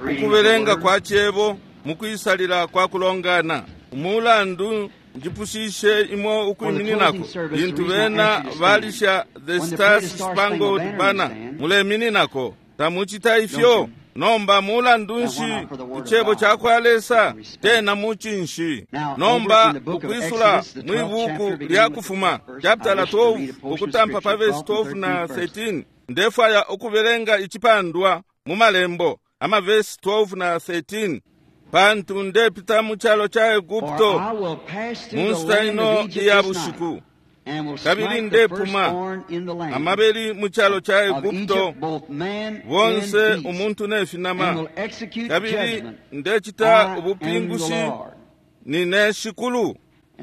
Ukubelenga kwa cebo mukwisalila kwa kulongana. Umulandu njipushishe imwe ukwimininako lintu bena balisha The Stars Spangled Banner, mulemininako. Tamucita ifyo. Nomba mulandu nshi icebo ca kwa Lesa tena mucinshi? Nomba ukwisula mwi buku lya Kufuma chapitala 12 ukutampa pa vesi 12 na 13, ndefwaya ukubelenga icipandwa mu malembo amavesi 12 na 13. Pantu ndepita mu calo ca Egupto mu nshita ino iya bushiku, kabili ndepuma amabeli mu calo ca Egupto, bonse umuntu ne finama, kabili ndecita ubupingushi, nine Shikulu.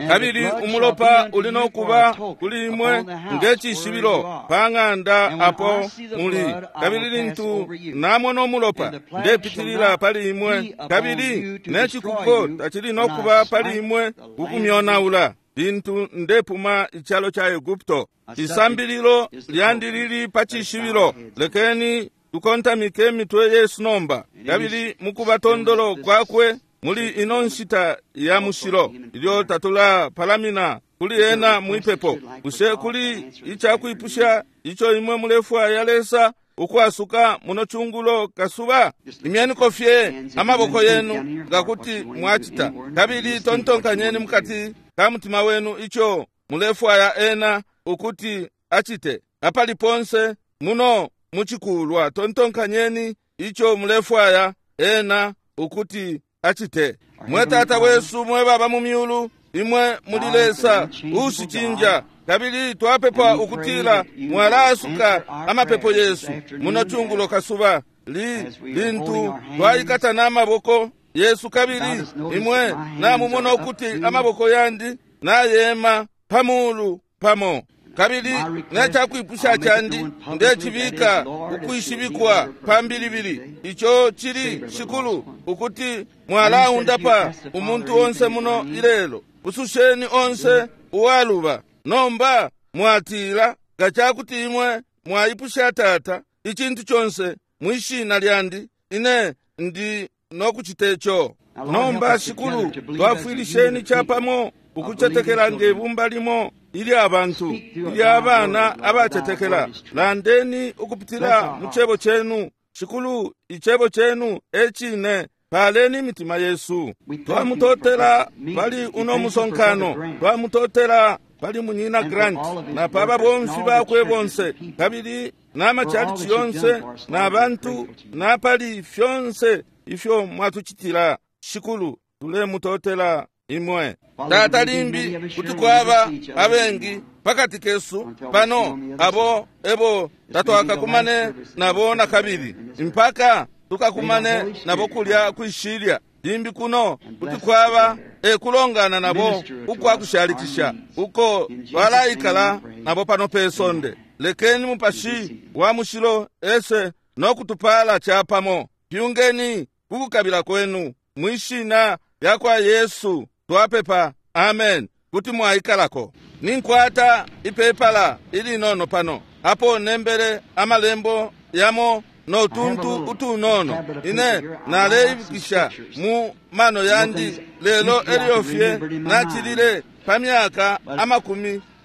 Kabili umulopa uli no kuba kuli imwe nge cishibilo pa ng'anda apo muli, kabili lintu namona umulopa, ndepitilila pali imwe, kabili ne cikuko tacili no kuba pali imwe kukumyonaula lintu ndepuma icalo ca Egupto. Isambililo lyandi lili pa cishibilo. Lekeni tukontamike imitwe yesu nomba, kabili mukuba tondolo kwakwe muli ino nshita ya mushilo ilyo tatulapalamina kuli ena mwipepo. Bushe kuli icakwipusha ico imwe mulefwaya Lesa ukwasuka muno cungulo kasuba? Imyeniko fye amaboko yenu nga kuti mwacita, kabili tontonkanyeni mukati ka mutima wenu ico mulefwaya ena ukuti acite. Apali ponse muno mucikulwa, tontonkanyeni ico mulefwaya ena ukuti acite. Mwe Tata wesu mwe baba mu myulu, imwe muli Lesa uushicinja, kabili twapepa ukutila mwalaasuka amapepo yesu muno cungulo kasuba li lintu twaikata n'amaboko yesu, kabili imwe namumona ukuti amaboko yandi nayema pa mulu pamo. Kabili necakwipusha candi ndecibika ukwishibikwa pambilibili, ico cili, Shikulu, ukuti mwalaundapa umuntu onse muno ilelo, pususheni onse uwaluba. Nomba mwatila, nga cakuti imwe mwaipusha Tata icintu conse mwishina lyandi, ine ndi nokucite co. Nomba Shikulu, twafwilisheni capamo ukucetekela nge bumba limo ilya bantu, ilya bana abacetekela. Landeni ukupitila mu cebo cenu, Shikulu, icebo cenu e cine. Paleni imitima yesu. Twamutotela pali uno musonkano, twamutotela pali Munyina Grant na pa babomfi bakwe bonse, kabili n'amacalici yonse na bantu, na pali fyonse ifyo mwatucitila. Shikulu, tulemutotela imwe. Tata, limbi kuti kwaba abengi pakati kesu pano abo ebo tatwakakumane nabo na kabili mpaka tukakumane nabo kulya kwishilya. Limbi kuno kuti kwaba ekulongana nabo ukwakushalikisha uko twalaikala nabo pano pe sonde. Lekeni Mupashi wa Mushilo ese no kutupala capamo. Pyungeni kukukabila kwenu mwishina lya kwa Yesu twapepa, amen. Kuti mwaikalako. Ninkwata ipepala ilinono pano apo nembele amalembo yamo no tuntu utunono. Ine naleibukisha mu mano yandi, lelo elyo fye nacilile pa myaka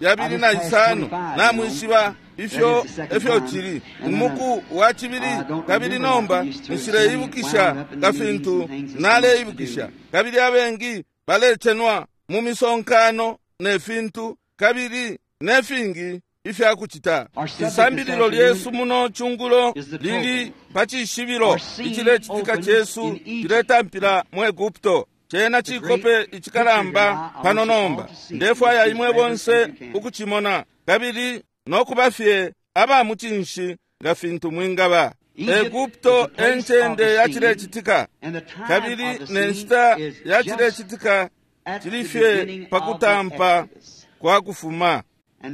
25, namwishiba ifyo efyo cili umuku wa cibili, kabili nomba nshileibukisha nga fintu naleibukisha. Kabili abengi balecenwa mu misonkano ne fintu, kabili ne fingi ifya kucita. Isambililo lyesu muno cungulo lili pa cishibilo. Icilecitika cesu ciletampila mu Egupto. Cena cikope icikalamba pano nomba. Ndefwaya imwe bonse ukucimona, kabili no kuba fye aba mucinshi nga fintu mwingaba. Egupto e ncende ya cilecitika, kabili ne nshita ya cilecitika cili fye pa kutampa kwa kufuma.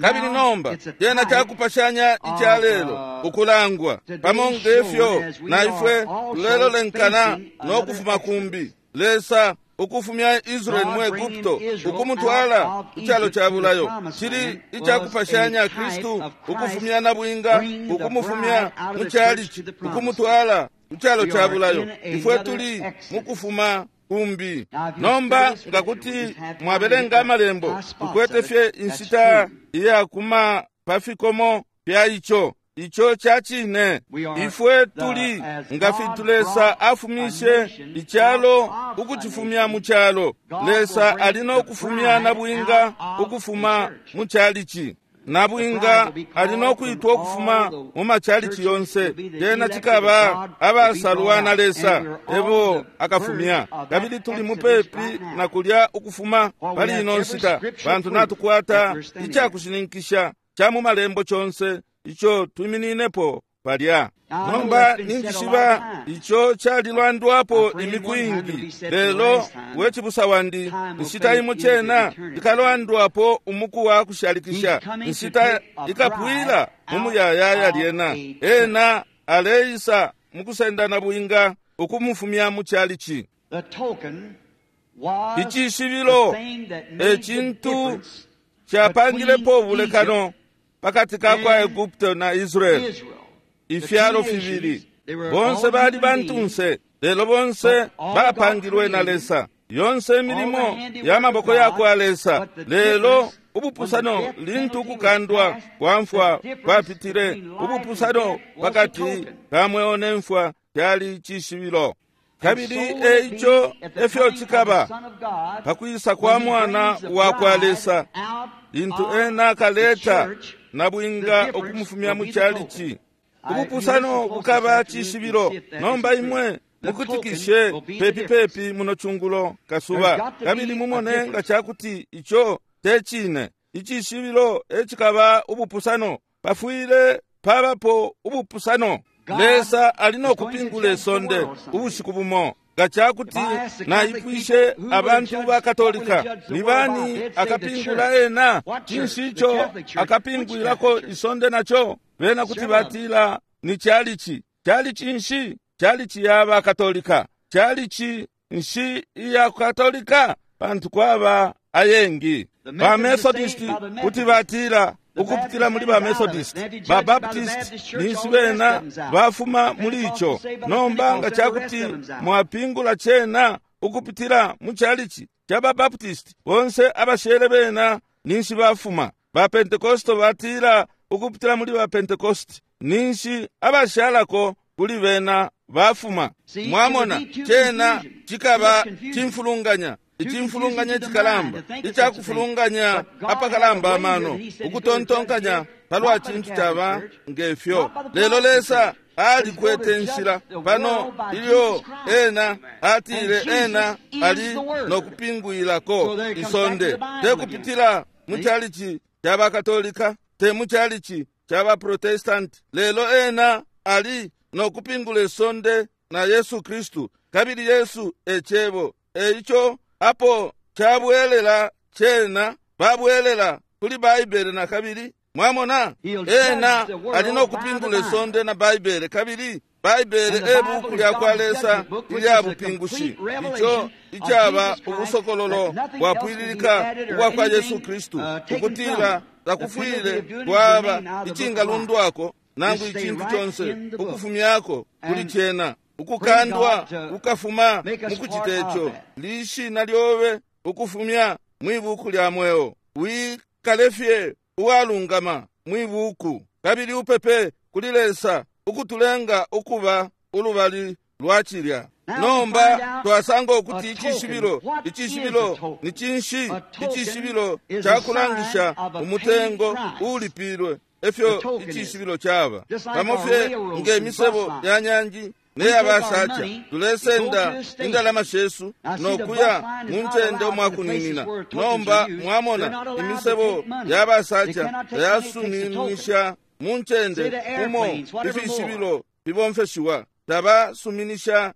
Kabili nomba cena cakupashanya ica lelo ukulangwa pamo ngefyo na ifwe tulelolenkana no kufuma kumbi. Lesa ukufumya Israeli mu Egupto ukumutwala ku calo ca bulayo cili icakupashanya Kristu ukufumya nabwinga ukumufumya mu calici ukumutwala ku calo ca bulayo. Ifwe tuli mukufuma kumbi. Nomba nga kuti mwabelenga amalembo, tukwete fye inshita iyakuma pa fikomo fya ico. Ico ca cine. Ifwe tuli nga fintu Lesa afumishe icalo ukucifumya mu calo. Lesa ali no kufumya nabwinga ukufuma mu chalichi. Nabwinga ali no kwitwa ukufuma mu machalichi yonse. Lyena cikaba abasalwa na Lesa ebo akafumya. Kabili tuli mupepi na kulya ukufuma pali ino nshita, pantu natukwata icakushininkisha ca mu malembo conse ico twimininepo palya. Nomba ninjishiba ico calilwandwapo imiku ingi, lelo we cibusa wandi, inshita imo cena ikalwandwapo umuku wa kushalikisha. Inshita ikapwila mu muyayaya lyena. Ena aleisa mukusenda nabwinga ukumufumya mu chalichi. Icishibilo e cintu capangilepo ubulekano pakati ka kwa Egupto na Israeli. Ifyalo fibili bonse bali bantunse, lelo bonse bapangilwe na Lesa. Yonse milimo ya maboko ya kwa Lesa, lelo ubupusano lintu ukukandwa kwa mfwa kwapitile, ubupusano pakati ka mweo ne mfwa kyali cishibilo. Kabili eico efyo cikaba pakwisa kwa mwana wa kwa Lesa, lintu ena akaleta nabwinga ukumufumya mu chalichi. Ubupusano bukaba cishibilo. Nomba imwe mukutikishe pepi pepi muno chungulo kasuba, kabili mumone nga cakuti ico te cine. Icishibilo ecikaba ubupusano. Pafwile pabapo ubupusano. Lesa ali no kupingula isonde ubushiku bumo. Nga cakuti naipwishe abantu ba Katolika, ni bani akapingula ena? Cinshi ico akapingwilako isonde naco? Bena kuti batila ni chalichi. Chalichi nshi? Chalichi ya ba Katolika. Chalichi nshi iya Katolika? Pantu kwaba ayengi. Ba Methodist kuti batila ukupitila muli ba Methodist, ba Baptist ninshi bena bafuma muli ico. Nomba nga cakuti mwapingula cena ukupitila mu chalichi ca ba Baptist, bonse abashele bena ninshi bafuma. Ba Pentecost batila ukupitila muli ba Pentecost, ninshi abashalako kuli bena bafuma. Mwamona, cena cikaba cimfulunganya. Icimfulunganya cikalamba, icakufulunganya apakalamba amano, ukutontonkanya palwa cintu caba ngefyo. Lelo Lesa alikwete nshila pano ilyo ena atile ena ali no kupingwilako isonde, te kupitila mu chalichi ca Bakatolika, te mu chalichi ca ba Protestant, lelo ena ali no kupingula isonde na Yesu Kristu, kabili Yesu e Cebo. Eico apo cabwelela cena babwelela kuli Baibele na kabili. Mwamona, ena ali no kupingula isonde na Baibele, kabili Baibele e buku lya kwa Lesa ilya bupingushi, ico icaba ubusokololo bwapwililika ubwa kwa Yesu Kristu, ukutila takufwile kwaba icingalundwako nangu icintu conse ukufumyako kuli cena. Ukukandwa kukafuma mukucita ico, lishina lyobe ukufumya mwibuku lya mweo. Wikalefye uwalungama mwibuku, kabili upepe kuli Lesa ukutulenga ukuba ulubali lwa cilya. Nomba twasanga ukuti icishibilo, icishibilo ni cinshi? Icishibilo cakulangisha umutengo uulipilwe, efyo icishibilo caba. Pamo fye nge misebo ya nyanji neyabasacha, tulesenda indalama shesu nokuya mu ncende umwakuninina. Nomba mwamona imisebo yabasacha tayasuminisha mu ncende umo ifishibilo fibomfeshiwa. Tabasuminisha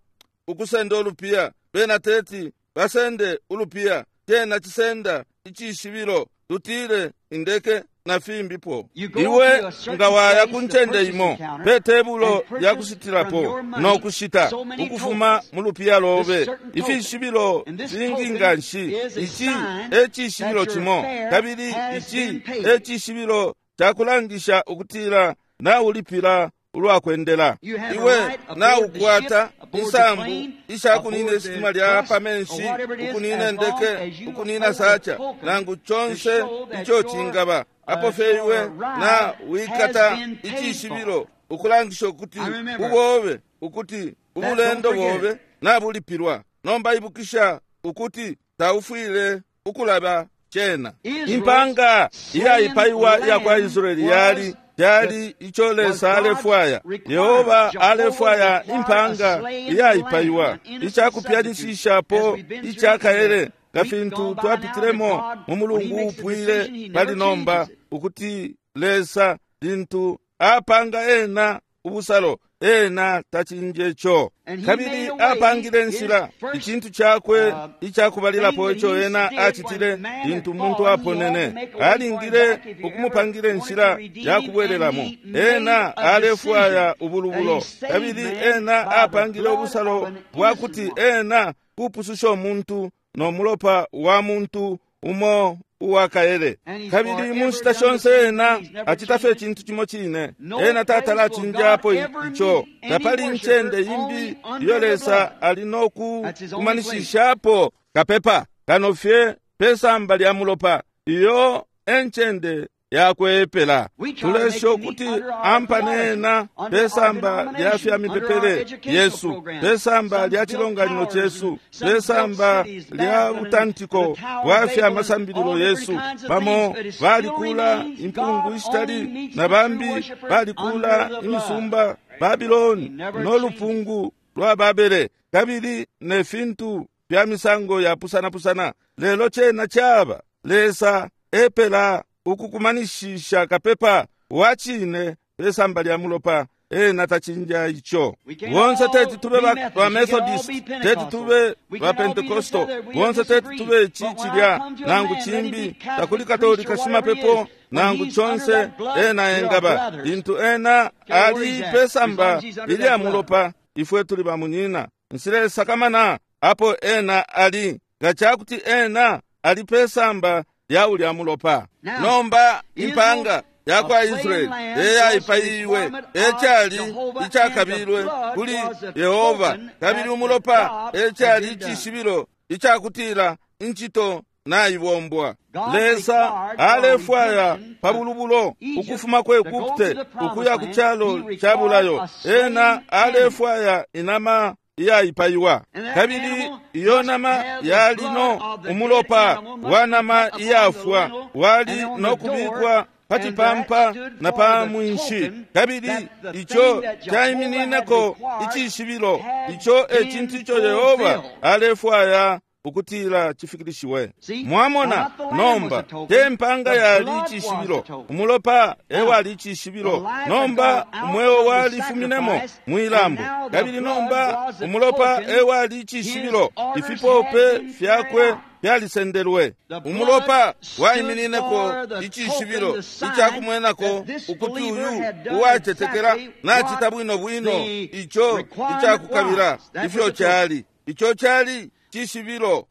ukusenda ulupiya, bena teti basende ulupiya, cena cisenda icishibilo, tutile indeke na fimbipo. Iwe nga waya ku ncende imo pe tebulo lya kushitilapo no kushita ukufuma mu lupiya lobe ifishibilo fingi nga nshi. Ici e cishibilo cimo, kabili ici e cishibilo cakulangisha ukutila naulipila ulwakwendela. Iwe naukwata insambu ishakunina isitima lya pa menshi, ukunina indeke, ukunina sacha, nangu conse ico cingaba. Apo fye iwe na wikata icishibilo ukulangisha ukuti ubobe, ukuti ubulendo bobe nabulipilwa. Nomba ibukisha ukuti taufwile ukulaba cena. Impanga iyaipaiwa iya kwa Israeli yali yali ico Lesa alefwaya. Yehova alefwaya impanga iyaipaiwa, icakupyanishishapo icakaele, nga fintu twapitilemo mu mulungu upwile pali nomba, ukuti Lesa lintu apanga ena ubusalo, ena tacinje co. Kabili apangile nshila, icintu cakwe icakubalilapo ico ena acitile lintu umuntu aponene, alingile ukumupangile nshila yakubwelelamo. Ena alefwaya ubulubulo, kabili ena apangile ubusalo bwakuti ena kupususha umuntu no mulopa wa muntu umo uwakaele. Kabili mu nshita shonse ena acita fye icintu cimo cine. Ena tatala acinjapo ico. Tapali incende imbi iyo Lesa ali no kukumanishishapo kapepa kano fye pe samba lya mulopa. Iyo encende yakwepela. Tulesha ukuti ampane ena pe samba lya fya mipepele yesu, pe samba lya cilonganino cesu, pe samba lya butantiko bwa fya masambililo yesu. Bamo balikula impungu ishitali na bambi balikula imisumba Babiloni no lupungu lwa Babele, kabili ne fintu fya misango ya pusana-pusana. Lelo cena caba Lesa epela ukukumanishisha kapepa wa cine pe samba lya mulopa. Ena tacinja ico. Bonse teti tube ba Methodist, teti tube ba Pentecostal, bonse teti tube ici cilya nangu cimbi, takuli Katolika shimapepo nangu conse ena engaba. Lintu ena ali pe samba ilya mulopa, ifwe tuli ba munyina. Nsilesakamana apo ena ali, nga cakuti ena ali pe samba lya ulya mulopa. Nomba impanga ya kwa Israeli eyaipaiwe ecali icakabilwe kuli Yehova, kabili umulopa ecali icishibilo icakutila incito naibombwa. Lesa alefwaya pa bulubulo ukufuma ku Egupte ukuya ku calo ca bulayo. Ena alefwaya inama iyaipaiwa, kabili iyo nama yali no umulopa wa nama iyafwa wali no kubikwa pa cipampa na pa mwinshi, kabili ico caimininako icishibilo. Ico e cintu ico Yehova alefwaya ukutila cifikilishiwe. Mwamona nomba, te mpanga yali icishibilo, umulopa ewali icishibilo. Nomba umweo walifuminemo mwilambo, kabili nomba umulopa ewali icishibilo. Ifipope fyakwe fyalisendelwe. Umulopa waiminineko icishibilo icakumwenako ukuti uyu uwacetekela nacita bwino bwino ico icakukabila ifyo cali. Ico cali cishibilo.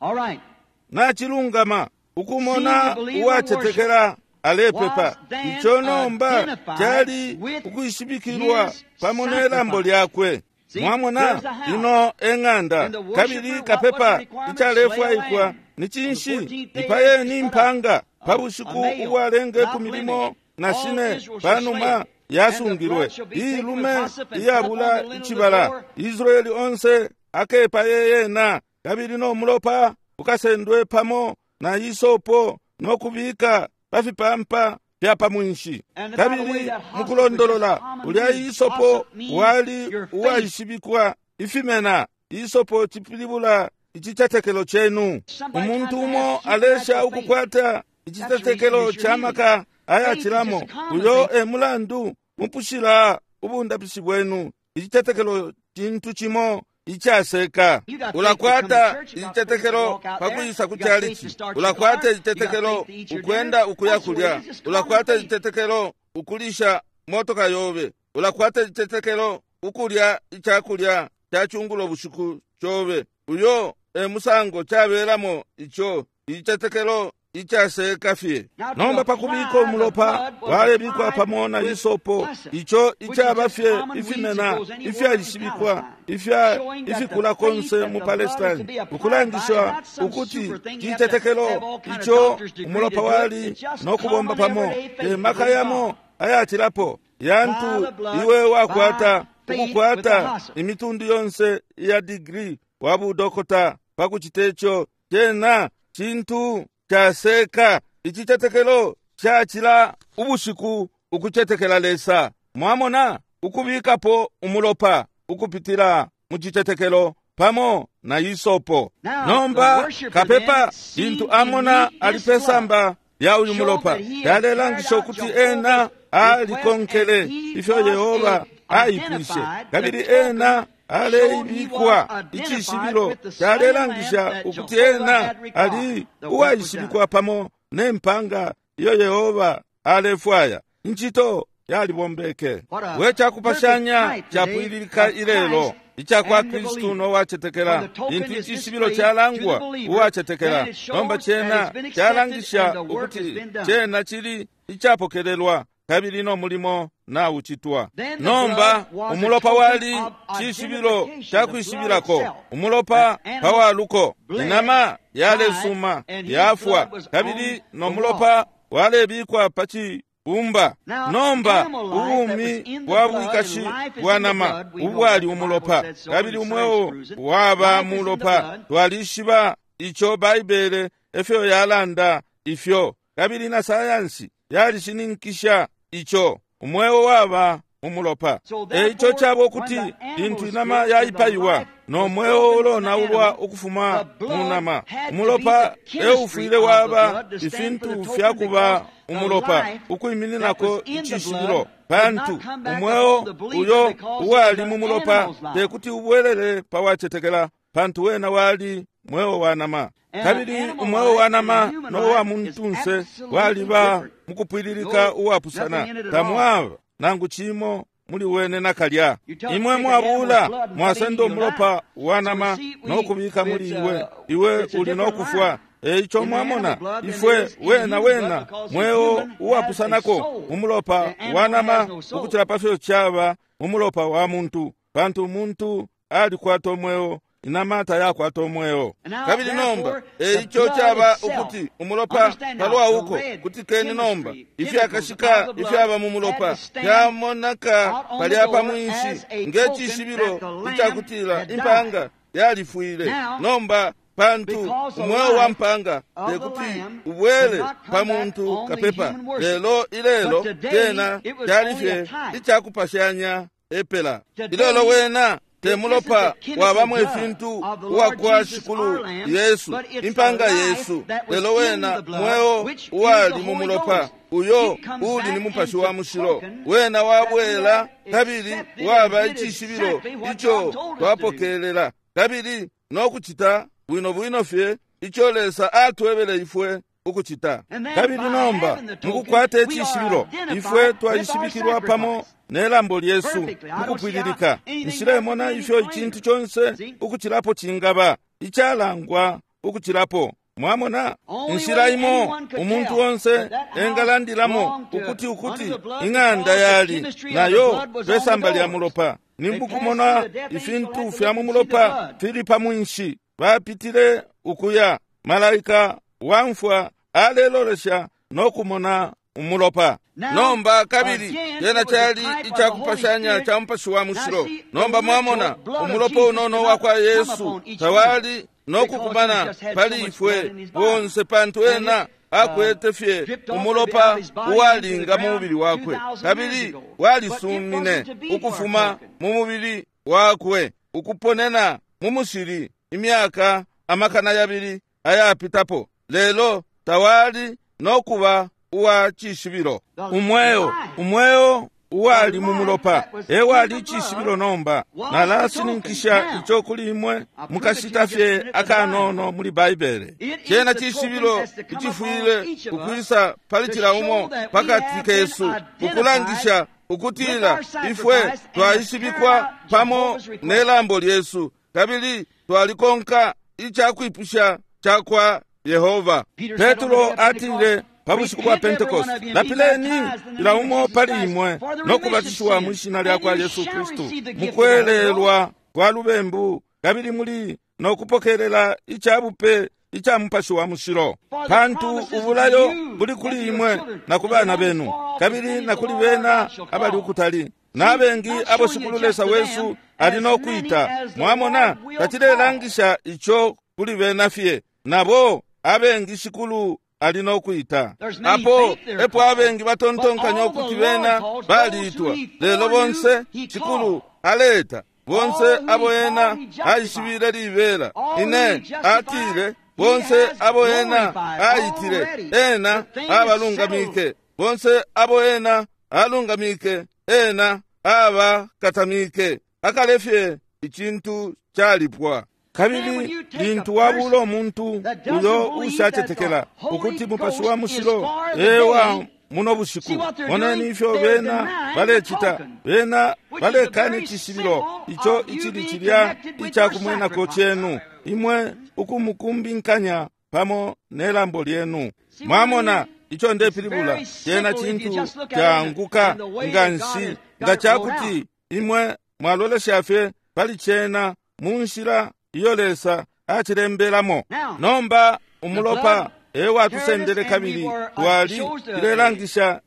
Nacilungama ukumona uwacetekela alepepa. Ico nomba cali ukwishibikilwa pamo nelambo lyakwe. Mwamona, ino eng'anda, kabili kapepa icalefwaikwa ni cinshi? Ipayeni impanga pa bushiku ubwalenga 14 panuma yasungilwe iilume iyabula icibala. Israeli onse akepaye yena, kabili no mulopa ukasendwe pamo na isopo no kubika pa fipampa fya pa mwinshi. Kabili mukulondolola ulya isopo wali uwaishibikwa ifimena. Isopo cipilibula icicetekelo cenu. Umuntu umo alesha ukukwata icitetekelo ca maka ayacilamo. Uyo e mulandu mupushila ubundapishi bwenu. Icitetekelo cintu cimo icaseka. Ulakwata icitetekelo pakwisa ku chalichi, ulakwata icitetekelo ukwenda ukuya kulya, ulakwata icitetekelo ukulisha motoka yobe, ulakwata icitetekelo ukulya icakulya ca cungulo bushiku cobe. Uyo e musango cabelamo ico icitetekelo. icaseka fye. Nomba pakubika umulopa walebikwa pamo na isopo, ico icaba fye ifimena ifyaishibikwa ifya ifikula konse mu Palestine, ukulangisha ukuti citetekelo ico umulopa wali no kubomba pamo te maka yamo ayacilapo yantu iwe wakwata ukukwata imitundu yonse ya digri wa budokota pakucita ico. Cena cintu caseka. Icitetekelo cacila ubushiku ukucetekela Lesa. Mwamona, ukubikapo umulopa ukupitila mu citetekelo pamo na isopo. Nomba kapepa lintu amona ali pesamba lya uyu mulopa, yalelangisha ukuti ena alikonkele ifyo Yehova aipwishe, kabili ena aleibikwa icishibilo calelangisha ukuti ena ali uwaishibikwa pamo ne mpanga iyo Yehova alefwaya. Incito yalibombeke. We cakupashanya capwililika ilelo icakwa Kristu no wacetekela. Lintu icishibilo calangwa uwacetekela, nomba cena calangisha ukuti cena cili icapokelelwa kabili no mulimo naucitwa. Nomba umulopa wali cishibilo cakwishibilako. Umulopa pawaluko, inama yalesuma yafwa, kabili no mulopa walebikwa pa cibumba. Nomba ubumi bwa bwikashi bwa nama ubwali umulopa, kabili umweo waba mulopa. Twalishiba ico Baibele efyo yalanda ifyo, kabili na sayansi yalishininkisha ico. Umweo waba umulopa. Eico caba ukuti lintu inama yaipaiwa no mweo ulonaulwa ukufuma mu nama, umulopa eufwile waba ifintu fyakuba umulopa ukwimininako icishibilo, pantu umweo uyo uwali mu mulopa tekuti ubwelele pa wacetekela, pantu wena wali mweo wa nama. Kabili umweo wa nama no wa muntunse waliba mukupwililika uwapusana, tamwaba nangu cimo muli wene nakalya. Imwe mwabula mwasenda umulopa wa nama no kubika muli iwe, iwe uli no kufwa. Eico mwamona, ifwe wena wena mweo uwapusanako umulopa wa nama ukucila pafyo caba umulopa wa muntu, pantu umuntu alikwata umweo, inama tayakwata umweo. Kabili nomba eico caba ukuti umulopa palwa uko kutikeni nomba ifyakashika ifyaba mu mulopa fyamonaka palya pa mwinshi nge cishibilo icakutila impanga yalifwile. Nomba pantu umweo wa mpanga tekuti ubwele pa muntu kapepa, lelo ilelo tena cali fye icakupashanya epela. Ilelo wena te mulopa wabamo ifintu uwakwa Shikulu Yesu, impanga Yesu, lelo wena mweo uwali mu mulopa uyo uli ni Mupashi wa Mushilo, wena wabwela kabili waba icishibilo ico twapokelela kabili no kucita bwino bwino fye ico Lesa atwebele ifwe ukucita. Kabili nomba mukukwata icishibilo ifwe twaishibikilwa pamo nelambo lyesu mukupwililika. Nshilemona ifyo icintu conse ukucilapo cingaba icalangwa ukucilapo. Mwamona, inshila imo umuntu onse engalandilamo ukuti ukuti ing'anda yali nayo pesamba lya mulopa, nimbukumona ifintu fya mu mulopa fili pa mwinshi. Bapitile ukuya, malaika wamfwa alelolesha no kumona umulopa. Nomba kabili cena cali icakupashanya ca Mupashi wa Mushilo. Nomba mwamona umulopa unono wakwa Yesu tawali no kukumana pali ifwe bonse, pantu ena akwete fye umulopa uwalinga mu mubili wakwe, kabili walisumine ukufuma mu mubili wakwe ukuponena mu mushili imyaka 200 ayapitapo, lelo tawali no kuba uwa cishibilo. Umweo umweo uwali mu mulopa ewali icishibilo. Nomba nalashininkisha ico kuli imwe mukashita fye akanono muli Baibele. Cena cishibilo icifwile ukwisa pali cila umo pakati kesu, ukulangisha ukutila ifwe twaishibikwa pamo nelambo lyesu kabili twalikonka icakwipusha cakwa Yehova. Petro atile pa bushiku bwa Pentekoste, lapileni ila umo pali imwe no kubatishiwa mwi shina lya kwa Yesu Kristu mukwelelwa kwa lubembu, kabili muli no kupokelela icabupe ica Mupashi wa Mushilo, pantu ubulayo buli kuli imwe na ku bana benu, kabili na kuli bena abali ukutali, na bengi abo Shikulu Lesa wesu ali no kwita. Mwamona, tacilelangisha ico kuli bena fye, nabo abengi Shikulu ali no kwita. Apo epo abengi batontonkanya ukuti bena baliitwa, lelo bonse Shikulu aleta, bonse abo ena aishibile libela. Ine atile, bonse abo ena aitile, ena abalungamike, bonse abo ena alungamike, ena abakatamike. Akalefye icintu calipwa. Kabili lintu wabula umuntu uyo ushacetekela ukuti Mupashi wa Mushilo ewa muno bushiku, moneni ifyo bena balecita. Bena balekana icishibilo ico icili cilya icakumwenako cenu, imwe ukumukumbinkanya pamo nelambo lyenu. Mwamona ico ndepilibula? Cena cintu caanguka nganshi nga cakuti imwe mwalolesha fye pali cena mu nshila iyo Lesa acilembelamo. Nomba umulopa ewatusendele, kabili twali cilelangisha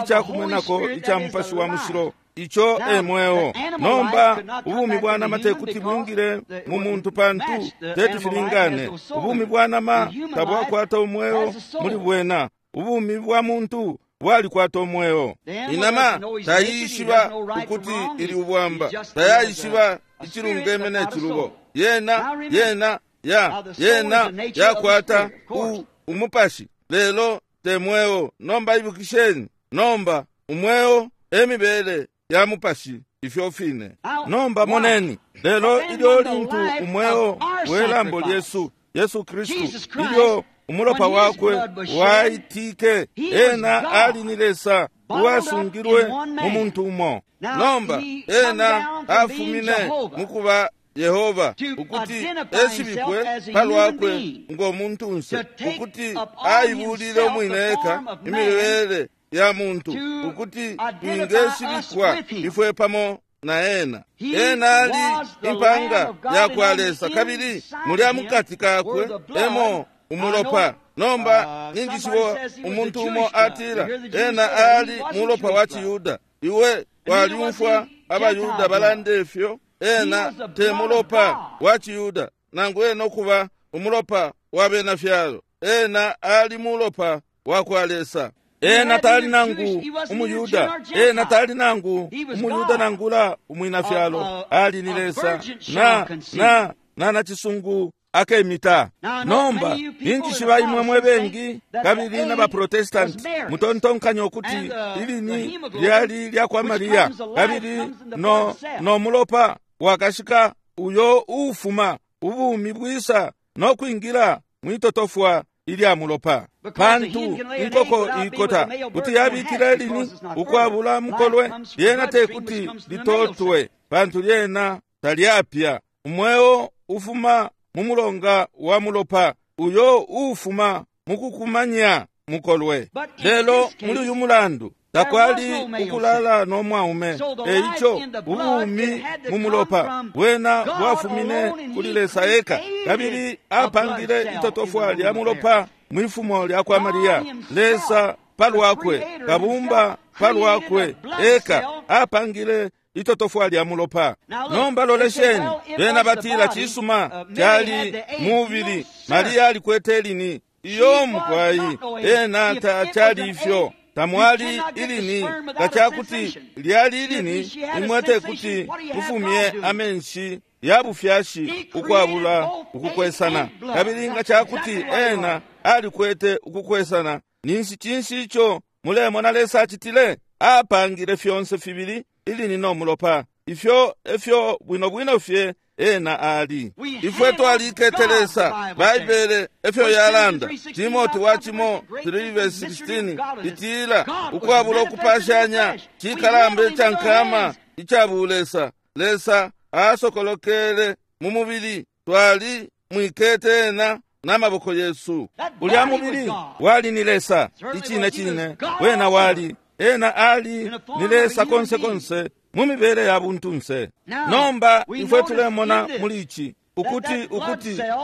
ica kumwenako ica Mupashi wa Mushilo, ico e mweo. Nomba ubumi bwa nama tekuti bwingile mu muntu, pantu teti filingane. Ubumi bwa nama tabwakwata umweo muli bwena, ubumi bwa muntu bwalikwata umweo. Inama taishiba ukuti ili ubwamba, tayaishiba icilungeme ne cilubo. Yena yena ya yena yakwata umupashi, lelo te mweo. Nomba ibukisheni, nomba umweo emibele ya mupashi, ifyo fine. Nomba moneni, lelo ilyo lintu umweo welambo lyesu Yesu Kristu, ilyo umulopa wakwe waitike, ena ali ni Lesa uwasungilwe mu muntu umo. Nomba ena afumine mukuba Yehova ukuti eshibikwe palwakwe ngo muntunse, ukuti aibulile umwine eka imibele ya muntu, ukuti twingeshibikwa ifwe pamo na ena. Ena ali impanga ya kwa Lesa, kabili mulya mukati kakwe emo umulopa. Nomba ninjishibo umuntu umo atila ena ali mulopa wa Chiyuda. Iwe walyumfwa abaYuda balanda ifyo. Ena te mulopa wa Chiyuda, nangu ena ukuba umulopa wa bena fyalo. Ena ali mulopa wa kwa Lesa. Ena tali nangu umuyuda, ena tali nangu umuyuda nangula umwina fyalo, ali ni Lesa na na na nacisungu akemita. Nomba ninjishiba imwe mwe bengi kabili na baprotestanti mutontonkanya ukuti ilini lyali lya kwa Maria, kabili no no mulopa wakashika uyo ufuma ubumi bwisa no kwingila mwitotofwa ilya mulopa, pantu inkoko ikota kuti yabikila ilini ukwabula mukolwe, lyena tekuti litotwe, pantu lyena talyapya. Umweo ufuma mu mulonga wa mulopa uyo ufuma mukukumanya mukolwe. Lelo muli uyu mulandu takwali ukulala no mwaume, eico ubumi mu mulopa bwena bwafumine kuli Lesa eka, kabili apangile itotofwa lya mulopa mwifumo lya kwa Maria. Lesa palwakwe, kabumba palwakwe eka, apangile itotofwa lya mulopa. Nomba lolesheni, bena batila cisuma cali mubili, Maria alikwete ilini. Iyo mukwai, ena tacali ifyo. Tamwali ilini, kacakuti lyali ilini, imwe tekuti mufumye amenshi ya bufyashi ukwabula ukukwesana. Kabili nga cakuti ena alikwete ukukwesana, ninshi cinshi ico mulemona Lesa acitile? Apangile fyonse fibili ilini no mulopa. Ifyo efyo bwino bwino fye ena ali. Ifwe twalikete Lesa, Baibele efyo yalanda. Timoti wa cimo 3:16 itila ukwabula ukupashanya cikalamba icankama ica bulesa, Lesa asokolokele mu mubili, twali mwikete ena na maboko yesu. Ulya mubili wali ni Lesa, icine cine wena wali ena ali ni Lesa konse konse mu mibele ya buntunse. Nomba ifwe tulemona muli ici ukuti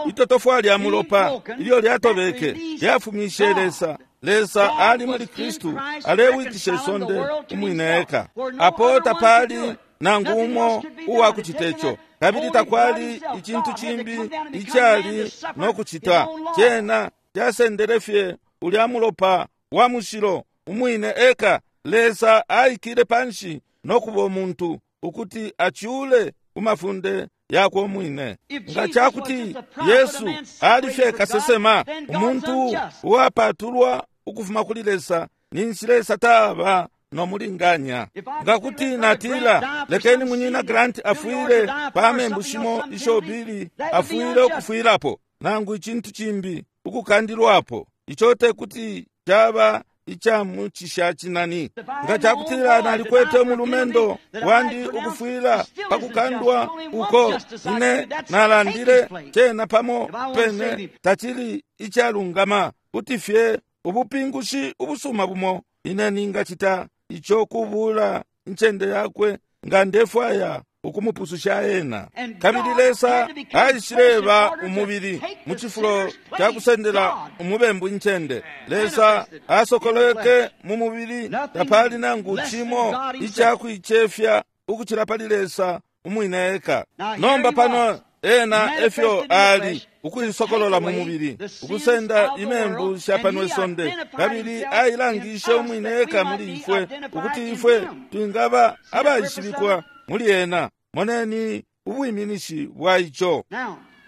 itotofwa lya mulopa ilyo lyatobeke lyafumishe Lesa. Lesa ali muli Kristu alewikisha isonde umwine eka. Apo tapali nangu umo uwa kucita ico, kabili takwali icintu cimbi icali no kucita. Cena casendele fye ulya mulopa wa mushilo umwine eka. Lesa aikile panshi no kuba umuntu ukuti acule kumafunde yakwe umwine. Nga cakuti Yesu ali fye kasesema, umuntu uwapatulwa ukufuma kuli Lesa, ninshi Lesa taba no mulinganya. Nga kuti natila lekeni munyina Grant afwile pa membu shimo isho Billy afwile ukufwilapo, nangu icintu cimbi ukukandilwapo, ico tekuti caba icamucisha cinani. Nga cakutila nalikwete umulumendo wandi ukufwila pakukandwa uko ine nalandile, cena pamo pene tacili icalungama. Kuti fye ubupingushi ubusuma bumo ine ningacita ico kubula incende yakwe nga ndefwaya ukumupususha ena. Kabili Lesa aishileba umubili mu cifulo ca kusendela umubembu incende. Lesa asokolweke mu mubili, tapali nangu cimo icakuicefya ukucila pali Lesa umwine eka. Nomba pano ena efyo ali ukuisokolola mu mubili, ukusenda imembu sha pano isonde, kabili ailangishe umwine eka muli ifwe, ukuti ifwe twingaba abaishibikwa muli ena. Moneni ubwiminishi bwa ico.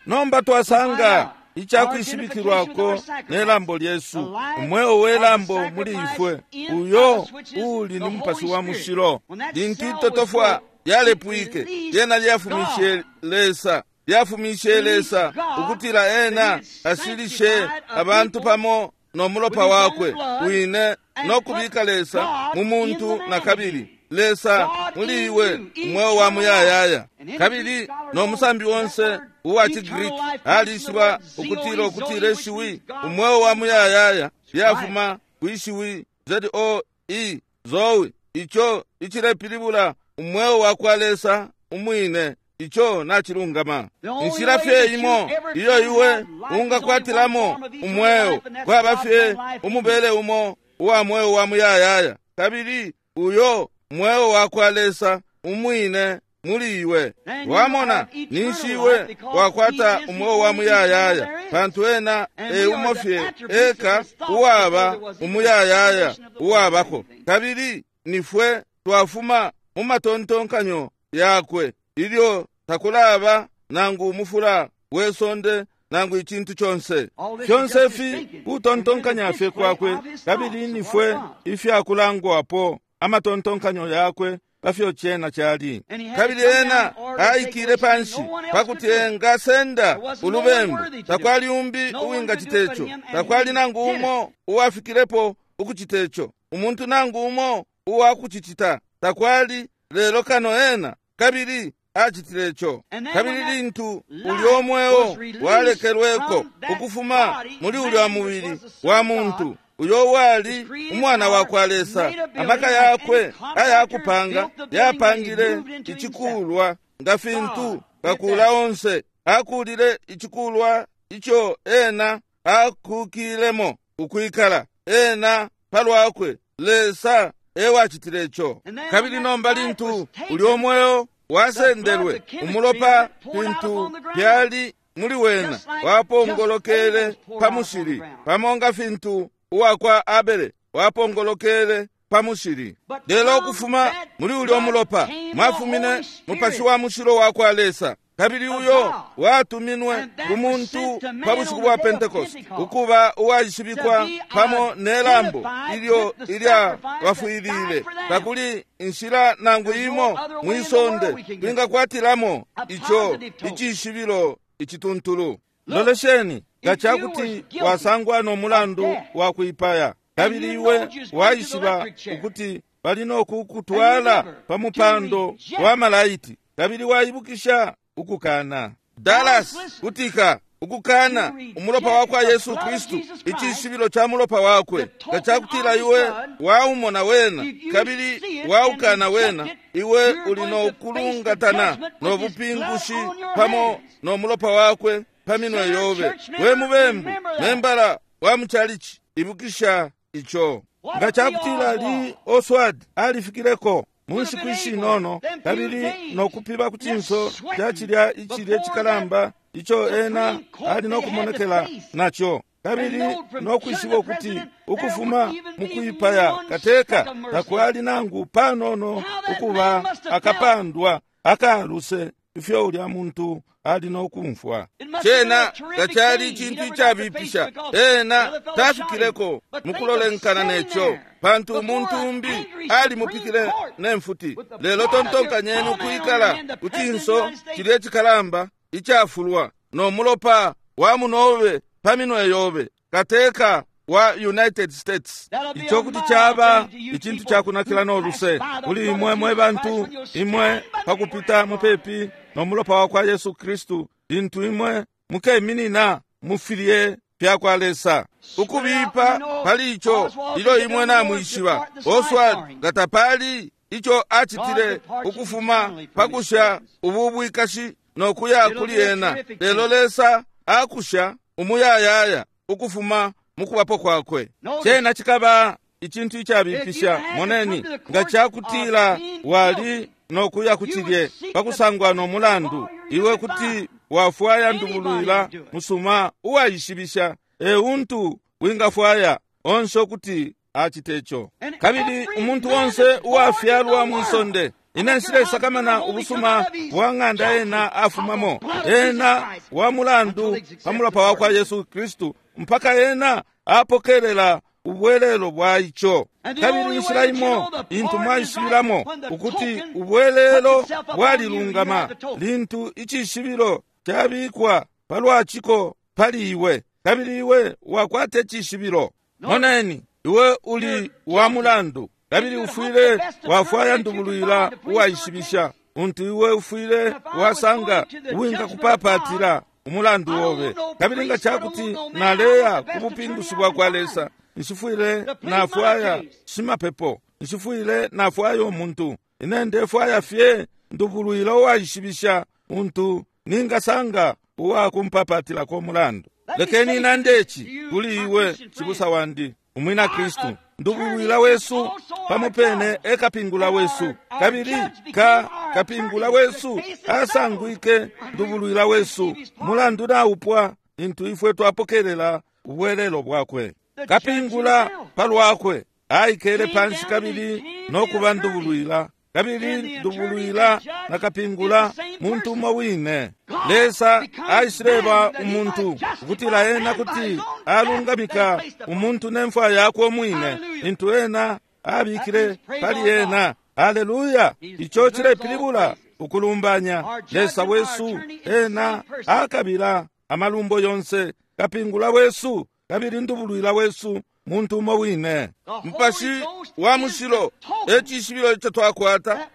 Nomba twasanga icakwishibikilwako ne lambo lyesu, umweo we lambo muli ifwe, uyo uli ni Mupashi wa Mushilo. Lintu itotofwa lyalepwike, lyena lyafumishe Lesa, lyafumishe Lesa ukutila ena asilishe abantu pamo no mulopa wakwe wine no kubika Lesa mu muntu na kabili. Lesa muli iwe umweo wa muyayaya. Kabili no musambi onse uwa ciGreek alishiba ukutila ukutila ishiwi umweo wa muyayaya lyafuma kwishiwi zoe, zoe, ico icilepilibula umweo wa kwa Lesa umwine. Ico nacilungama. Inshila fye imo iyo iwe ungakwatilamo umweo kwaba fye umubele umo uwa mweo wa muyayaya, kabili uyo mweo wa kwa Lesa umwine muli iwe. Wamona, ninshi iwe wakwata umweo wa muyayaya, pantu ena e umo fye eka uwaba umuyayaya uwabako. Kabili nifwe twafuma mu matontonkanyo yakwe ilyo takulaba nangu umufula we sonde nangu icintu conse. Fyonse fi kutontonkanya fye kwakwe, kabili nifwe ifyakulangwapo amatontonkanyo yakwe pafyo cena cali. Kabili ena aikile panshi pakuti engasenda ulubembu. Takwali umbi uwingacita ico, takwali nangu umo uwafikilepo ukucita ico, umuntu nangu umo uwakucicita takwali, lelo kano ena, kabili acitile ico. Kabili lintu ulyo mweo walekelweko ukufuma muli ulya mubili wa muntu uyo wali umwana wa kwa Lesa, amaka yakwe ayakupanga yapangile icikulwa nga fintu kakula onse akulile icikulwa ico ena akukilemo ukwikala ena palwakwe. Lesa ewacitile ico. Kabili nomba lintu ulyo mweo wasendelwe, umulopa fintu fyali muli wena wapongolokele pa mushili, pamo nga fintu uwakwa Abele wapongolokele pa mushili. Lelo ukufuma muli ulyo mulopa mwafumine Mupashi wa Mushilo wa kwa Lesa, kabili uyo watuminwe ku muntu pa bushiku bwa Pentecost ukuba uwaishibikwa pamo ne lambo ilyo ilya bafwilile. Takuli inshila nangu imo mwisonde twingakwatilamo ico icishibilo icituntulu. Lolesheni, nga cakuti wasangwa no mulandu wa kuipaya, kabili iwe waishiba ukuti bali no kukutwala pa mupando wa malaiti, kabili waibukisha ukukana. Dallas, kutika. Ukukana umulopa wakwa Yesu Kristu, icishibilo ca mulopa wakwe, nga cakutila iwe waumona wena kabili waukana wena, iwe uli no kulungatana no bupingushi pamo no mulopa wakwe pa minwe yobe. We mubembu, membala wa muchalichi, ibukisha ico. Nga cakutila Lee Oswald alifikileko mu nshiku ishinono kabili nokupiba ku cinso ca cilya icilye cikalamba ico ena ali nokumonekela naco, kabili nokwishiba ukuti ukufuma mukwipaya kateka takwali nangu panono ukuba akapandwa akaluse ifyo ulya muntu ali nokumfwa. Cena tacali icintu icabipisha, ena tafikileko mukulolenkana neco, pantu umuntu umbi alimupikile nemfuti. Lelo tontonkanyeni ukwikala ku cinso cilye cikalamba icafulwa no mulopa wa munobe pa minwe yobe, kateka wa United States. Ico kuti caba icintu cakunakila no luse kuli imwe mwe bantu, imwe pakupita mupepi no mulopa wa kwa Yesu Kristu, lintu imwe mukeminina mufilye fya kwa Lesa. Ukubipa pali ico ilyo imwe namwishiba Oswald nga tapali ico acitile ukufuma pakusha ubu bwikashi no kuya kuli ena, lelo Lesa akusha umuyayaya ukufuma mukubapo kwakwe. Cena cikaba icintu icabipisha. Moneni, nga cakutila wali nokuya kucilye pakusangwa no mulandu, iwe kuti wafwaya ndubulwila musuma uwaishibisha, euntu wingafwaya onse ukuti acite ico. Kabili umuntu onse uwafyalwa mwisonde, ine nshilesakamana ubusuma bwa ng'anda ena afumamo, ena wa mulandu pa mulopa wa kwa Yesu Kristu mpaka ena apokelela ubwelelo bwa ico. Kabili inshila imo intu mwaishibilamo ukuti ubwelelo bwalilungama, lintu icishibilo cabikwa palwaciko pali iwe, kabili iwe wakwata icishibilo. Moneni, iwe uli wa mulandu, kabili ufwile wafwaya ndubulwila uwaishibisha, untu iwe ufwile wasanga uwingakupapatila umulandu wobe. Kabili nga cakuti naleya ku bupingushi bwa kwa Lesa, nshifwile nafwaya shimapepo, nshifwile nafwaya umuntu, ine ndefwaya fye ndubulwila uwaishibisha untu ningasanga uwakumpapatilako umulandu. Lekeni nande ici kuli iwe, cibusa wandi umwina Kristu, ndubulwila wesu pamo pene e kapingula wesu, kabili ka kapingula wesu asangwike ndubulwila wesu. Mulandu naupwa intu ifwe twapokelela ubwelelo bwakwe. Kapingula palwakwe aikele panshi kabili nokuba ndubulwila, kabili ndubulwila na kapingula muntu umo wine. Lesa aishileba umuntu ukutila ena kuti alungamika umuntu nemfwa yakwe umwine, intu ena abikile pali ena. Haleluya! Ico cilepilibula ukulumbanya Lesa wesu. Ena akabila amalumbo yonse, kapingula wesu kabili ndubulwila wesu muntu umo wine. Mupashi wa mushilo e cishibilo ico twakwata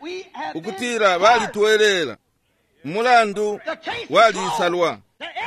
ukutila balitwelela umulandu walisalwa.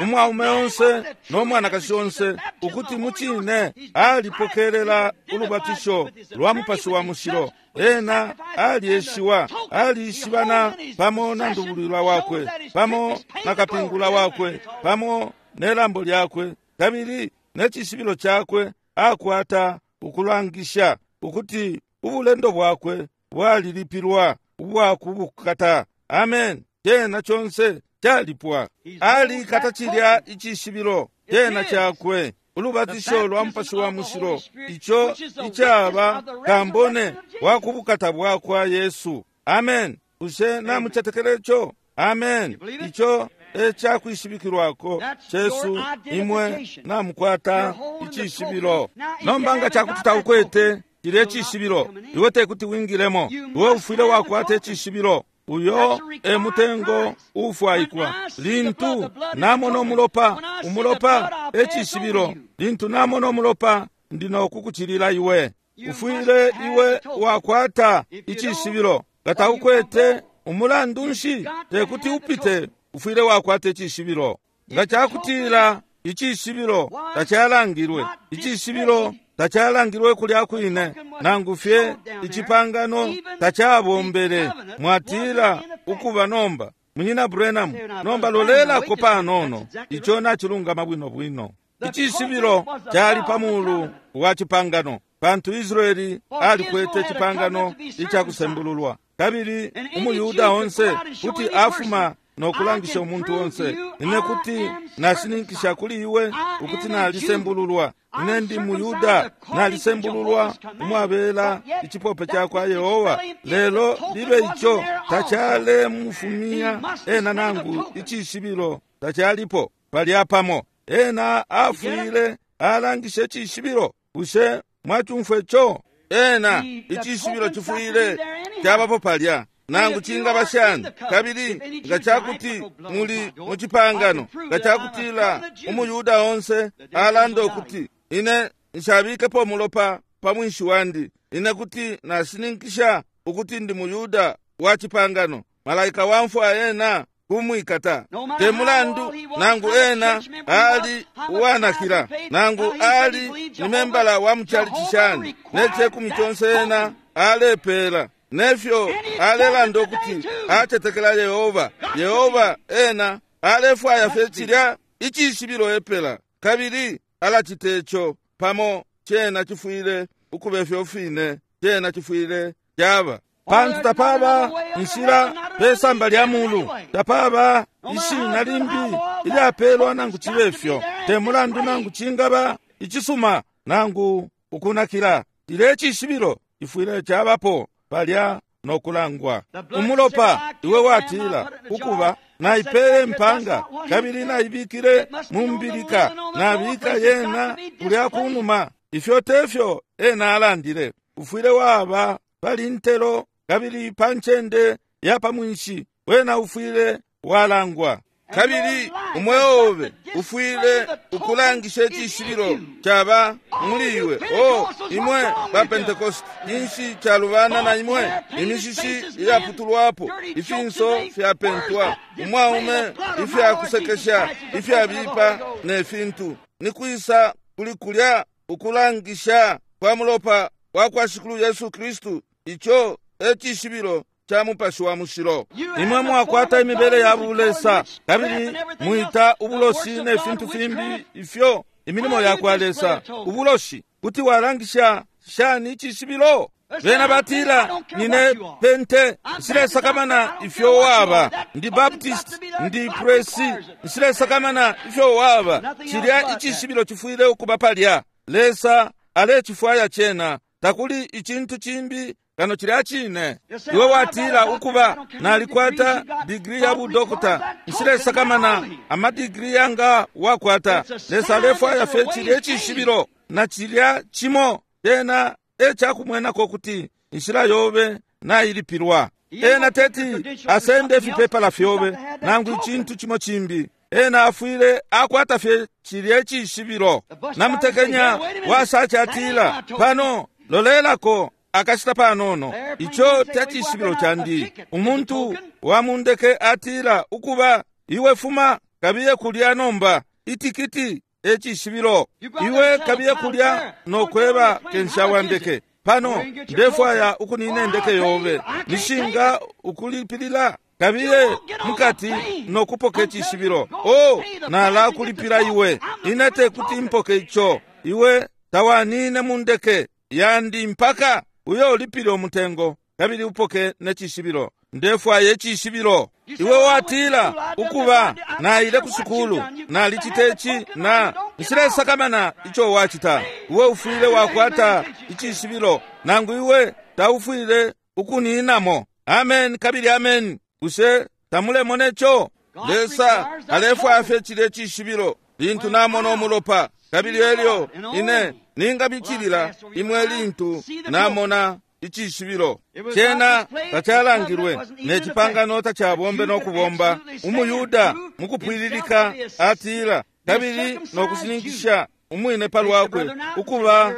Umwaume onse no mwanakashi onse ukuti mucine alipokelela ulubatisho lwa mupashi wa mushilo, ena alieshiwa, alishibana pamo na ndubulwila wakwe, pamo na kapingula wakwe, pamo ne lambo lyakwe, kabili ne cishibilo cakwe akwata ukulangisha ukuti ubulendo bwakwe bwalilipilwa ubwakubukata. Amen. Cena conse calipwa. Alikata cilya icishibilo cena cakwe, ulubatisho lwa mupashi wa mushilo, ico icaba kambone wa kubukata bwakwa Yesu. Amen. Bushe namucetekela ico? Amen. Ico e cakwishibikilwako cesu, imwe namukwata icishibilo. Nomba nga cakuti taukwete cilya icishibilo, iwe tekuti wingilemo. Iwe ufwile wakwata icishibilo. Uyo e mutengo ufwaikwa. Lintu namona umulopa, umulopa e cishibilo. Lintu namona umulopa, ndi nokukucilila iwe. Ufwile iwe wakwata icishibilo. Nga taukwete, umulandu nshi tekuti upite? Ufwile wakwata icishibilo. Nga cakutila icishibilo tacalangilwe, icishibilo tacalangilwe kulya kwine, nangu fye icipangano tacabombele. Mwatila ukuba nomba, Munyina Branham, nomba lolelako panono, ico nacilungama bwino bwino. Icishibilo cali pa mulu wa cipangano, pantu Israeli alikwete cipangano icakusembululwa, kabili umuYuda onse kuti afuma no kulangisha umuntu onse, ine kuti nashininkisha kuli iwe ukuti nalisembululwa, ine ndi muYuda, nalisembululwa umwabela icipope cakwa Yehowa. Lelo libe ico tacalemufumya ena, nangu icishibilo tacalipo palya pamo. Ena afwile alangisha icishibilo. Bushe mwacumfwa ico? Ena icishibilo cifwile cabapo palya, nangu cingaba shani. Kabili nga cakuti muli mu cipangano, nga cakutila umuYuda onse alanda ukuti ine nshabikepo umulopa pa mwinshi wandi, ine kuti nashininkisha ukuti ndi muYuda wa cipangano, malaika wa mfwa ena kumwikata. Te mulandu nangu ena ali uwanakila, nangu ali ni membala wa muchalichi shani, ne cekumi conse ena alepela, nefyo alelanda ukuti acetekela Yehova. Yehova ena alefwaya fye cilya icishibilo epela, kabili alacita ico pamo. Cena cifwile ukuba ifyo fine, cena cifwile caba, pantu tapaba inshila pesamba lya mulu, tapaba ishina limbi ilyapelwa nangu cibe fyo. Te mulandu nangu cingaba icisuma nangu ukunakila, ile cishibilo cifwile cabapo palya no kulangwa. Umulopa, iwe watila ukuba naipele mpanga kabili naibikile mu mbilika, nabika yena kulya kunuma. Ifyo tefyo ena alandile. Ufwile waba pali ntelo kabili pa ncende ya pa mwinshi, wena ufwile walangwa. Kabili umweo obe ufwile ukulangisha icishibilo caba muli iwe. O imwe ba Pentecost, inshi calubana na imwe? Imishishi iyaputulwapo, ifinso fyapentwa, umwaume ifyakusekesha ifyabipa ne fintu. Ni kwisa kuli kulya ukulangisha kwa mulopa wa kwa Shikulu Yesu Kristu? Ico e cishibilo ca Mupashi wa Mushilo. Imwe mwakwata imibele ya bulesa, kabili mwita ubuloshi ne fintu fimbi ifyo imilimo ya kwa Lesa ubuloshi. Kuti walangisha shani icishibilo? Bena batila, nine Pente, nshilesakamana ifyo waba, ndi Baptist, ndi Presi, nshilesakamana ifyo waba. Cilya icishibilo cifwile ukuba palya. Lesa alecifwaya cena, takuli icintu cimbi kano cilya cine. Iwe watila ukuba nalikwata digiri ya budokota, nshilesakamana amadigiri yanga wakwata. Lesa alefwaya fye cilya icishibilo na cilya cimo cena e cakumwenako kuti inshila yobe nailipilwa. Ena teti asende ifipepala fyobe nangu icintu cimo cimbi. Ena afwile akwata fye cilya icishibilo. Namutekenya wasacatila pano, lolelako akashita panono, ico tacishibilo candi. Umuntu wa mundeke atila ukuba iwe fuma kabiye kulya nomba, itikiti ecishibilo. Iwe kabiye kulya nokweba kensha wa ndeke pano, ndefwaya ukunina indeke yobe, nishinga ukulipilila. Kabiye mukati nokupoka icishibilo. O nalakulipila iwe, ine tekuti mpoke ico. Iwe tawanine mundeke yandi mpaka uyo ulipile umutengo kabili upoke necishibilo. Ndefwaya icishibilo. Iwe watila ukuba naile ku sukulu, nalicita ici na nshilesakamana ico wacita. Iwe ufwile wakwata icishibilo, nangu iwe taufwile ukuninamo. Amen kabili amen. Bushe tamulemona ico? Lesa alefwaya fye cilya icishibilo. Lintu namona umulopa, kabili elyo ine ningabicilila imwe lintu namona icishibilo. Cena tacalangilwe, ne cipangano tacabombe no kubomba. UmuYuda mukupwililika atila kabili no kushininkisha umwine palwakwe ukuba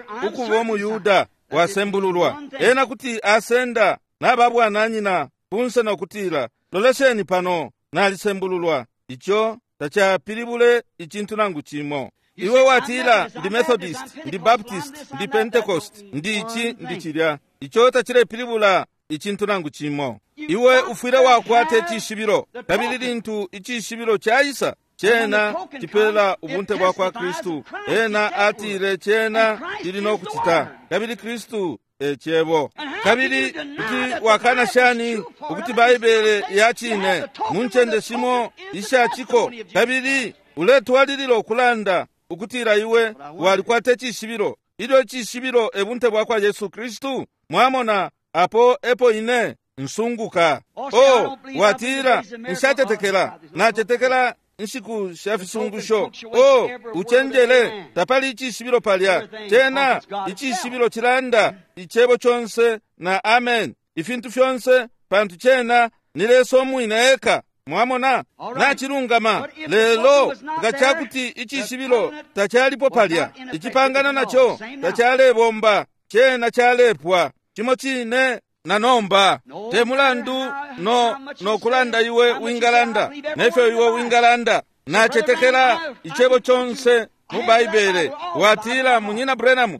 umuYuda wasembululwa. Ena kuti asenda nababwananyina kunse no kutila, lolesheni pano, nalisembululwa. Ico tacapilibule icintu nangu cimo. Iwe watila ndi Methodist, ndi Baptist, ndi Pentecost, ndi ici, ndi cilya. Ico tacilepilibula icintu nangu cimo. Iwe ufwile wakwata icishibilo, kabili lintu icishibilo caisa, cena cipela ubunte bwa kwa Kristu. Ena atile cena cili no kucita, kabili Kristu e cebo. Kabili kuti wakana shani ukuti Baibele ya cine mu ncende shimo ishaciko, kabili uletwalilila ukulanda ukutila iwe walikwata icishibilo, ilyo icishibilo e bunte bwa kwa Yesu Kristu? Mwamona, apo epo ine nsunguka. Oh, watila nshatetekela, natetekela inshiku sha fisungusho. Oh, uchenjele, tapali icishibilo palya. Cena icishibilo cilanda icebo conse na amen, ifintu fyonse, pantu cena ni Lesa umwine eka. Mwamona, nacilungama. Lelo nga cakuti icishibilo tacalipo palya, icipangano naco tacalebomba, cena calepwa cimo cine na nomba. Te mulandu no kulanda iwe wingalanda nefyo iwe wingalanda, nacetekela icebo conse mu Baibele. Watila, Munyina Branham,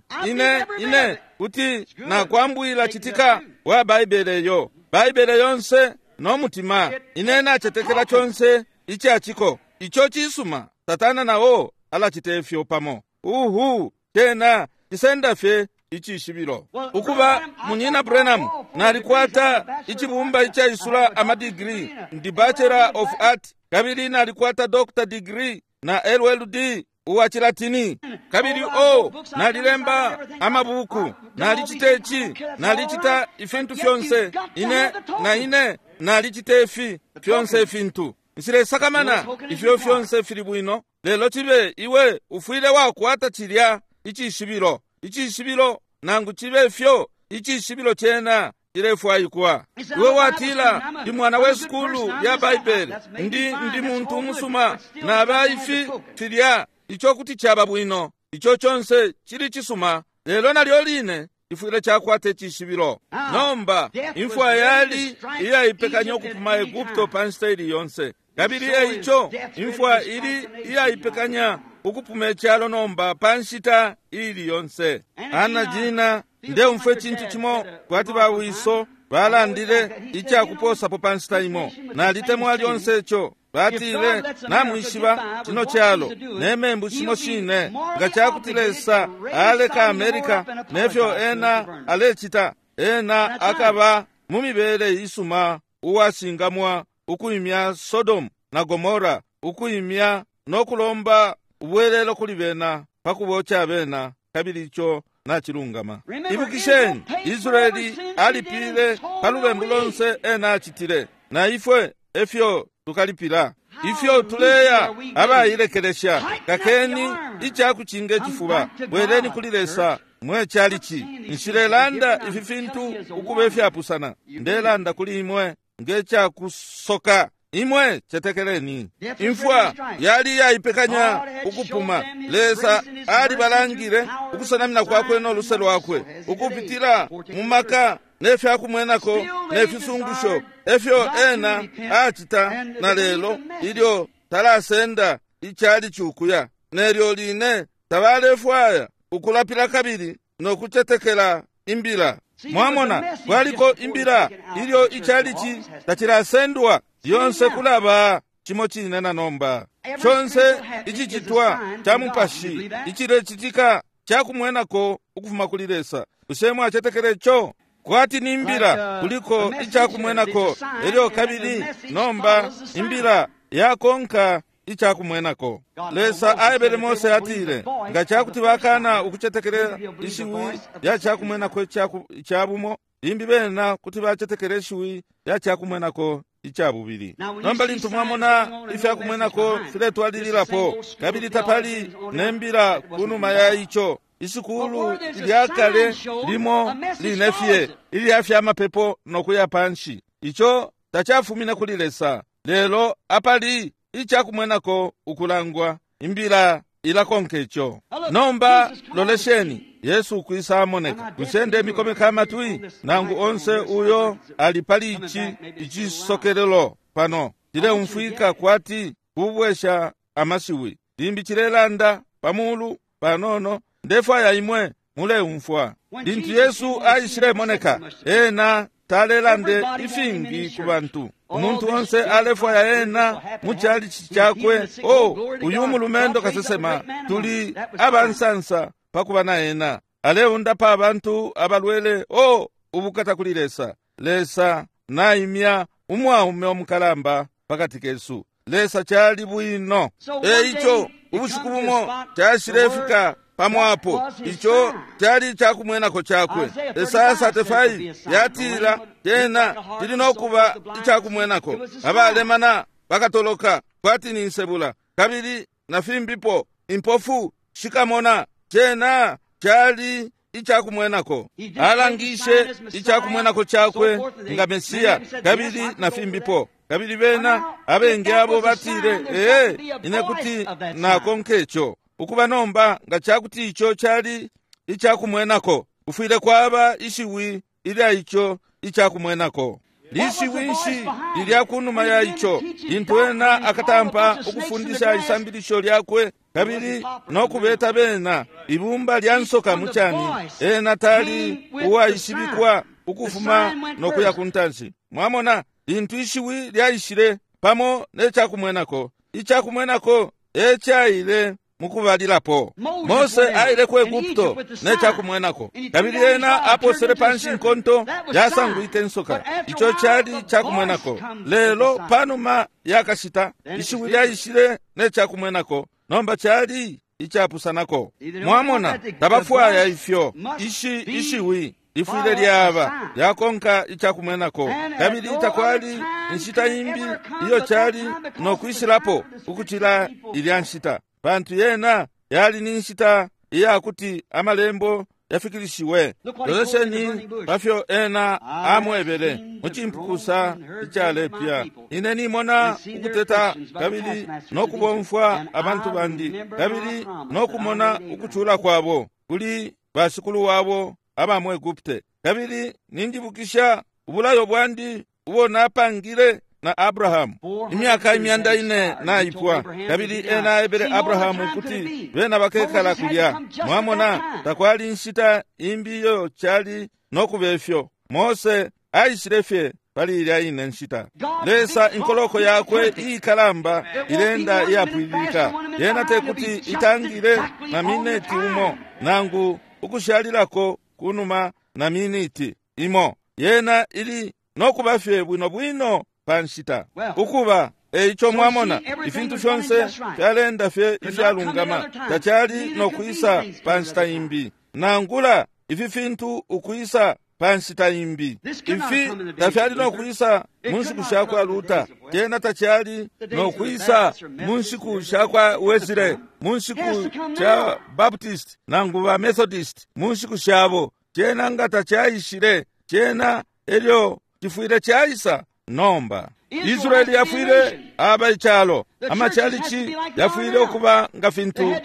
ine kuti nakwambwila citika wa Baibele yo Baibele yonse no mutima. Ine nacetekela conse icaciko. Ico cisuma. Satana nao alacita ifyo pamo. Uhu, cena cisenda fye icishibilo. Ukuba, Munyina Branham, nalikwata icibumba icaisula amadigiri, ndi Bachelor of Art, kabili nalikwata Doctor degree na LLD uwa Cilatini, kabili o nalilemba amabuku, nalicita ici, nalicita ifintu fyonse, ine na ine nalicita ifi fyonse ifintu. Nsilesakamana ifyo fyonse fili bwino, lelo cibe iwe ufwile wakwata cilya icishibilo. Icishibilo nangu cibe fyo, icishibilo cena cilefwaikwa. Iwe watila, ndi mwana we sukulu ya Baibele, ndi muntu umusuma, naba ifi filya. Ico kuti caba bwino, ico conse cili cisuma, lelo nalyo line ifwile cakwata icishibilo. Nomba imfwa yali iyaipekanya ukupuma Egupto pa nshita ili yonse, kabili eico imfwa ili iyaipekanya ukupuma icalo nomba pa nshita ili yonse. Ana jina ndeumfwe cintu cimo kwati bawiso balandile icakuposapo pa nshita imo. Nalitemwa lyonse ico. Batile, namwishiba cino calo ne membu shimo shine, nga cakuti Lesa aleka Amerika nefyo ena alecita, ena akaba mu mibele isuma uwashingamwa ukuimya Sodom na Gomora, ukuimya no kulomba ubwelelo kuli bena pakuboca bena, kabili ico nacilungama. Ibukisheni, Israeli alipile pa lubembu lonse ena acitile, na ifwe efyo tukalipila. Ifyo tuleya abailekelesha, kakeni icakucinga icifuba, bweleni kuli Lesa mwe calici. Nshilelanda ifi fintu ukuba ifyapusana, ndelanda kuli imwe ngecakusoka. Imwe cetekeleni. Imfwa yali yaipekanya ukupuma. Lesa alibalangile ukusenamina kwakwe no luse lwakwe ukupitila mu maka nefyakumwenako nefisungusho efyo ena acita na lelo ilyo talasenda icali cukuya. Nelyo line tabalefwaya ukulapila kabili no kucetekela imbila. Mwamona, kwaliko imbila ilyo icalici tacilasendwa yonse kulaba cimo cine na nomba. Conse icicitwa ca mupashi icilecitika cakumwenako ukufuma kuli Lesa. Bushe mwacetekele co? Kwati ni imbila kuliko icakumwenako, elyo kabili nomba imbila yakonka icakumwenako. Lesa aebele Mose atile, nga cakuti bakana ukucetekela ishiwi lya cakumwenako icabumo, limbi bena kuti bacetekela ishiwi lya cakumwenako icabubili. Nomba lintu mwamona ifyakumwenako filetwalililapo, kabili tapali nembila kunuma ya ico, isukulu lya kale limo line fye ilya fyamapepo nokuya panshi, ico tacafumine kuli Lesa. Lelo apali icakumwenako ukulangwa, imbila ilakonka ico. Nomba lolesheni, Yesu ukwisa amoneka. Bushe mikomeka amatwi nangu onse uyo ali pali ici icisokelelo pano cileumfwika kwati kubwesha amashiwi. Limbi cilelanda pamulu panono, ndefwaya imwe muleumfwa. Lintu Yesu aishilemoneka, ena talelande ifingi ku bantu. Umuntu onse alefwaya ena mu chalichi chakwe. Oh, uyu mulumendo kasesema, tuli abansansa pakuba na ena. Aleundapa abantu abalwele. Oh, ubukata kuli Lesa. Lesa naimya umwaume omukalamba pakati kesu. Lesa chali bwino. Eico ubushiku bumo chashilefika pamwapo. Ico chali chakumwenako chakwe. Esaya 35 yatila tena tili nokuba ichakumwenako. Abalemana bakatoloka kwati ni nsebula, kabili na fimbipo impofu shikamona. Tena chali ichakumwenako. Alangishe ichakumwenako chakwe nga Mesiya, kabili na fimbipo. Kabili bena abengi abo batile, ee, ine kuti nakonka ico. Ukuba nomba nga chakuti ico chali ichakumwenako, kufwile kwaba ishiwi ilya ico ichakumwenako. Lishiwi nshi lilya kunuma ya ico? Lintu ena akatampa ukufundisha isambilisho lyakwe kabili nokubeta bena ibumba lya nsoka muchani, ena tali uwaishibikwa ukufuma nokuya kuntanshi. Mwamona, lintu ishiwi lyaishile pamo nechakumwenako, ichakumwenako echaile mukubalilapo. Mose aile ku Egupto nechakumwenako, kabili ena aposele panshi nkonto yasangwike nsoka. Ico chali chakumwenako. Lelo panuma yakashita ishiwi lyaishile nechakumwenako, nomba chali ichapusanako. Mwamona, tabafwaya ifyo. Ishi ishiwi lifwile lyaba lyakonka ichakumwenako, kabili takwali inshita imbi iyo chali nokwishilapo ukuchila ilya nshita, pantu yena yali ni nshita iyakuti amalembo yafikilishiwe. Lolesheni pafyo ena amwebele muchimpukusa ichalepya, ine nimona ukuteta kabili nokubomfwa abantu bandi, kabili nokumona ukuchula kwabo kuli bashikulu wabo aba mu Egupte, kabili ninjibukisha ubulayo bwandi ubo napangile na Abrahamu imyaka 400 naipwa. Kabili ena aebele Abrahamu kuti bena bakekala kulya. Mwamona, takwali nshita imbi iyo chali nokubefyo. Mose aishile fye pali ilya ine nshita. Lesa inkoloko yakwe iikalamba ilenda iyapwililika. Yena tekuti itangile na mineti umo nangu ukushalilako kunuma na miniti imo. Yena ili nokuba fye bwino bwino panshita ukuba. Eico mwamona, ifintu fyonse fyalenda fye ifyalungama, tachali nokwisa panshita imbi, nangula ifi fintu ukwisa panshita imbi. Ifi tafyali nokwisa mu nshiku shakwa Luta, tena tachali nokwisa mu nshiku shakwa Wesley, mu nshiku sha Baptist nangu ba Methodist, mu nshiku shabo. Tena nga tachaishile, tena elyo chifwile chaisa nomba. Israeli yafwile aba ichalo, amachalichi yafwile okuba nga fintu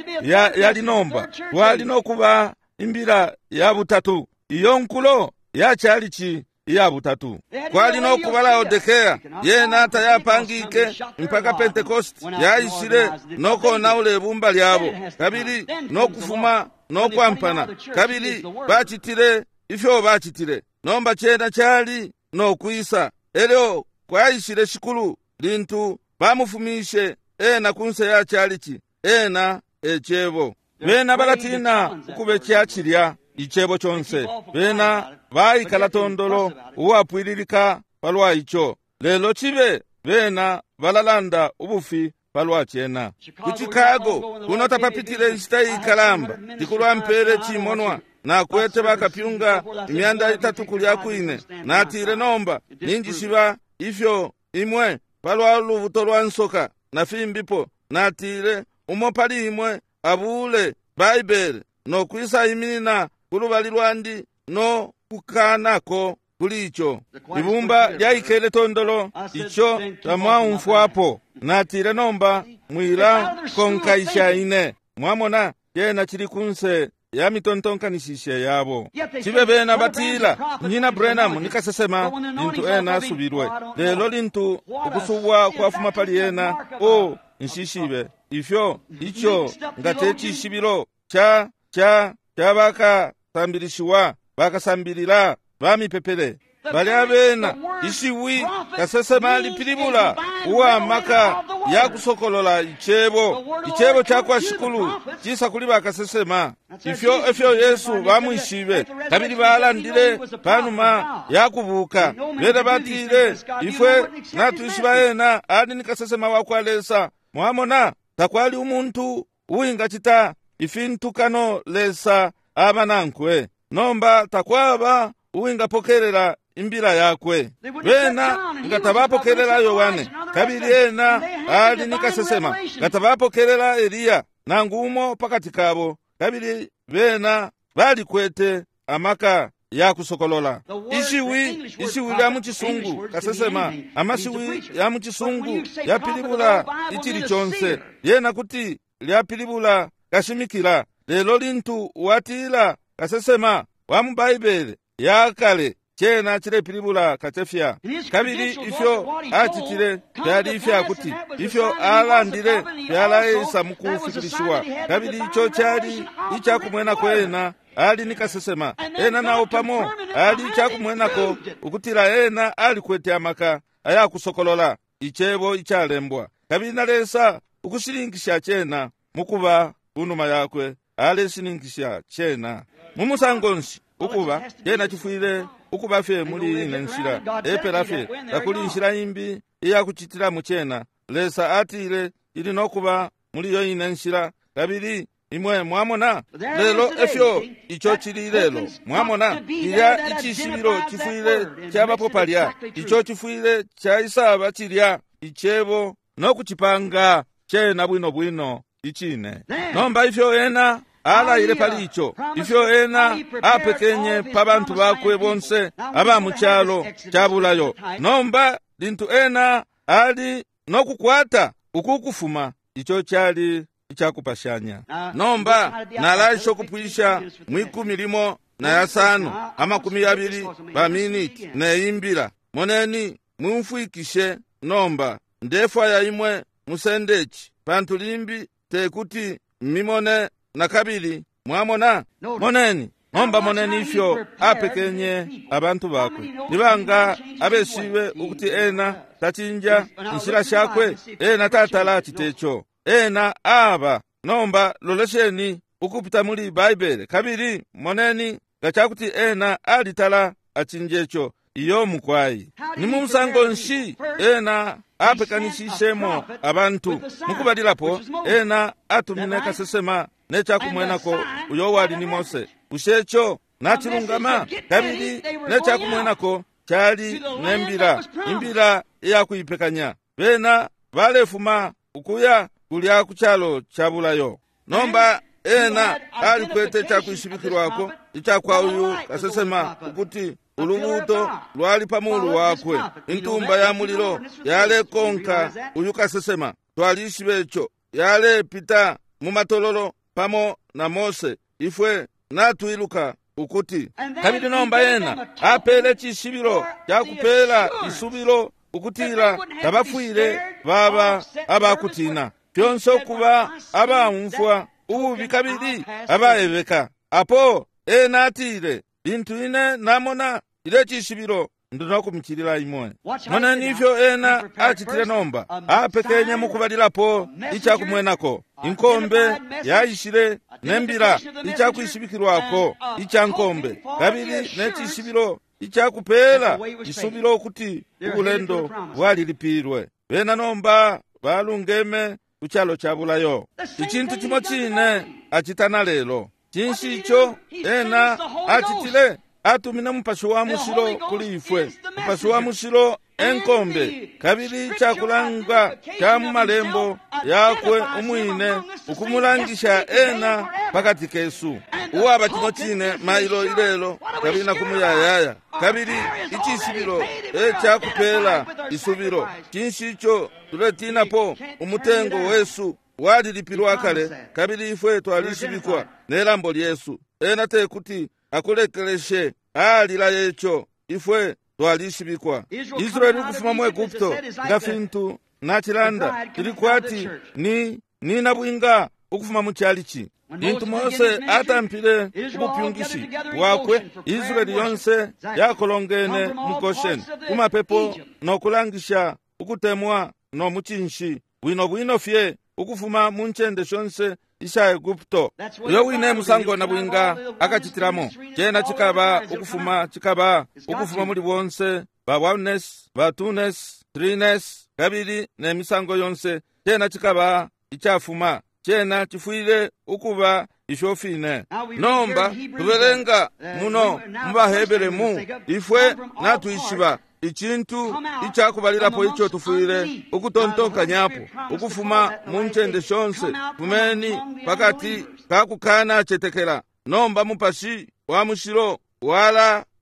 yali nomba. Kwali nokuba imbila ya butatu, iyo nkulo ya chalichi iya butatu. Kwali nokuba Laodikea, yena tayapangike mpaka Pentecost yaishile nokonaula ibumba lyabo, kabili nokufuma nokwampana, kabili bachitile ifyo bachitile. Nomba chena chali nokwisa. Elyo kwaishile shikulu lintu bamufumishe ena kunse ya chalichi, ena echebo. Bena balatina ukube chachilya ichebo chonse. Bena baikala tondolo uwapwililika palwa icho, lelo chibe bena balalanda ubufi palwa chena. Ku Chicago kuno tapapitile nshita ikalamba, tikulwampele chimonwa nakwete bakapyunga 300 kulya kwine. Natile, nomba ninjishiba ifyo imwe palwa lubuto lwa nsoka na fimbipo. Natile, umo pali imwe abule Baibele nokwisa iminina kulubali lwandi no kukanako kuli icho. Ibumba lyaikele tondolo, icho tamwaumfwapo. Natile, nomba mwila konkaisha ine. Mwamona, chena chili kunse ya mitontonkanishishe yabo. Cibe bena batila, Munyina Branham ni kasesema lintu ena asubilwe, lelo lintu ukusubwa kwafuma pali ena, o nshishibe ifyo ico nga te cishibilo ca ca ca bakasambilishiwa bakasambilila bamipepele. Balya bena ishiwi kasesema lipilibula uwa maka ya kusokolola icebo. Icebo ca kwa Shikulu cisa kuli bakasesema. Ifyo efyo Yesu bamwishibe, kabili balandile panuma ya kubuka. Bena batile, ifwe natwishiba ena ali ni kasesema wa kwa Lesa. Mwamona, takwali umuntu uwingacita ifintu kano Lesa aba nankwe. Nomba takwaba uwingapokelela imbila yakwe. Bena nga tabapokelela Yohane, kabili ena ali ni kasesema. Nga tabapokelela Eliya nangu umo pakati kabo, kabili bena balikwete amaka ya kusokolola. Ishiwi ishiwi lya mu Cisungu kasesema, amashiwi ya mu Cisungu yapilibula icili conse, lyena kuti lyapilibula kashimikila. Lelo lintu watila kasesema wa mu Baibele ya kale, cena cilepilibula kacefya. Kabili ifyo acitile fyali ifyakuti ifyo alandile fyalaisa mukufikilishiwa, kabili ico cali icakumwenako ena ali ni kasesema. Ena nao pamo ali icakumwenako ukutila ena alikwete amaka ayakusokolola icebo icalembwa, kabili na Lesa ukushininkisha cena mukuba kunuma yakwe aleshininkisha cena. Mu musango nshi ukuba cena cifwile ukuba fye muli ine nshila epela fye, takuli inshila imbi iyakucitilamo cena. Lesa atile ili nokuba muli yo ine nshila, kabili imwe mwamona. Lelo efyo ico cili lelo, mwamona, ilya icishibilo cifwile cabapo palya, ico cifwile caisaba cilya icebo nokucipanga cena bwino bwino icine. Nomba ifyo ena alaile pali ico, ifyo ena apekenye pa bantu bakwe bonse aba mu calo ca bulayo. Nomba lintu ena ali nokukwata uku kufuma, ico cali icakupashanya. Nomba nalaisha ukupwisha mwikumi limo na yasano amakumi yabili pa miniti neimbila. Moneni, mumfwikishe nomba, ndefwaya imwe musende ici, pantu limbi tekuti mimone na kabili. Mwamona? Moneni nomba, moneni ifyo apekenye abantu bakwe. Nibanga abeshibe ukuti ena tacinja inshila shakwe? Ena tatala acite ico. Ena aba. Nomba lolesheni ukupita muli Baibele, kabili moneni nga cakuti ena alitala acinja ico. Iyo mukwai. Ni mu musango nshi ena apekanishishemo abantu? Mukubalilapo ena atumine kasesema ne cakumwenako uyo wali ni Mose. Bushe ico nacilungama? Kabili ne cakumwenako cali ne mbila, imbila iyakuipekanya. Bena balefuma ukuya kulya ku calo ca bulayo. Nomba ena alikwete icakwishibikilwako icakwa uyu kasesema ukuti ulubuuto lwali pa mulu wakwe, intumba ya mulilo yalekonka uyu kasesema. Twalishibe ico, yalepita mu matololo pamo na Mose. Ifwe natwiluka ukuti kabili nomba ena apele cishibilo cakupela isubilo ukutila tabafwile baba abakutina, fyonse ukuba abaumfwa ububi kabili abaebeka. Apo ena atile, lintu ine namona ile cishibilo ndi nokumicilila imwe. Moneni ifyo ena acitile nomba. Apekenye mukubalilapo icakumwenako, inkombe yaishile ne mbila icakwishibikilwako ica nkombe, kabili ne cishibilo icakupela isubilo ukuti ubulendo bwalilipilwe. Bena nomba balungeme ku calo ca bulayo. Icintu cimo cine acita na lelo. Cinshi ico ena acitile? Atumine Mupashi wa Mushilo kuli ifwe. Mupashi wa Mushilo enkombe, kabili icakulanga ca mu malembo yakwe umwine ukumulangisha ena pakati kesu, uwaba cimo cine mailo ilelo kabili na kumuyayaya. Kabili icishibilo ecakupela isubilo. Cinshi ico tuletinapo? Umutengo wesu walilipilwa kale, kabili ifwe twalishibikwa ne lambo lyesu. Ena tekuti akulekeleshe. Alila ico. Ifwe twalishibikwa. Israeli ukufuma mu Egupto nga fintu nachilanda ili kwati ni nabwinga ukufuma mu chalichi. Lintu Mose atampile ubupyungishi bwakwe, Israeli yonse yakolongene mu Goshen kumapepo no kulangisha ukutemwa no mucinshi bwino bwino fye ukufuma mu ncende shonse isha Egupto. Uyo wine musango na bwinga akachitilamo chena chikaba ukufuma chikaba ukufuma muli bonse ba oneness, ba twoness, threeness kabili ne misango yonse. Chena chikaba ichafuma, chena chifwile ukuba ifyo fine. Nomba tubelenga muno mu baHebere mu ifwe natwishiba icintu icakubalilapo ico tufwile ukutontonkanyapo ukufuma mu ncende shonse. Fumeni pakati kakukana cetekela. Nomba mupashi wa mushilo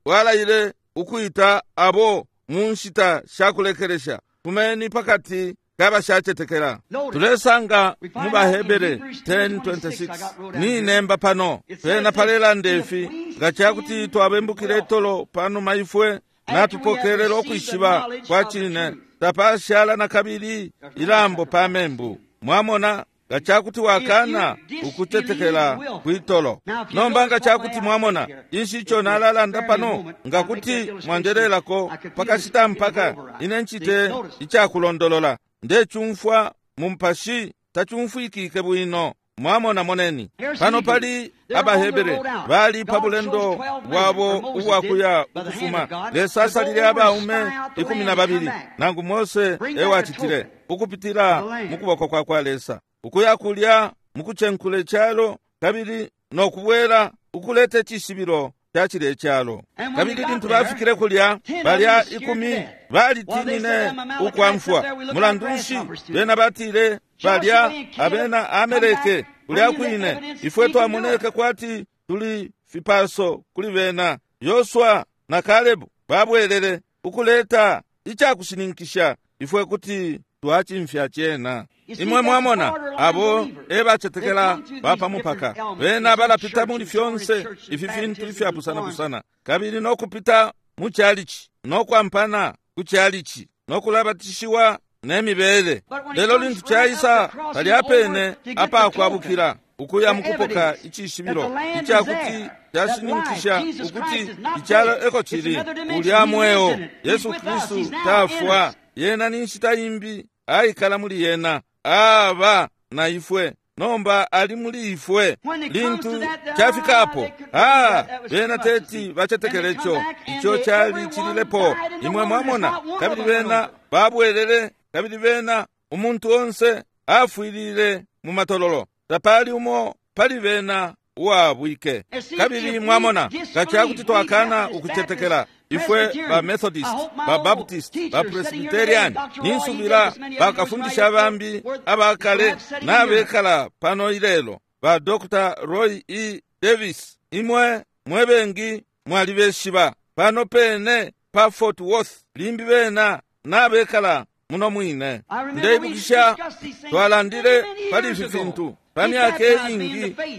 walaile ukuita abo mu nshita shakulekelesha. Fumeni pakati kabashacetekela. Tulesanga mu baHebere 10:26 ni nemba pano pena palelanda ifi: nga cakuti twabembukile itolo panuma ifwe natupokelela ukwishiba kwa cine, tapashala na kabili ilambo pa membu. Mwamona, nga cakuti wakana ukutetekela kwitolo. Nomba nga cakuti mwamona inshi ico nalalanda pano, nga kuti mwanjelelako pakashita mpaka ine ncite icakulondolola. Ndecumfwa mu mpashi tacumfwikike bwino. Mwamona, moneni pano pali abaHebere bali pa bulendo bwabo ubwakuya ukufuma. Lesa asalile abaume 12, nangu Mose ewacitile ukupitila mu kuboko kwa kwa Lesa, ukuya kulya mukucenkula icalo kabili nokubwela ukuleta icishibilo ca cilya icalo. Kabili lintu bafikile kulya, balya 10 balitinine ukwamfwa. Mulandu nshi bena batile balya abena Amaleke kulya kwine? Ifwe twamoneke kwati tuli fipaso kuli bena. Yosua na Kalebu babwelele ukuleta icakushininkisha ifwe kuti twacimfya cena. Imwe mwamona abo ebacetekela bapamupaka. Bena balapita muli fyonse ifi fintu ifyapusana-pusana, kabili nokupita mu chalichi, nokwampana ku chalichi, nokulabatishiwa ne mibele. Lelo lintu caisa palya pene apakwabukila ukuya mukupoka icishibilo icakuti cashininkisha ukuti icalo eko cili, ulya mweo Yesu Kristu tafwa. Yena ni nshita imbi aikala muli yena, aba na ifwe nomba ali muli ifwe. Lintu cafikapo, bena teti bacetekele ico, ico cali cililepo. Imwe mwamona, kabili bena babwelele, kabili bena umuntu onse afwilile mu matololo, tapali umo pali bena uwabwike. Kabili mwamona, nga cakuti twakana ukucetekela ifwe ba Methodist, ba Baptist, ba Presbyterian, ninsubila bakafundisha bambi abakale nabekala pano ilelo, ba Dr. Roy E. Davis, imwe mwebengi mwalibeshiba pano pene pa Fort Worth, limbi bena nabekala muno mwine. Ndeibukisha twalandile pali ifi fintu pa myaka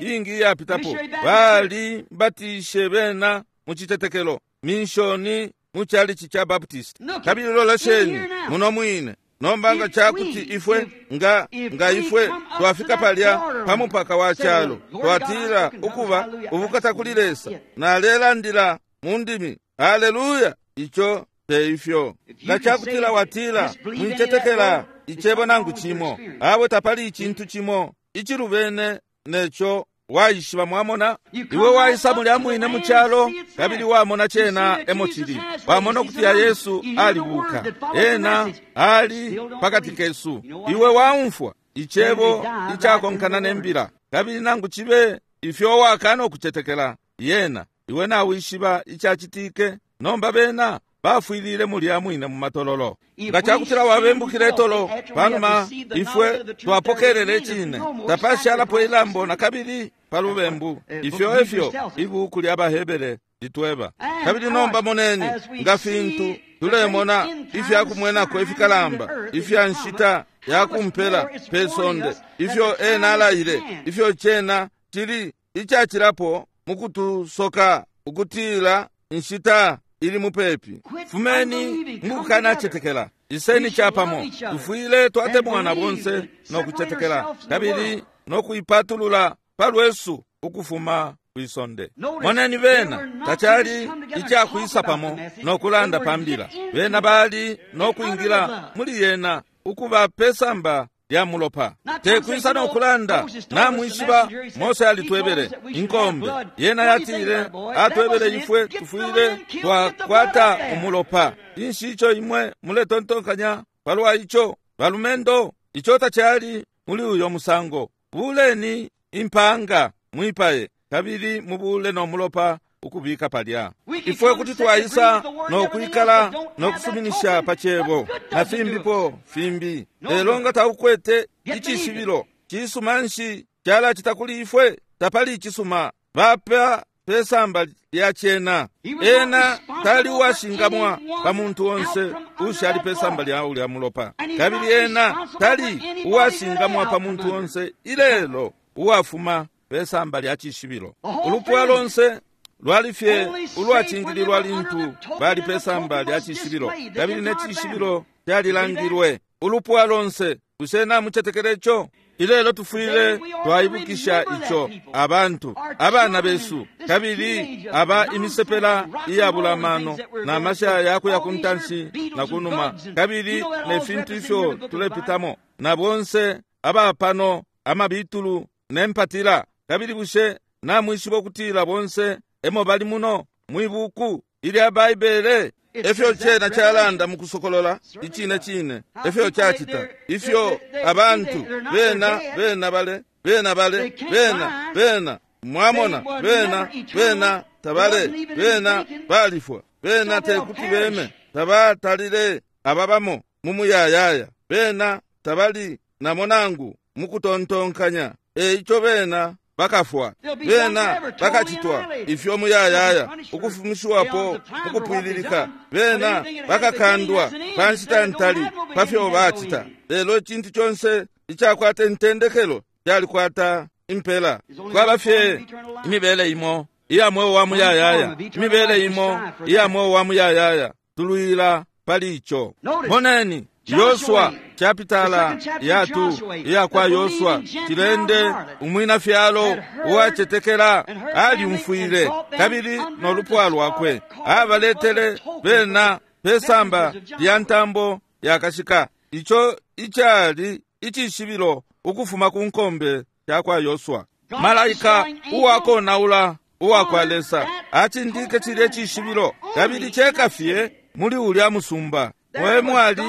iingi iyapitapo. Bali batishe bena mu citetekelo minshoni mu chalichi cha Baptist. Kabili lolesheni muno mwine. Nomba nga cakuti ifwe nga ifwe twafika palya pa mupaka wa calo, twatila ukuba ubukata kuli Lesa, nalelandila mu ndimi, haleluya, ico te ifyo. Nga cakutila watila mwicetekela icebo nangu cimo, awe tapali icintu cimo icilubene neco waishiba. Mwamona, iwe waisa mulya mwine mu calo kabili wamona cena emo cili, wamona ukuti ya Yesu alibuka, ena ali pakati kesu. Iwe waumfwa icebo icakonkana nembila, kabili nangu cibe ifyo wakana ukucetekela yena, iwe nawishiba icacitike. Nomba bena bafwilile mulya mwine mu matololo. Nga cakutila wabembukile itolo panuma ifwe twapokelele icine, tapashalapo ilambo na kabili pa lubembu. Ifyo efyo ibuku lya baHebere litweba. Kabili nomba moneni nga fintu tulemona ifyakumwenako ifikalamba ifya nshita yakumpela pe sonde, ifyo ena alaile, ifyo cena cili icacilapo mukutusoka ukutila inshita ili mupepi. Fumeni mukukanacetekela, iseni capamo. Tufwile twatemwana bonse no kucetekela kabili no kuipatulula palwesu ukufuma kwisonde. Moneni, bena tacali icakwisa pamo no kulanda pambila. Bena bali no kwingila muli yena ukuba pesamba lya mulopa, tekwisa no kulanda. Namwishiba, Mose alitwebele inkombe yena yatile atwebele ifwe tufwile twakwata umulopa. Inshi ico imwe muletontonkanya palwa ico, balumendo? Ico tacali muli uyo musango. Buleni impanga mwipaye, kabili mubule no mulopa ukubika palya. Ifwe kuti twaisa no kwikala no kusuminisha pa cebo na fimbipo fimbi, lelo nga taukwete icishibilo, cisuma nshi calacita kuli ifwe? Tapali icisuma. Bapa pesamba lya cena. Ena tali uwashingamwa pa muntu onse ushali pesamba lya ulya mulopa, kabili ena tali uwashingamwa pa muntu onse ilelo uwafuma pesamba lya cishibilo. Ulupwa lonse lwali fye ulwacingililwa lintu bali pesamba lya cishibilo, kabili ne cishibilo calilangilwe. Ulupwa lonse. Bushe namucetekela ico? Ilelo tufwile twaibukisha ico, abantu, abana besu, kabili aba imisepela iyabula mano na masha yakuya ku ntanshi na kunuma, kabili ne fintu ifyo tulepitamo, na bonse abapano amabitulu ne mpatila. Kabili bushe namwishiba ukutila bonse emo bali muno mwibuku ilya Baibele? Efyo cena calanda mukusokolola icine cine, efyo cacita. Ifyo abantu bena bena bale bena bale bena bena mwamona bena bena tabale bena balifwa, bena tekuti beme, tabatalile ababamo mumuyayaya, bena tabali namo nangu mukutontonkanya. Eico bena bakafwa, bena bakacitwa ifyo muyayaya, ukufumishiwapo mukupwililika. Bena bakakandwa pa nshita ntali pafyo bacita. Lelo icintu conse icakwata intendekelo calikwata impela. Kwaba fye imibele imo iya mweo wa muyayaya, imibele imo iya mweo wa muyayaya. Tulwila pali ico. Moneni Yosua chapitala ya 2 iya kwa Yosua, tilende umwina fyalo uwacetekela aliumfwile, kabili no lupwa lwakwe abaletele bena pesamba lya ntambo yakashika, ico icali icishibilo ukufuma ku nkombe ya kwa Yosua. Malaika uwakonaula uwa kwa Lesa acindike cilye cishibilo, kabili ceka fye muli ulya musumba mwe mwali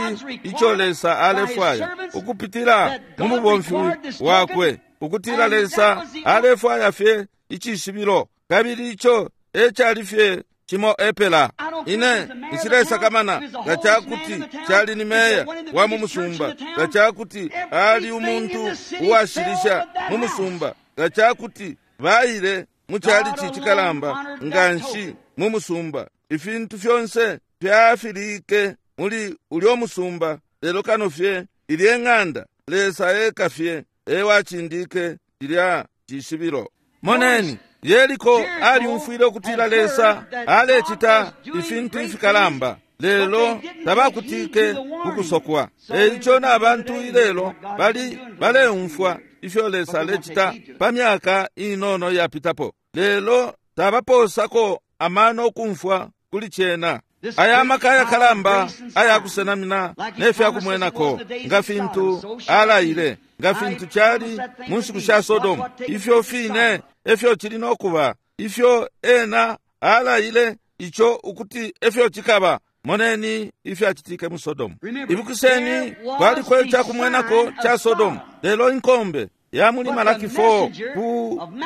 ico Lesa alefwaya ukupitila mu mubomfi wakwe, ukutila Lesa alefwaya fye icishibilo, kabili ico ecali fye cimo epela. Ine nshilesakamana nga cakuti cali ni meya wa mu musumba, nga cakuti ali umuntu uwashilisha mu musumba, nga cakuti baile mu calici cikalamba nga nshi mu musumba, ifintu fyonse fyafilike muli ulyo musumba, lelo kano fye ilye ng'anda, Lesa eka fye ewacindike lilya cishibilo. Moneni, Yeriko aliumfwile ukutila Lesa alecita ifintu ifikalamba, lelo tabakutike kukusokwa. Eico na bantu ilelo bali baleumfwa ifyo Lesa alecita pa myaka inono yapitapo, lelo tabaposako amano okumfwa kuli cena. Aya maka ayakalamba ayakusenamina ne fyakumwenako, nga fintu alaile, nga fintu cali mu nshiku sha Sodomu, ifyo fine efyo cili nokuba, ifyo ena alaile ico ukuti efyo cikaba. Moneni ifyacitike mu Sodomu. Ibukiseni, kwaliko icakumwenako ca Sodomu, lelo inkombe ya muli Malaki 4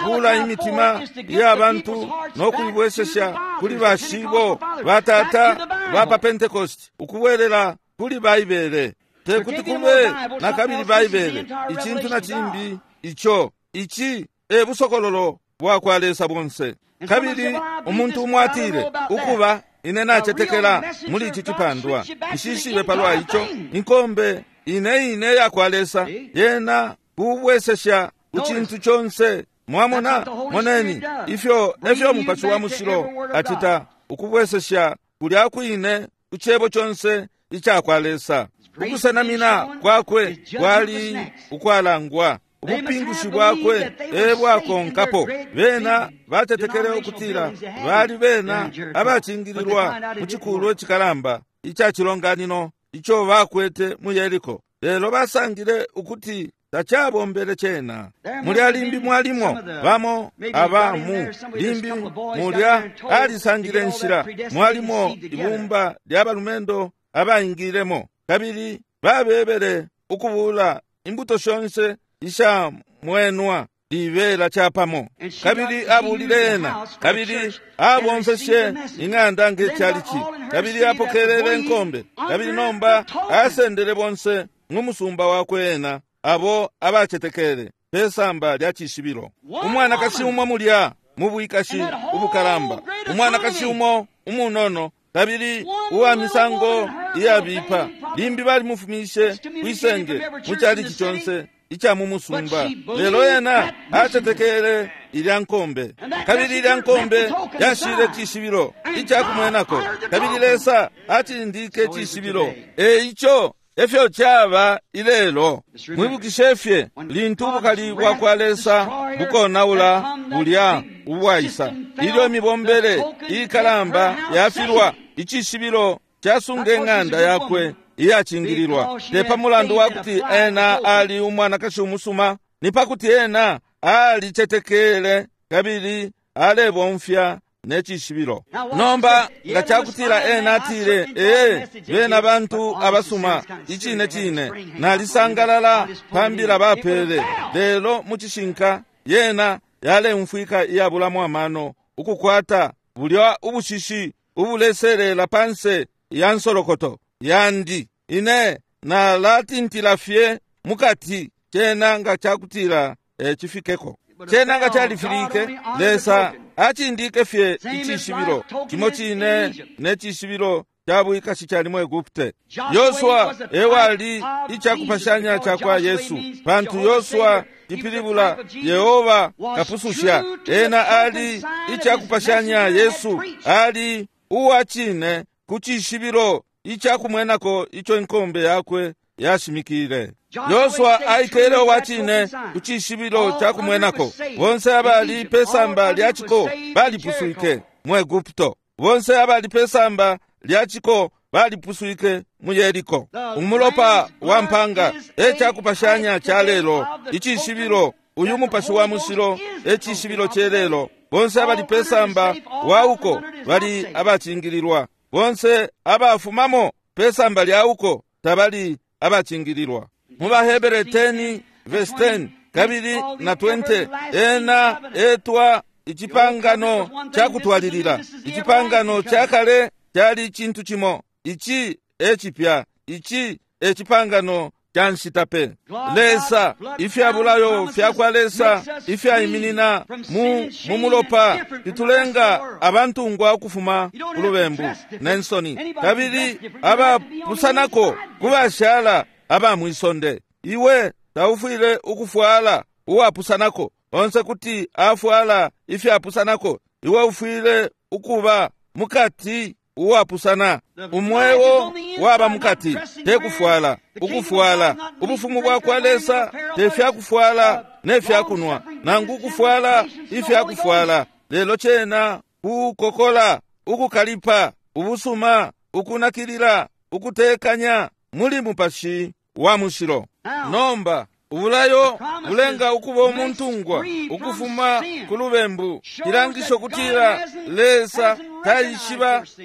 kubula imitima ya bantu no kuibwesesha kuli bashibo batata ba pa Pentecost, ukubwelela kuli Baibele. Tekuti kube na kabili Baibele icintu na cimbi ico ici e busokololo bwa kwa Lesa bonse. Kabili umuntu umwe atile, ukuba ine nacetekela muli ici cipandwa, nshishibe palwa ico. Inkombe ine ine ya kwa Lesa yena kubwesesha ku cintu conse. Mwamona, moneni ifyo efyo Mupashi wa Mushilo acita, ukubwesesha kulya kwine ku Cebo conse ica kwa Lesa. Ukusenamina kwakwe kwali ukwalangwa, ubupingushi bwakwe e bwakonkapo. Bena batetekele ukutila bali bena abacingililwa mu cikulwa icikalamba ica cilonganino ico bakwete mu Yeriko, lelo basangile ukuti tacabombele cena. Mulya limbi mwalimo bamo aba mu limbi mulya alisangile nshila, mwalimo ibumba lya balumendo abaingilemo, kabili babebele ukubula imbuto shonse isha mwenwa libela capamo. Kabili abulile ena, kabili abomfeshe ing'anda nge calici, kabili apokelele nkombe, kabili nomba asendele bonse ng'umusumba wakwe ena abo abacetekele pesamba lya cishibilo. Umwanakashi umo mulya mu bwikashi ubukalamba, umwanakashi umo umunono kabili uwa misango iyabipa, limbi balimufumishe kwisenge mu calici conse ica mu musumba, lelo ena acetekele ilya nkombe, kabili ilya nkombe yashile cishibilo ica kumwenako, kabili Lesa acindike cishibilo. E ico efyo caba ilelo. Mwibukishe fye lintu ubukali bwa kwa Lesa bukonaula bulya ubwaisa, ilyo imibombele ikalamba yafilwa, icishibilo casunga ing'anda yakwe iyacingililwa, te pa mulandu wa kuti ena ali umwanakashi umusuma, ni pa kuti ena alicetekele kabili alebomfya ne cishibilo. Nomba nga cakutila ena atile, ee, bena bantu abasuma, icine cine nalisangalala pambila bapele, lelo mu cishinka yena yaleumfwika iyabulamo amano, ukukwata bulya ubushishi ubuleselela panse ya nsolokoto yandi, ine nalatintila fye mukati. Cena nga cakutila cifikeko, cena nga califilike, Lesa acindike fye icishibilo cimo cine ne cishibilo ca bwikashi cali mu Egupte. Yosua ewali icakupashanya ca kwa Yesu, pantu Yosua ipilibula Yehova kapususha. Ena ali icakupashanya Yesu, ali uwa cine ku cishibilo icakumwenako ico inkombe yakwe yashimikile. Yosua aikele uwa cine ku cishibilo cakumwenako. Bonse abali pesamba lya ciko balipuswike mu Egupto, bonse abali pesamba lya ciko balipuswike mu Yeriko. Umulopa wa mpanga e cakupashanya ca lelo, icishibilo. Uyu Mupashi wa Mushilo e cishibilo celelo. Bonse abali pesamba wa uko bali abacingililwa, bonse abafumamo pesamba lya uko tabali abacingililwa. Mu baHebere 10 verse 10 kabili na 20, ena etwa icipangano ca kutwalilila. Icipangano ca kale cali cintu cimo, ici e cipya, ici e cipangano ca nshita pe. Lesa, ifya bulayo fya kwa Lesa ifyaiminina mu mumulopa fitulenga abantungwa ukufuma ku lubembu ne nsoni, kabili abapusanako ku bashala aba mwisonde. Iwe taufwile ukufwala uwapusanako, onse kuti afwala ifyapusanako. Iwe ufwile ukuba mukati uwapusana. Umweo waba mukati, te kufwala. Ukufwala ubufumu bwa kwa Lesa te fyakufwala ne fyakunwa, nangu kufwala ifyakufwala, lelo cena kukokola, ukukalipa, ubusuma, ukunakilila, ukutekanya muli Mupashi wa Mushilo. Nomba ubulayo bulenga ukuba umuntungwa ukufuma ku lubembu, cilangisho kutila Lesa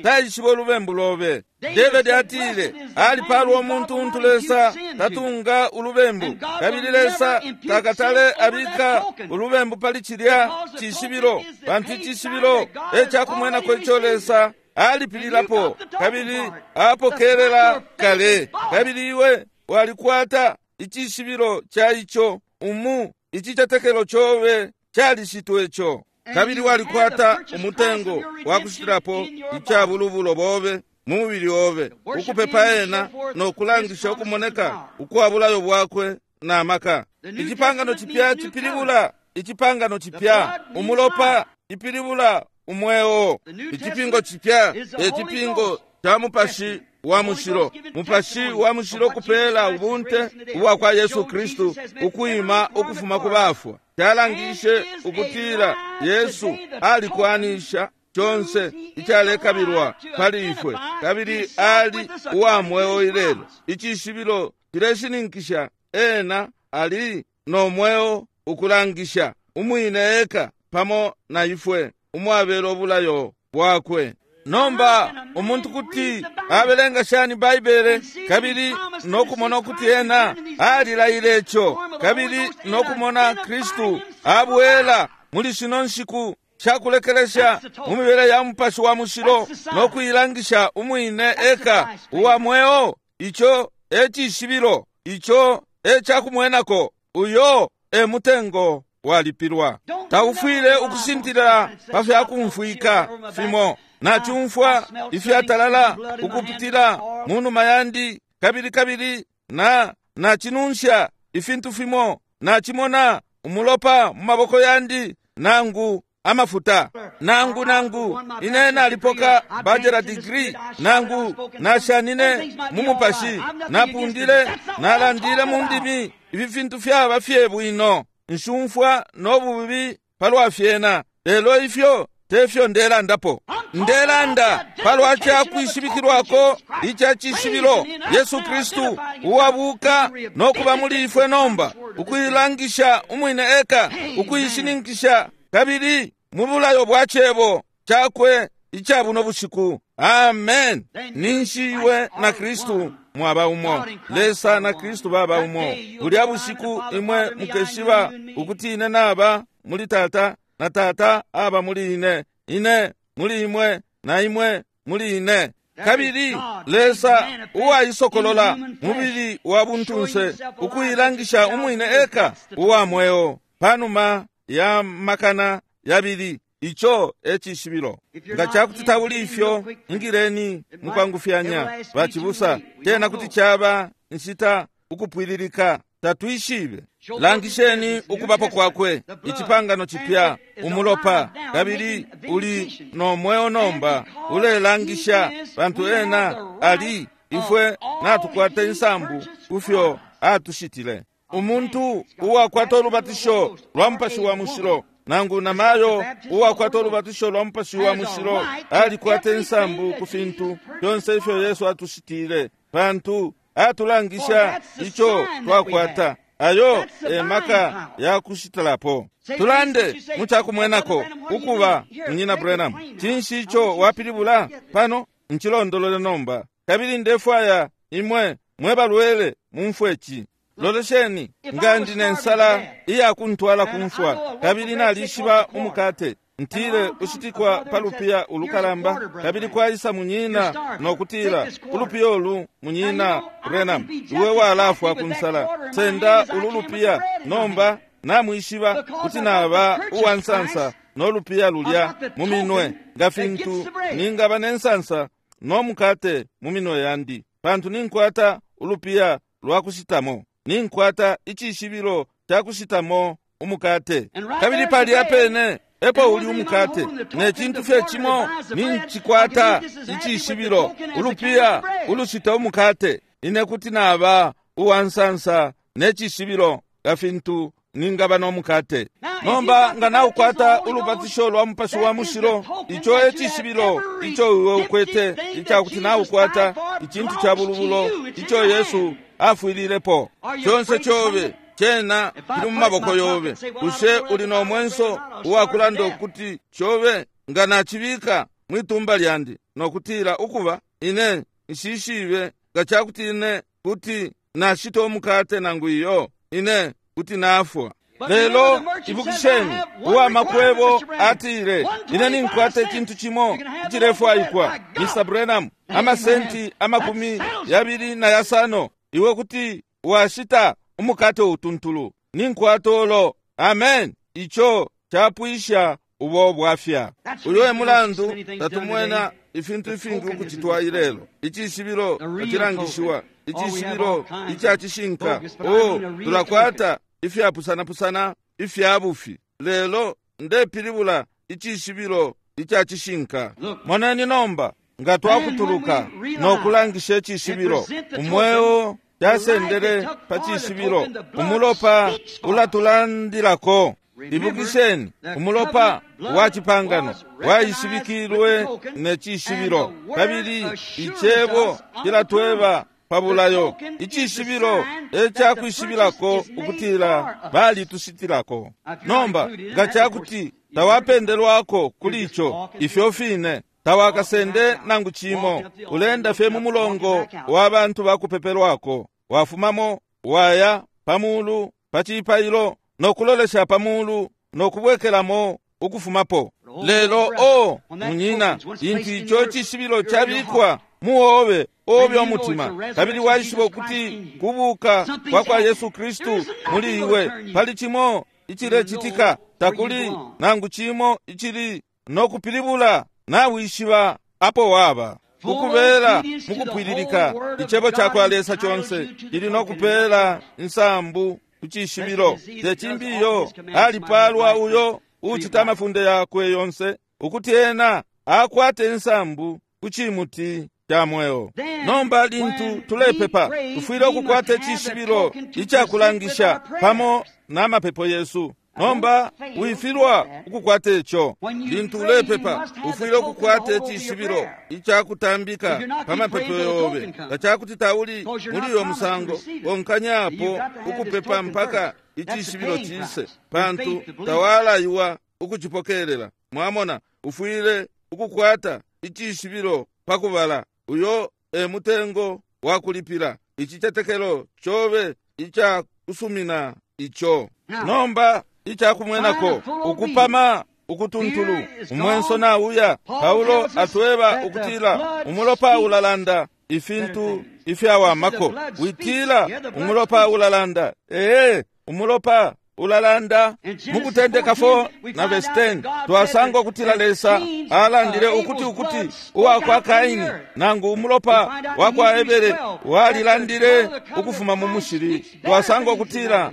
taishiba ulubembu lobe. David atile alipalwa umuntu untu Lesa tatunga ulubembu, kabili Lesa takatale abika ulubembu pali cilya cishibilo, pantu icishibilo e cakumwenako ico Lesa alipililapo kabili apokelela kale, kabili iwe walikwata icishibilo ca ico umu icicetekelo cobe calishitwe ico, kabili walikwata umutengo wa kushitilapo ica bulubulo bobe mu mubili obe, ukupepa ena no kulangisha ukumoneka ukwa bulayo bwakwe na maka. Icipangano cipya cipilibula icipangano cipya. Umulopa ipilibula umweo. Icipingo cipya e cipingo ca Mupashi wa Mushilo. Mupashi wa Mushilo kupela ubunte ubwa kwa Yesu Kristu ukwima ukufuma ku bafwa. Calangishe ukutila Yesu alikwanisha conse icalekabilwa pali ifwe, kabili ali uwa mweo ilelo. Icishibilo cileshininkisha ena ali no mweo, ukulangisha umwine eka pamo na ifwe umwabelo ubulayo bwakwe. Nomba umuntu kuti abelenga shani Baibele kabili nokumona ukuti ena alilaile ico, kabili nokumona Kristu abwela muli shino nshiku shakulekelesha mu mibele ya Mupashi wa Mushilo nokuilangisha umwine eka uwa mweo? Ico e cishibilo, ico e cakumwenako. Uyo e mutengo walipilwa. Taufwile ukusintilila pa fyakumfwika fimo. Nacumfwa ifyatalala ukupitila mu numa yandi, kabili kabili na nacinunsha ifintu fimo, nacimona umulopa mu maboko yandi nangu amafuta, nangu nangu ine nalipoka bachelor degree, nangu nashanine mu mupashi, napundile, nalandile mu ndimi. Ifi fintu fyaba fye bwino, nshumfwa no bubi palwa fyena, lelo ifyo tefyo ndelandapo. Ndelanda palwa cakwishibikilwako ica cishibilo, Yesu Kristu uwabuka no kuba muli ifwe nomba, ukuilangisha umwine eka, ukuishininkisha kabili mu bulayo bwa cebo cakwe ica buno bushiku. Amen. Ninshi iwe na Kristu mwaba umo, Lesa na Kristu baba umo. Bulya bushiku imwe mukeshiba ukuti ine naba muli Tata na Tata aba muli ine, ine muli imwe na imwe muli ine. Kabili Lesa uwaisokolola mubili wa buntunse, ukuilangisha umwine eka uwa mweo panuma ya makana yabili. Ico e cishibilo. Nga cakuti tauli ifyo, ingileni mukwangufyanya bacibusa. Tena kuti caba nshita ukupwililika, tatwishibe. Langisheni ukubapo kwakwe, icipangano cipya, umulopa, kabili uli no mweo nomba, ulelangisha pantu ena ali. Ifwe natukwata insambu kufyo atushitile. Umuntu uwakwata ulubatisho lwa Mupashi wa Mushilo, nangu namayo uwakwata ulubatisho lwa Mupashi wa Mushilo, alikwata insambu ku fintu fyonse ifyo Yesu atushitile, pantu atulangisha ico twakwata. Ayo e maka ya kushitilapo. Tulande mucakumwenako ukuba Munyina Branham, cinshi ico wapilibula pano? Ncilondolole nomba, kabili ndefwaya imwe mwe balwele mumfwe ci. Lolesheni, nga ndi ne nsala iyakuntwala kumfwa, kabili nalishiba umukate ntile ushitikwa pa lupiya ulukalamba, kabili kwaisa munyina nokutila, ulupiya ulu Munyina Branham, iwe walafwa ku nsala, senda ulu lupiya. Nomba namwishiba kuti naba uwa nsansa no lupiya lulya mu minwe, nga fintu ningaba ne nsansa no mukate mu minwe yandi, pantu ninkwata ulupiya lwa kushitamo, ninkwata icishibilo ca kushitamo umukate. Kabili palya pene epo uli umukate, ne cintu fye cimo nincikwata icishibilo, ulupiya ulushita umukate. Ine kuti naba uwa nsansa ne cishibilo nga fintu ningaba no mukate. Nomba nga naukwata ulubatisho lwa Mupashi wa Mushilo, ico e cishibilo ico iwe ukwete, icakuti naukwata icintu ca bulubulo ico Yesu afwililepo. Conse cobe cena kili mu maboko yobe. Bushe uli no mwenso uwakulanda ukuti cobe nga nacibika mwitumba lyandi nokutila ukuba ine nshishibe nga cakuti ine kuti nashita umukate nangu iyo, ine kuti nafwa? Lelo ibukisheni, uwa makwebo atile, ine ninkwata icintu cimo icilefwaikwa, Mr. Branham, amasenti 25, iwe kuti washita umukate utuntulu. Ninkwata ulo. Amen. Ico capwisha ubo bwafya. Uyo e mulandu tatumwena ifintu ifingi ukucitwa ilelo. Icishibilo tacilangishiwa, icishibilo ica cishinka. O, tulakwata ifyapusanapusana ifya bufi. lelo ndepilibula icishibilo ica cishinka. Moneni nomba nga twakutuluka no kulangisha icishibilo, umweo casendele pa cishibilo, umulopa ulatulandilako. Ibukisheni, umulopa wa cipangano waishibikilwe ne cishibilo, kabili icebo cilatweba pa bulayo. Icishibilo e cakwishibirako ukutila balitushitilako. Nomba nga cakuti tawapendelwako kuli ico, ifyo fine tawakasende nangu cimo, ulenda fye mu mulongo wa bantu bakupepelwako, wafumamo waya pamulu pa cipailo no kulolesha pamulu no kubwekelamo ukufumapo. Lelo o munyina, lintu ico cishibilo cabikwa muobe obe omutima, kabili waishiba ukuti kubuka kwa kwa Yesu Kristu muli iwe, pali cimo icilecitika, takuli nangu cimo icili no kupilibula, nawishiba apo waba. Ukubela mukupwililika icebo ca kwa Lesa conse cili no kupela insambu ku cishibilo. Tecimbiyo alipalwa uyo ucita amafunde yakwe yonse, ukuti ena akwate insambu ku cimuti ca mweo. Nomba lintu tulepepa, tufwile ukukwata icishibilo icakulangisha pamo na mapepo yesu. Nomba wifilwa ukukwata ico. Lintu ulepepa, ufwile ukukwata icishibilo icakutambika pa mapepo yobe. Nga cakuti tauli muli uyo musango, konkanyapo ukupepa mpaka icishibilo cise, pantu tawalaiwa ukucipokelela. Mwamona, ufwile ukukwata icishibilo pakubala. Uyo e mutengo wa kulipila icicetekelo cobe ica kusumina ico. Nomba icakumwenako ukupama ukutuntulu umwenso nauya. Paulo atweba ukutila umulopa ulalanda ifintu ifyawamako. Witila umulopa ulalanda. Ee, umulopa ulalanda. Mukutendeka 4 na verse 10 twasanga ukutila Lesa alandile ukuti ukuti uwa kwa Kaini nangu umulopa wa kwa Ebere walilandile ukufuma mu mushili. Twasanga ukutila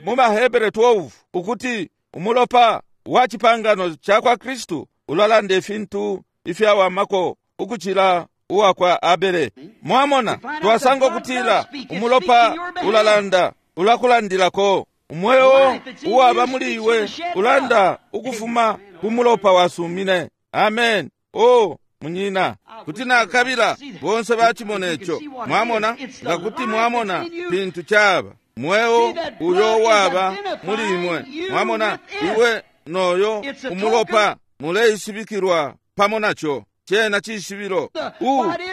mu Bahebere 12 ukuti umulopa wa cipangano ca kwa Kristu ulalanda ifintu ifyawamako ukucila uwa kwa Abele. Mwamona, twasanga ukutila umulopa ulalanda, ulakulandilako. Umweo uwaba muli iwe ulanda ukufuma ku mulopa wasumine. Amen. O munyina, kuti nakabila bonse bacimona ico. Mwamona, nga kuti mwamona fintu caba mweo uyo waba muli imwe. Mwamona, iwe noyo umulopa muleishibikilwa pamo naco. Cena cishibilo.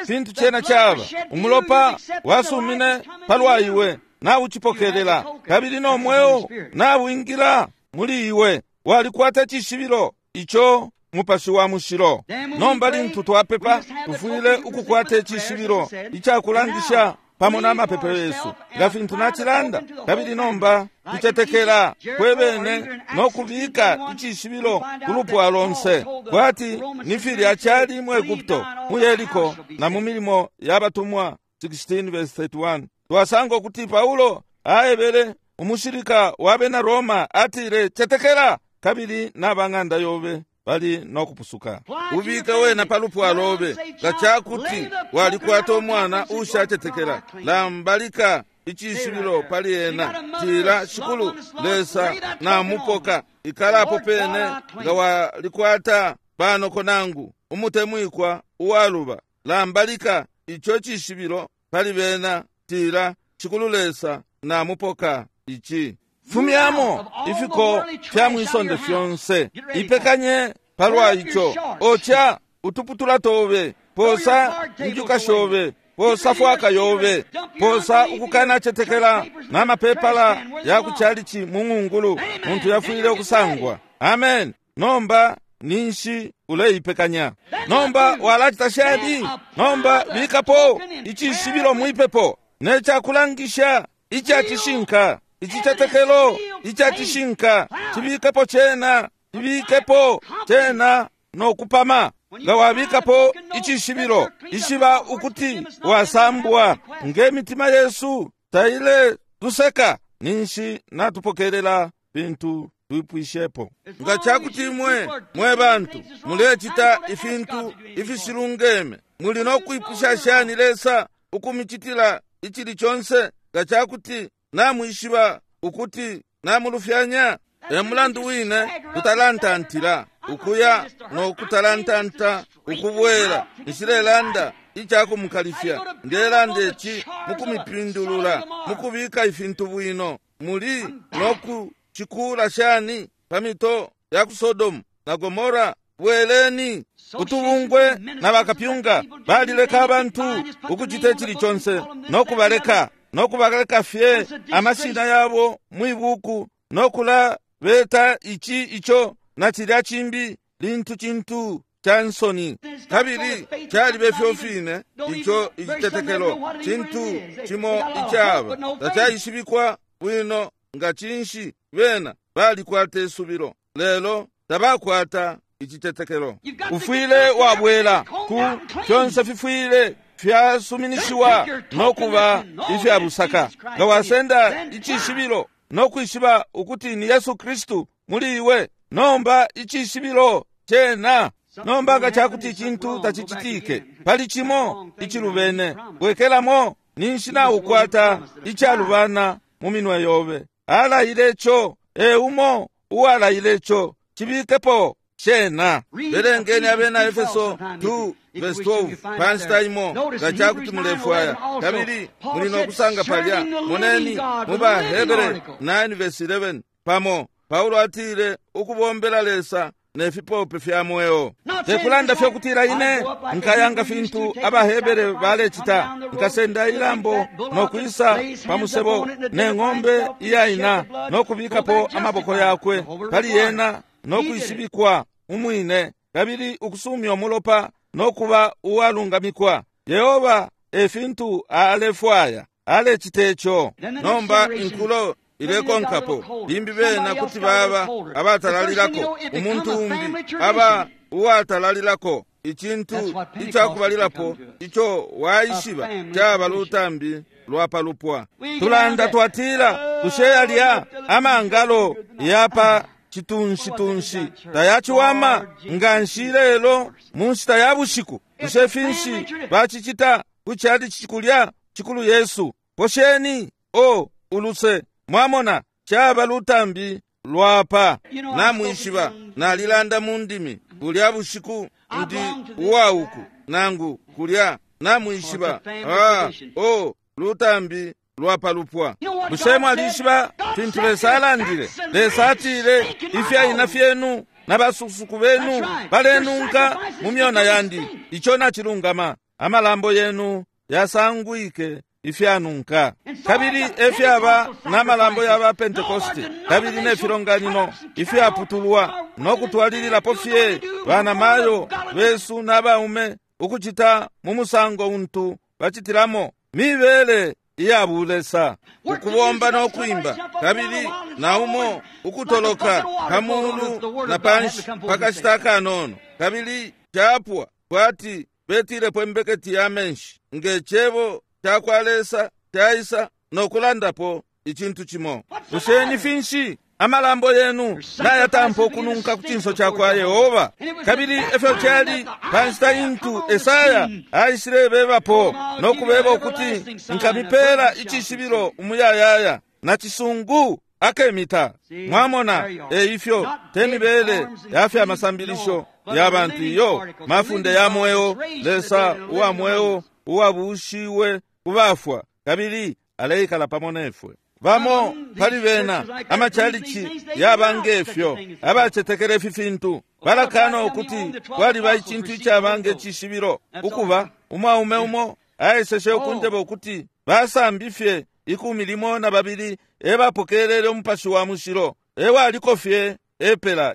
Fintu cena caba umulopa wasumine palwa iwe, naucipokelela, kabili no mweo nawingila muli iwe, walikwata cishibilo ico Mupashi wa Mushilo. Nomba lintu twapepa, tufwile ukukwata icishibilo icakulangisha pamo na mapepo yesu, nga fintu nacilanda. Kabili nomba tucetekela kwebene no kubika icishibilo ku lupwa lonse, kwati ni filya cali mu Egupto, mu Yeriko na mu milimo ya batumwa 16:31. Twasanga ukuti Paulo aebele umushilika wa bena Roma, atile, cetekela kabili n'abang'anda yobe bali no kupusuka. Ubike wena pa lupwa lobe. Nga cakuti walikwata umwana ushacetekela, lambalika icishibilo pali ena, tila, Shikulu Lesa namupoka, ikalapo pene. Nga walikwata panoko nangu umutemwikwa uwaluba, lambalika ico cishibilo pali bena, tila, Shikulu Lesa namupoka ici. Fumyamo ifiko fya mwisonde fyonse, ipekanye palwa ico. Ocha utuputula tobe, posa njuka shobe, posa fwaka yobe, posa ukukanacetekela na mapepala ya kuchalichi mu ng'ungulu muntu yafwile okusangwa. Amen. Nomba ninshi uleipekanya. Nomba walacita shadi. Nomba bikapo icishibilo mwipepo necakulangisha icacishinka, icicetekelo icacishinka. Cibikepo cena, cibikepo cena nokupama. Nga wabikapo icishibilo, ishiba ukuti wasambwa. Nge mitima yesu taile tuseka, ninshi natupokelela bintu Twipwishepo. Nga cakuti imwe mwe bantu mulecita ifintu ifishilungeme, muli no kwipusha shani Lesa ukumicitila icili conse nga cakuti namwishiba ukuti namulufyanya? E mulandu wine tutalantantila ukuya no kutalantanta ukubwela. Nshilelanda icakumukalifya, ndelanda ici mukumipindulula, mukubika ifintu bwino. Muli no kucikula shani pa mito ya ku Sodomu na Gomora? Bweleni. Utubungwe na bakapyunga balileka abantu ukucita icili conse, no kubaleka no kubaleka fye amashina yabo mwibuku, no kula beta ici ico na cilya cimbi, lintu cintu ca nsoni. Kabili calibe fyo fine ico icitetekelo cintu cimo icaba tacaishibikwa bwino nga cinshi. Bena balikwata isubilo, lelo tabakwata icitetekelo. Ufwile wabwela ku fyonse fifwile fyasuminishiwa no kuba ifya busaka. Nga wasenda icishibilo no kwishiba ukuti ni Yesu Kristu muli iwe, nomba icishibilo cena. Nomba nga cakuti icintu tacicitike, pali cimo icilubene, bwekelamo, ninshi naukwata icalubana mu minwe yobe. Alaile ico, e umo uwalaile ico, cibikepo cena. Belengeni Abena Efeso 2 verse 12 pa nshita imo nga cakuti mulefwaya, kabili muli no kusanga palya. Moneni mu baHebere 9 verse 11 pamo. Paulo atile ukubombela Lesa ne fipope fya mweo. Tekulanda fye kutila ine nkayanga fintu abaHebere balecita, nkasenda ilambo no kwisa pa musebo ne ng'ombe iyaina no kubikapo amaboko yakwe pali yena no kwishibikwa umwine, kabili ukusumya umulopa no kuba uwalungamikwa. Yehova e fintu alefwaya, alecita ico. Nomba inkulo ilekonkapo, limbi bena kuti baba abatalalilako, umuntu umbi aba uwatalalilako. Icintu icakubalilapo ico waishiba caba lutambi lwa palupwa. Tulanda twatila, bushe yalya amangalo yapa chitunshi-tunshi tayaciwama nga nshi lelo mu nshita ya bushiku? Bushe finshi bacicita ku cali cikulya cikulu Yesu? Posheni o uluse. Mwamona, caba lutambi lwapa. Namwishiba, nalilanda mu ndimi bulya bushiku, ndi uwauku nangu kulya. Namwishiba, o lutambi lwapalupwa. Bushe mwalishiba fintu Lesa alandile? Lesa atile, ifyaina fyenu na basukusuku benu balenunka mu myona yandi. Ico nacilungama. Amalambo yenu yasangwike ifyanunka. Kabili efyaba n'amalambo ya ba Pentekoste, kabili ne filonganino ifyaputulwa no kutwalililapo fye banamayo besu n'abaume ukucita mu musango untu bacitilamo mibele iya bulesa, ukubomba no kwimba, kabili na umo ukutoloka pamulu na panshi pakashita kanono, kabili capwa kwati betilepo imbeketi ya menshi nge cebo cakwa Lesa caisa no kulandapo icintu cimo. Bushe ni finshi amalambo yenu nayatampa ukununka ku cinso cakwa Yehova? Kabili efyo cali pa nshita intu Esaya aishilebebapo no kubeba ukuti, nkamipela icishibilo umuyayaya na cisungu akemita. Mwamona, eifyo temibele yafya masambilisho ya bantu iyo mafunde ya mweo, Lesa uwa mweo uwabushiwe kubafwa, kabili aleikala pamo nefwe. Bamo pali bena amachalichi yaba ngefyo abacetekela ifi fintu balakana ukuti kwaliba icintu icaba nge cishibilo. Ukuba umwaume umo aeseshe ukunjeba ukuti basambi fye 12 ebapokelele umupashi wa mushilo, ewaliko fye epela.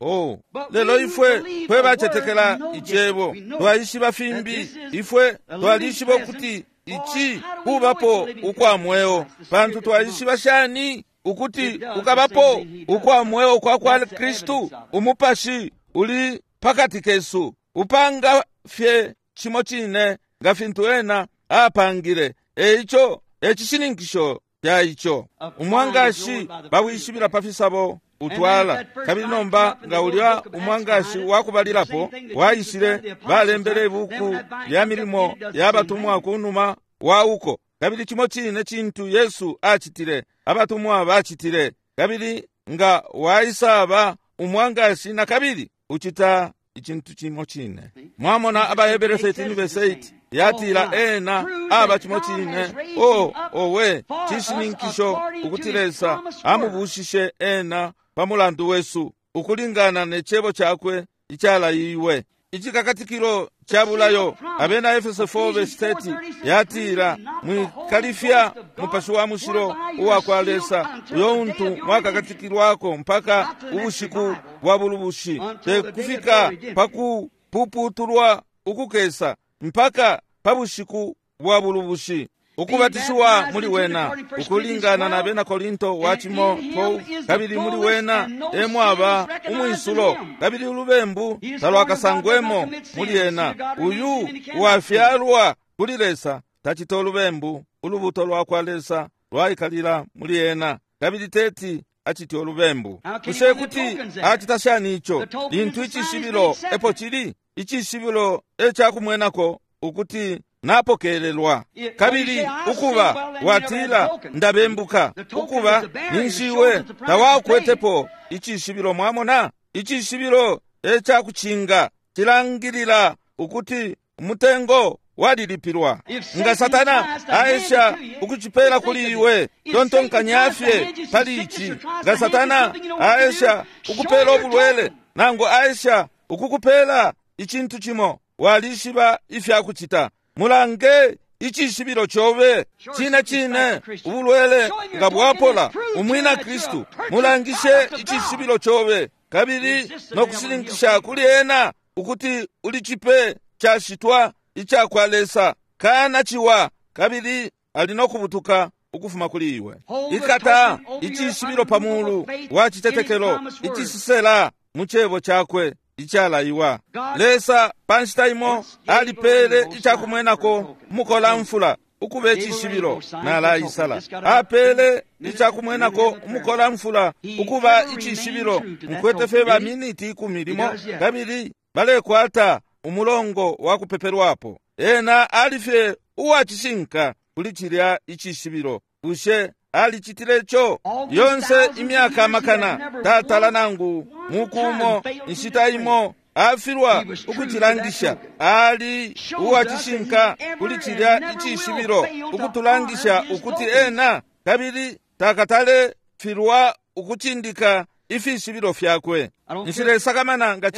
Oh, lelo ifwe fwe bacetekela icebo twaishiba fimbi. Ifwe twalishiba ukuti ici kubapo ukwa mweo, pantu twaishiba shani ukuti ukabapo ukwa mweo kwa kwa Kristu? Umupashi uli pakati kesu, upanga fye cimo cine nga fintu ena apangile. Eico ecishininkisho ca ico. Umwangashi bawishibila pa fisabo utwala. Kabili nomba nga ulya umwangashi wakubalilapo waishile, balembele ibuku lya milimo ya batumwa kunuma wa uko. Kabili cimo cine cintu Yesu acitile, abatumwa bacitile. Kabili nga waisaba umwangashi na kabili ucita icintu cimo cine. Mwamona Abahebere 13:8 yatila ena aba cimo cine. O owe, cishininkisho ukuti Lesa amubushishe ena pa mulandu wesu ukulingana ne cebo cakwe icalaiwe. Icikakatikilo ca bulayo, Abena Efeso 4:30 yatila mwikalifya Mupashi wa Mushilo uwa kwa Lesa, uyo untu mwakakatikilwako mpaka ubushiku bwa bulubushi, te kufika pa kupuputulwa ukukesa mpaka pa bushiku bwa bulubushi. Ukubatishiwa muli wena ukulingana na Bena Korinto wa cimo 12, kabili muli wena emwaba umwisulo, kabili ulubembu talwakasangwemo muli ena. Uyu wafyalwa kuli Lesa tacita ulubembu, ulubuto lwa kwa Lesa lwaikalila muli ena, kabili teti acite ulubembu. Bushe kuti acita shani ico lintu icishibilo epo cili? Icishibilo ecakumwenako ukuti napokelelwa. Kabili ukuba watila ndabembuka, ukuba ninshiwe tawakwetepo icishibilo. Mwamona, icishibilo ecakucinga cilangilila ukuti umutengo walilipilwa. Nga Satana aesha ukucipela kuli iwe, tontonkanya fye pali ici. Nga Satana aesha ukupela ubulwele, nangu aesha ukukupela icintu cimo, walishiba ifyakucita. Mulange icishibilo cobe. Cine cine ubulwele nga bwapola umwina Kristu, mulangishe icishibilo cobe, kabili no kushininkisha kuli ena ukuti uli cipe cashitwa ica kwa Lesa. Kana ciwa, kabili ali no kubutuka ukufuma kuli iwe. Ikata icishibilo pa mulu wa citetekelo icisisela mu cebo cakwe icalaiwa. Lesa pa nshita imo alipele icakumwenako umukolamfula ukuba icishibilo, nalaisala. Apele icakumwenako umukolamfula ukuba icishibilo. Nkwete fye ba miniti 10 limo, kabili balekwata umulongo wa kupepelwapo. Ena alifye uwacishinka kuli cilya icishibilo. Bushe alicitile co? Yonse imyaka amakana tatala nangu mukumo inshita imo afilwa ukucilangisha. Ali uwacishinka kuli cilya icishibilo, ukutulangisha ukuti ena kabili takatale filwa ukucindika ifishibilo fyakwe. Nshilesakamana nga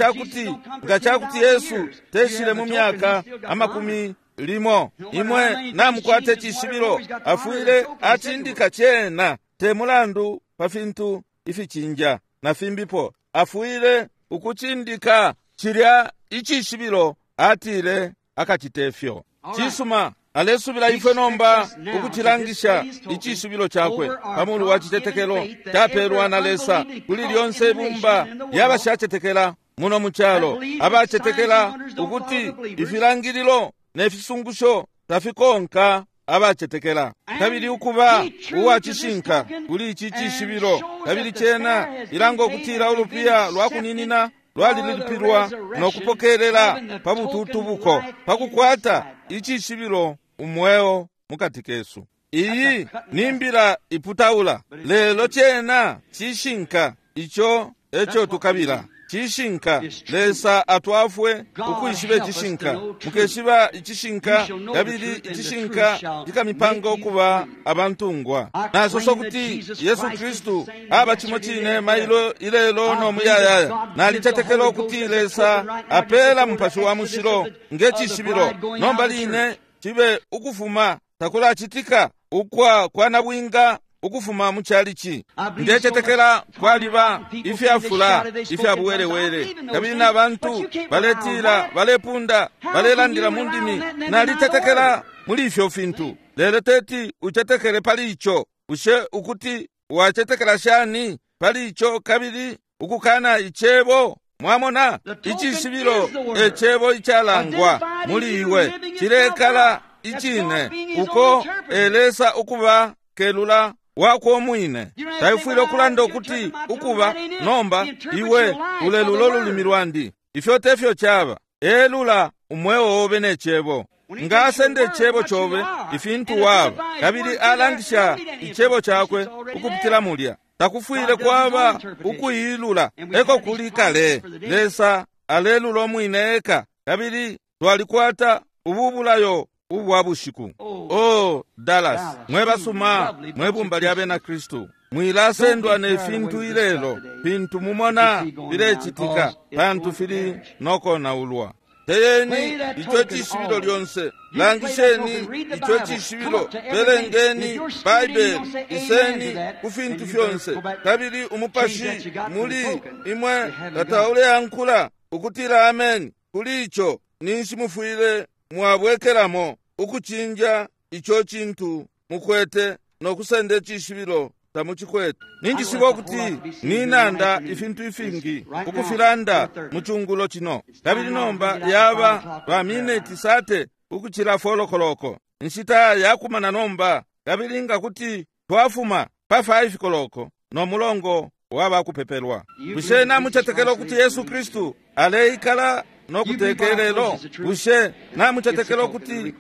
cakuti Yesu teshile mu myaka amakumi limo, imwe namukwate cishibilo, afwile acindika cena, te mulandu pa fintu ificinja na fimbipo, afwile ukucindika cilya icishibilo. Atile akacite fyo. Cisuma, alesubila ifwe nomba ukucilangisha icishibilo cakwe pamulu wa citetekelo capelwa na Lesa kuli lyonse ibumba lyabashacetekela muno mu calo, abacetekela ukuti ifilangililo ne fisungusho tafikonka abacetekela. Kabili ukuba uwacishinka kuli ici cishibilo, kabili cena ilanga ukutila ulupiya lwa kuninina lwalilipilwa no kupokelela pa bututubuko, pa kukwata icishibilo umweo mukati kesu. Iyi ni mbila iputaula, lelo cena cishinka. Ico eco tukabila, cishinka. Lesa atwafwe ukwishiba icishinka. Mukeshiba icishinka, kabili icishinka cikamipanga ukuba abantungwa. Nasosa ukuti Yesu Kristu aba cimo cine mailo ilelo no muyayaya. Nalicetekela ukuti Lesa apela Mupashi wa Mushilo nge cishibilo. Nomba line cibe ukufuma takulacitika ukwa kwa nabwinga ukufuma mu chalichi. Ndecetekela kwaliba ifyafula ifya buwelewele, kabili na bantu baletila, balepunda, balelandila mu ndimi. Nalitetekela muli ifyo fintu, lelo teti ucetekele pali ico. Bushe ukuti wacetekela shani pali ico kabili ukukana icebo? Mwamona, icishibilo ecebo icalangwa muli iwe cilekala icine, uko elesa ukuba kelula wakwe umwine. Taifwile ukulanda ukuti ukuba nomba iwe ulelula ululimi lwandi. Ifyo tefyo chaba. Elula umweo obe ne cebo. Nga asende icebo cobe ifintu waba, kabili alangisha icebo cakwe ukupitila mulya, takufwile kwaba ukuilula eko kuli kale. Lesa alelula umwine eka, kabili twalikwata ubu bulayo ubwa bushiku. Oh, Dallas, mwe basuma, mwe bumba lya bena Kristu, mwilasendwa ne fintu ilelo fintu mumona filecitika, pantu fili nokonaulwa. Teyeni ico cishibilo lyonse, langisheni ico cishibilo, belengeni Baibele, iseni ku fintu fyonse, kabili umupashi muli imwe tatauleankula ukutila ameni kuli ico, ninshi mufwile mwabwekelamo ukucinja ico cintu mukwete nokusenda icishibilo tamuchikwete. Ninjishiba ukuti ninanda ifintu ifingi ukufilanda mu chungulo chino, kabili nomba yaba ba mineti sate ukuchila folokoloko nshita yakumana nomba, kabili nga kuti twafuma pa 5 koloko no mulongo waba kupepelwa. Bushe namuchetekela ukuti Yesu Kristu aleikala no kutekelelo? Bushe namuchetekela ukuti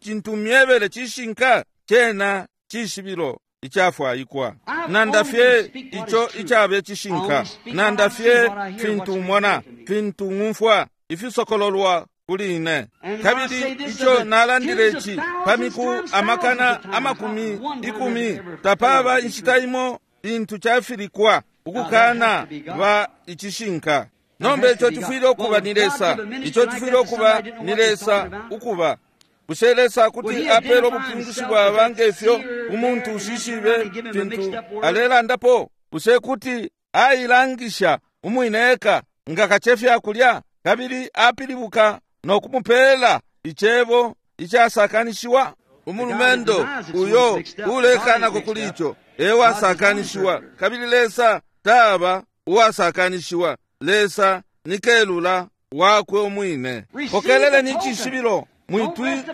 cintu myebele cishinka chena cishibilo icafwaikwa? Nanda fye ico icabe cishinka, nanda fye fintu mona, fintu ng'umfwa ifisokololwa kuli ine. Kabili ico nalandile ici pa miku amakana amakumi ikumi, tapaba inshita imo lintu cafilikwa ukukana ba icishinka. Nomba ico cifwile ukuba ni Lesa, ico cifwile ukuba ni Lesa ukuba. Bushe Lesa kuti apela ubupingushi bwaba ngefyo umuntu ushishibe fintu alelandapo? Bushe kuti ailangisha umwine eka nga kacefya kulya, kabili apilibuka no kumupela icebo icasakanishiwa? Umulumendo uyo ulekanako kuli ico ewasakanishiwa, kabili Lesa taba uwasakanishiwa. Lesa ni kelula wakwe umwine. Pokeleleni icishibilo.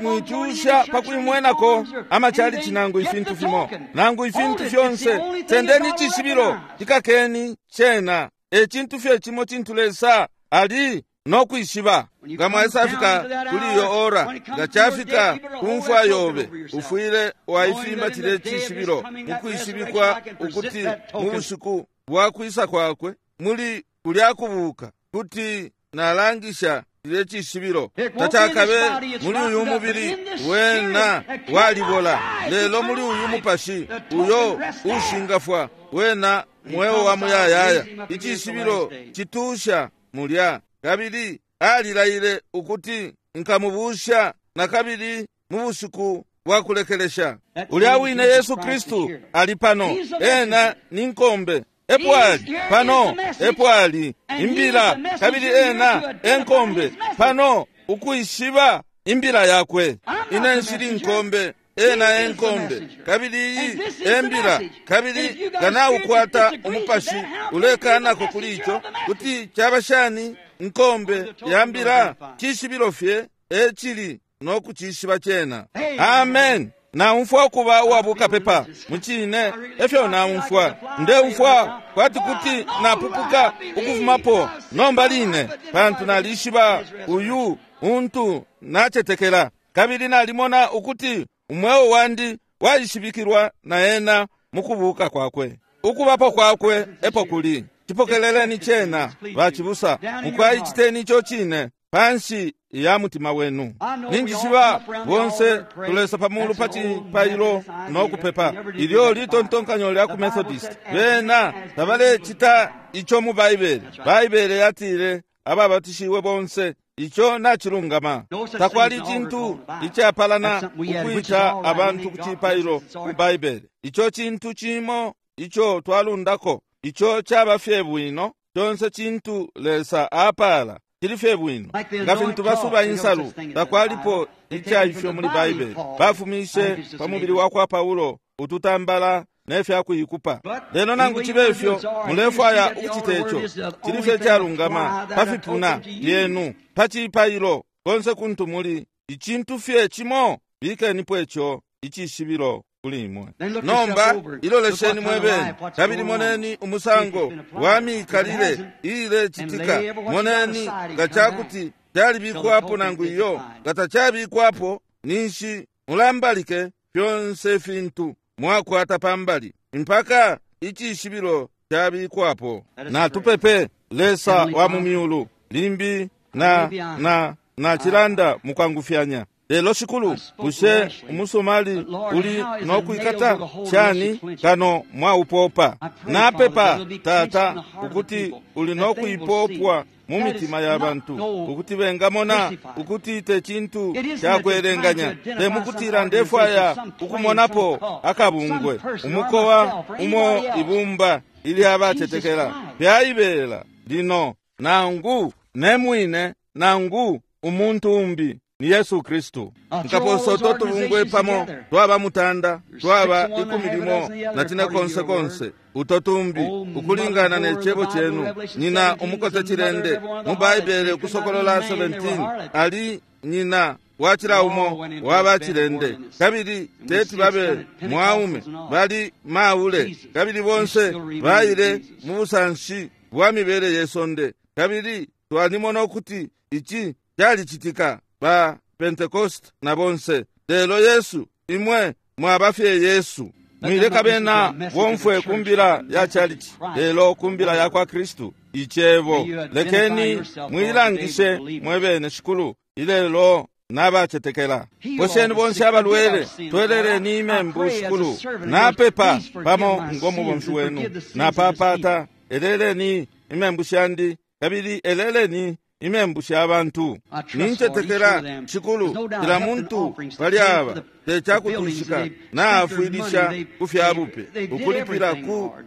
Mwitusha pakuimwenako amachalichi nangu ifintu fimo nangu ifintu fyonse. Sendeni icishibilo, cikakeni cena. Ecintu fye cimo cintu Lesa ali nokwishiba. Nga mwaisafika kuli iyo ora, nga chafika kumfwa yobe, ufwile waifimba cile cishibilo mukwishibikwa ukuti mu bushiku bwa kwisa kwakwe muli kulya kubuka kuti nalangisha cile cishibilo. Tacakabe muli uyu mubili wena walibola, lelo muli uyu mupashi uyo ushingafwa wena mweo wa muyayaya. Icishibilo citusha mulya, kabili alilaile ukuti nkamubusha na kabili mu bushiku bwa kulekelesha. Ulya wine Yesu Kristu ali pano, ena ni nkombe. Epo ali pano, epo ali imbila, kabili ena enkombe pano ukwishiba imbila yakwe. Ine nshili nkombe, ena enkombe, kabili iyi embila, kabili nga umupashi ulekanako kuli ico, kuti chaba shani nkombe ya mbila? Cishibilo fye ecili nokucishiba cena. Amen. Naumfwa ukuba uwabukapepa mucine, efyo naumfwa. Ndeumfwa kwati kuti napupuka ukufumapo nomba line, pantu nalishiba uyu untu nacetekela, kabili nalimona ukuti umweo wandi waishibikilwa na ena mukubuka kwakwe. Ukubapo kwakwe epo kuli. Cipokeleleni cena bacibusa, mukwaichiteni ico cine panshi ya mutima wenu. Ninjishiba bonse tulesa pamulu pa cipailo no kupepa. Ilyo litontonkanyo lya ku Methodist, bena tabalecita ico mu Baibele. Baibele yatile ababatishiwe bonse, ico nacilungama. Takwali cintu icapalana ukwita abantu ku cipailo mu Baibele. Ico cintu cimo ico twalundako, ico caba fye bwino. Conse cintu Lesa apala cili fye bwino. Nga fintu basuba insalu, takwalipo icaifyo muli Baibele. Bafumishe pa mubili wa kwa Paulo ututambala ne fya kuikupa. Lelo nangu cibe ifyo mulefwaya ukucita ico, cili fye calungama pa fipuna lyenu, pa cipailo, konse kuntu muli. Icintu fye cimo, bikenipo ico icishibilo. kuli imwe. Nomba ilolesheni mwebene kabili moneni umusango wa mikalile iilecitika. Moneni nga cakuti calibikwapo nangu iyo. Nga tacabikwapo, ninshi mulambalike fyonse fintu mwakwata pambali mpaka icishibilo cabikwapo. Natupepe. Lesa wa mu myulu, limbi na na nacilanda mukwangufyanya, lelo Shikulu, bushe umusumali uli nokwikata shani kano mwaupopa? Napepa, Tata, ukuti uli nokuipopwa mu mitima ya bantu, ukuti bengamona ukuti te cintu cakwelenganya, te mukutila ndefwaya ukumonapo akabungwe, umukowa umo, ibumba ilyabacetekela fyaibela lino, nangu ne mwine nangu umuntu umbi, ni Yesu Kristu. Nkaposa uto tubungwe pamo, twaba 9, twaba 14 konse konse uto tumbi, ukulingana ne cebo cenu. Nyina umukote cilende mu Baibele, Ukusokolola 17, ali nyina wacila umo waba cilende, kabili teti babe mwaume, bali maule, kabili bonse baile mu busanshi bwa mibele ye sonde. Kabili twalimona ukuti ici calicitika ba Pentecost na bonse. Lelo Yesu, imwe mwaba fye Yesu. Mwileka bena bomfwe kumbila ya chalichi, lelo kumbila ya kwa Kristu, icebo. Lekeni mwilangishe mwebene, Shikulu, ilelo nabacetekela. Posheni bonse abalwele, tweleleni imembu, Shikulu. Napepa pamo ngo mubomfi wenu, napapata eleleni imembu shandi, kabili eleleni imembu sha bantu. Nincetekela, Shikulu, kila muntu pali aba tecakutwishika naafwilisha ku fya bupe, ukulipila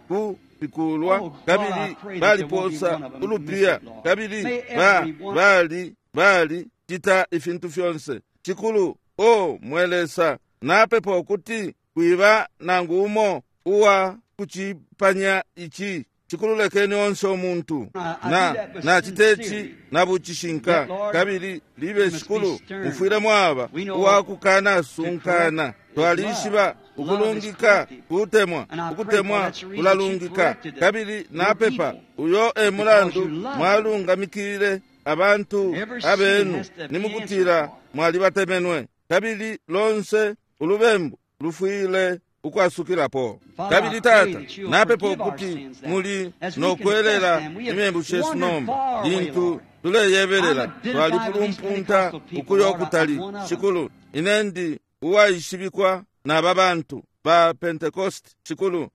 ku fikulwa, kabili baliposa ulupiya, kabili ba bali bali cita ifintu fyonse. Shikulu, o mwe Lesa, napepa ukuti kwiba nangu umo uwa kucipanya ici. Shikulu, lekeni onse umuntu na naciteci na bucishinka, kabili libe, Shikulu, mufwile mwaba uwakukana sunkana. Twalishiba ukulungika kutemwa, ukutemwa kulalungika, kabili napepa uyo e mulandu mwalungamikile abantu abenu, ni mukutila mwalibatemenwe, kabili lonse ulubembu lufwile ukwasukilapo. Kabili Tata, napepa ukuti muli nokwelela imembu shesu nomba lintu tuleyebelela. Twalipulumpunta ukuya ukutali, Shikulu. Ine ndi uwaishibikwa naba bantu ba Pentecost, Shikulu,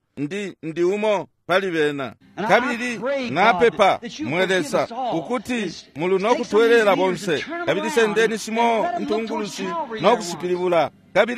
ndi umo pali bena. Kabili napepa, mwe Lesa, ukuti muli nokutwelela bonse, kabili sendeni shimo intungulushi nokushipilibula,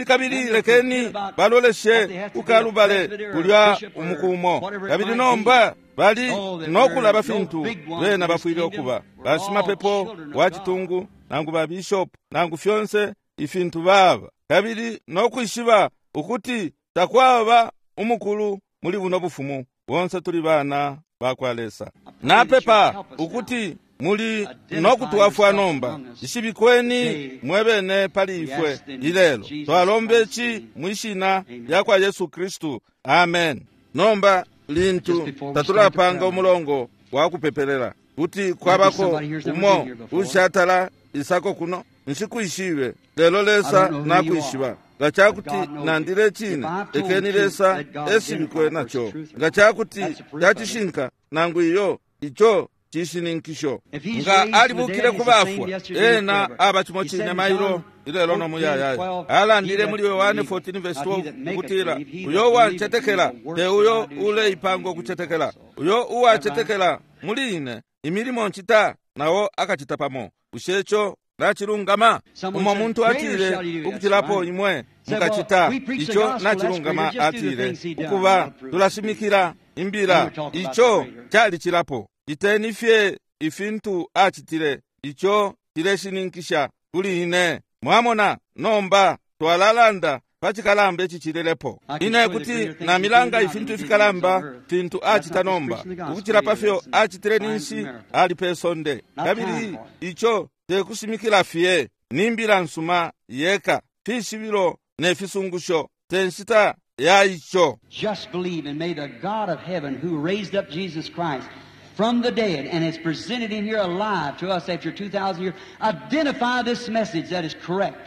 kabili lekeni baloleshe kukalubale kulya umukumo, kabili nomba bali nokulaba fintu bena bafwile ukuba bashimapepo wa citungu, nangu ba bishop, nangu fyonse ifintu baba, kabili nokwishiba ukuti takwaba umukulu muli buno bufumu, bonse tuli bana bakwa Lesa. Napepa ukuti muli nokutwafwa nomba. Ishibikweni mwebene pali ifwe ilelo. Twalomba ici mwishina lya kwa Yesu Kristu, amen. Nomba lintu tatulapanga umulongo wa kupepelela, kuti kwabako umo ushatala isako kuno, nshikwishibe, lelo Lesa nakwishiba. Nga cakuti nandile cine, lekeni Lesa eshibikwe naco. Nga cakuti cacishinka nangu iyo, ico cishininkisho. Nga alibukile ku bafwa, ena aba cimo cine mailo, ilelo no muyayaya. Alandile muli Yohane 14:12 ukutila, uyo uwacetekela, te uyo uleipanga ukucetekela, uyo uwacetekela muli ine, imilimo ncita nawo akacita pamo. Bushe ico nacilungama? Umo muntu atile, ukucilapo imwe mukacita. Ico nacilungama. Atile, ukuba tulashimikila imbila, ico calicilapo. Citeni fye ifintu acitile, ico cileshininkisha kuli ine. Mwamona, nomba twalalanda pa cikalamba icicililepo. Ine kuti namilanga ifintu ifikalamba fintu acita nomba, ukucila pa fyo acitile ninshi ali pe sonde. Kabili ico tekushimikila fye ni mbila nsuma yeka, fishibilo ne fisungusho. te nshita ya ico. Just believe and may the God of heaven who raised up Jesus Christ from the dead and has presented him here alive to us after 2,000 years, identify this message that is correct.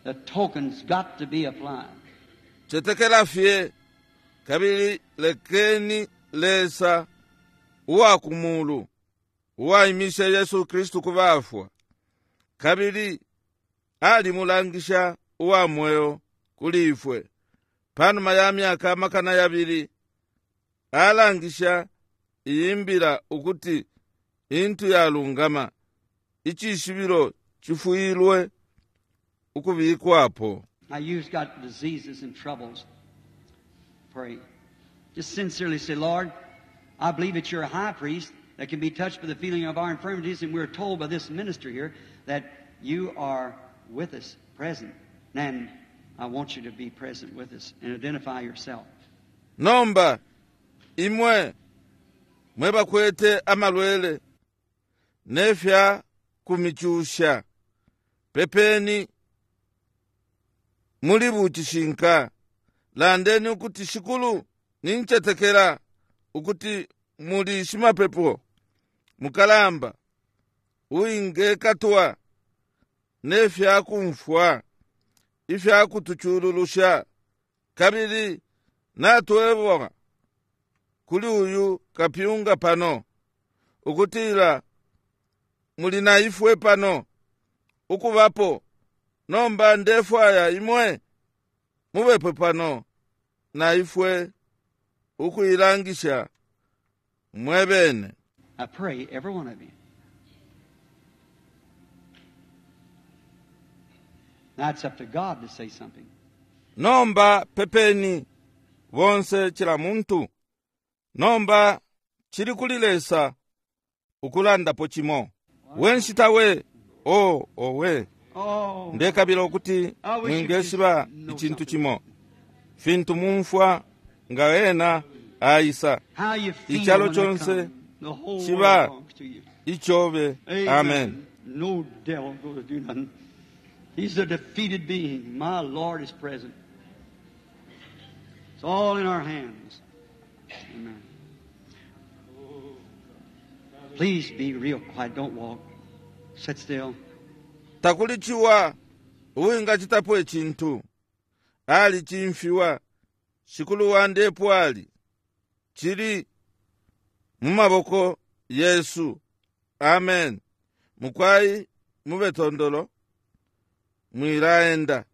The token's got to be applied. Cetekela fye kabili lekeni Lesa uwa ku mulu uwaimishe Yesu Kristu ku bafwa kabili alimulangisha uwa mweo kuli ifwe panuma ya myaka 2000 alangisha iyi mbila ukuti intu yalungama icishibilo cifwilwe ukubikwapo. Now you've got diseases and troubles. Pray. Just sincerely say, Lord, I believe that you're a high priest that can be touched by the feeling of our infirmities, and we're told by this minister here that you are with us, present. And I want you to be present with us and identify yourself. Nomba, imwe mwe bakwete amalwele nefya kumichusha, pepeni muli bucishinka, landeni ukuti Shikulu nincetekela ukuti muli shimapepo mukalamba uwingekatwa nefya kumfwa ifya kutuchululusha, kabili natwebwa kuli uyu kapyunga pano ukutila muli na ifwe pano ukubapo. Nomba ndefwaya imwe mubepo pano na ifwe ukuilangisha mwebene. I pray every one of you. Now it's up to God to say something. Nomba pepeni bonse chila muntu. Nomba chili kuli Lesa ukulandapo chimo. Wenshita we o owe. Oh, Ndekabila ukuti mwingeshiba icintu chimo. Fintu mumfwa nga ena aisa. How you feel Ichalo when they chonse come. The whole chiba world belongs to you. ichobe. Amen. Amen. No devil going to do nothing. He's a defeated being. My Lord is present. It's all in our hands. Amen. Please be real quiet. Don't walk. Sit still. Takuli chiwa uwingachitapo echintu. Ali chimfiwa shikulu wandepo ali chili mumaboko Yesu. Amen. Mukwai mube tondolo mwilaenda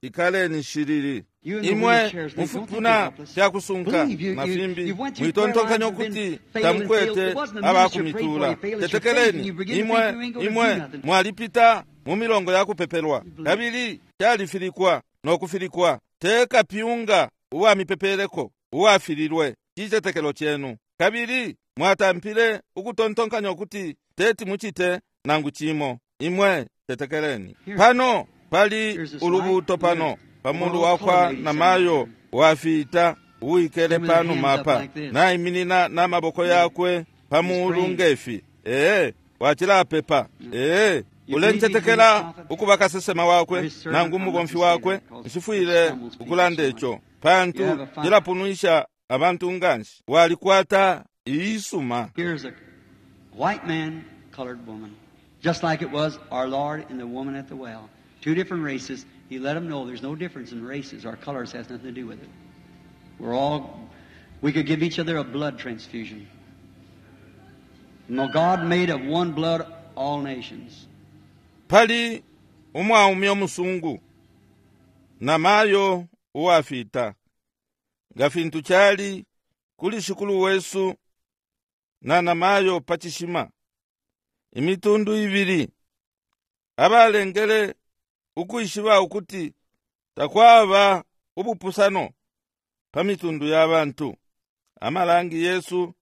ikaleni shiriri. You in the Imwe wheelchairs, they don't think mufupuna you're helpless. fyakusunka Believe you, na you, fimbi you went through prayer mwitontonkanya lines and ukuti been failed and failed. tamukwete It wasn't the minister prayed for abakumitula. you failed. It's your faith, and Tetekeleni you begin to imwe think you ain't gonna do imwe nothing. mwalipita mu milongo ya kupepelwa kabili kyalifilikwa nokufilikwa teka pyunga uwamipepeleko uwafililwe chicetekelo chenu kabili mwatampile ukutontonkanya ukuti teti muchite nangu chimo. Imwe tetekeleni pano pali ulubuto pano pamulu wakwa namayo wafita uwikele pano mapa naiminina namaboko yakwe pamulu ngefi. Ee wachilapepa. Ee ulencetekela ukuba kasesema wakwe nangu mubomfi wakwe nshifwile ukulanda ico pantu cilapunwisha abantu nganshi. Walikwata iisuma. Here's a white man, colored woman, just like it was our Lord and the woman at the well. Two different races. He let them know there's no difference in races. Our colors has nothing to do with it. We could give each other a blood transfusion. No, God made of one blood all nations. Pali umwaume omusungu na mayo uwafita nga fintu kyali kuli shikulu wesu na namayo pachishima imitundu ibili abalengele ukwishiba ukuti takwaba ubupusano pa mitundu ya bantu. Amalangi Yesu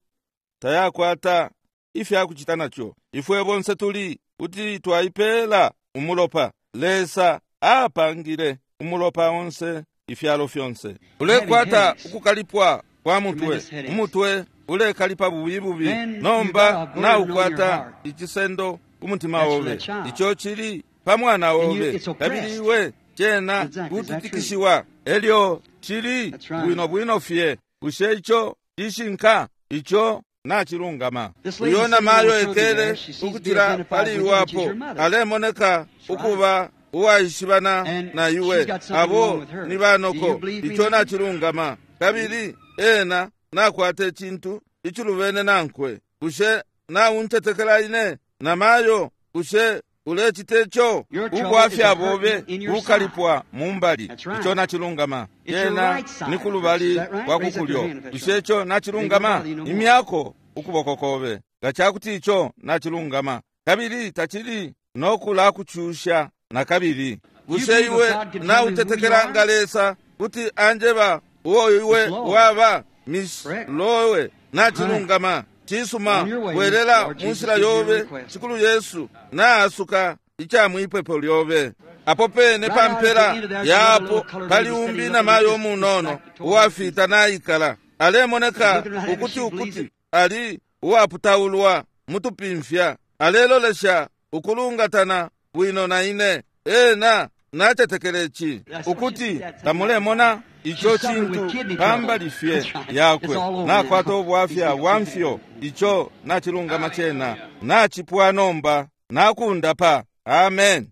tayakwata ifyakuchita nacho. Ifwe bonse tuli kuti twaipela umulopa. Lesa apangile umulopa onse ifyalo fyonse. Ulekwata ukukalipwa kwa mutwe, umutwe ulekalipa bubi bubi. Nomba naukwata ichisendo umutima obe, icho chili pa mwana obe, kabili iwe chena kututikishiwa. Elyo cili bwino bwino fye. Bushe ico cishinka? Ico nacilungama. Uyo namayo ekele ukucila pali iwe apo, alemoneka ukuba uwaishibana na iwe. Abo ni banoko. Ico nacilungama. Kabili ena nakwata icintu icilubene nankwe. Bushe nauntetekela ine, namayo? Bushe ulecita ico? Ubwafya bobe bukalipwa mumbali. Ico nacilungama. Yena ni kulubali kwa kukulyo. Bushe ico nacilungama? Imyako ukuboko kobe nga cakuti ico nacilungama, kabili tacili nokulakucusha nakabili. Bushe iwe nautetekela nga Lesa kuti anjeba uo iwe waba? Miss Lowe, nacilungama. Cisuma, bwelela munshila yobe. Shikulu Yesu naasuka ica mwipepo lyobe. Apo pene pa mpela yapo pali umbi namayo umunono uwafita naikala, alemoneka ukuti ukuti ali uwaputaulwa mutupimfya, alelolesha ukulungatana bwino na ine. Ena nacetekele ici ukuti tamulemona ico cintu pambali fye yakwe. Nakwata ubwafya bwa mfyo. Ico nacilungama cena nacipwa nomba, nakundapa. Amen.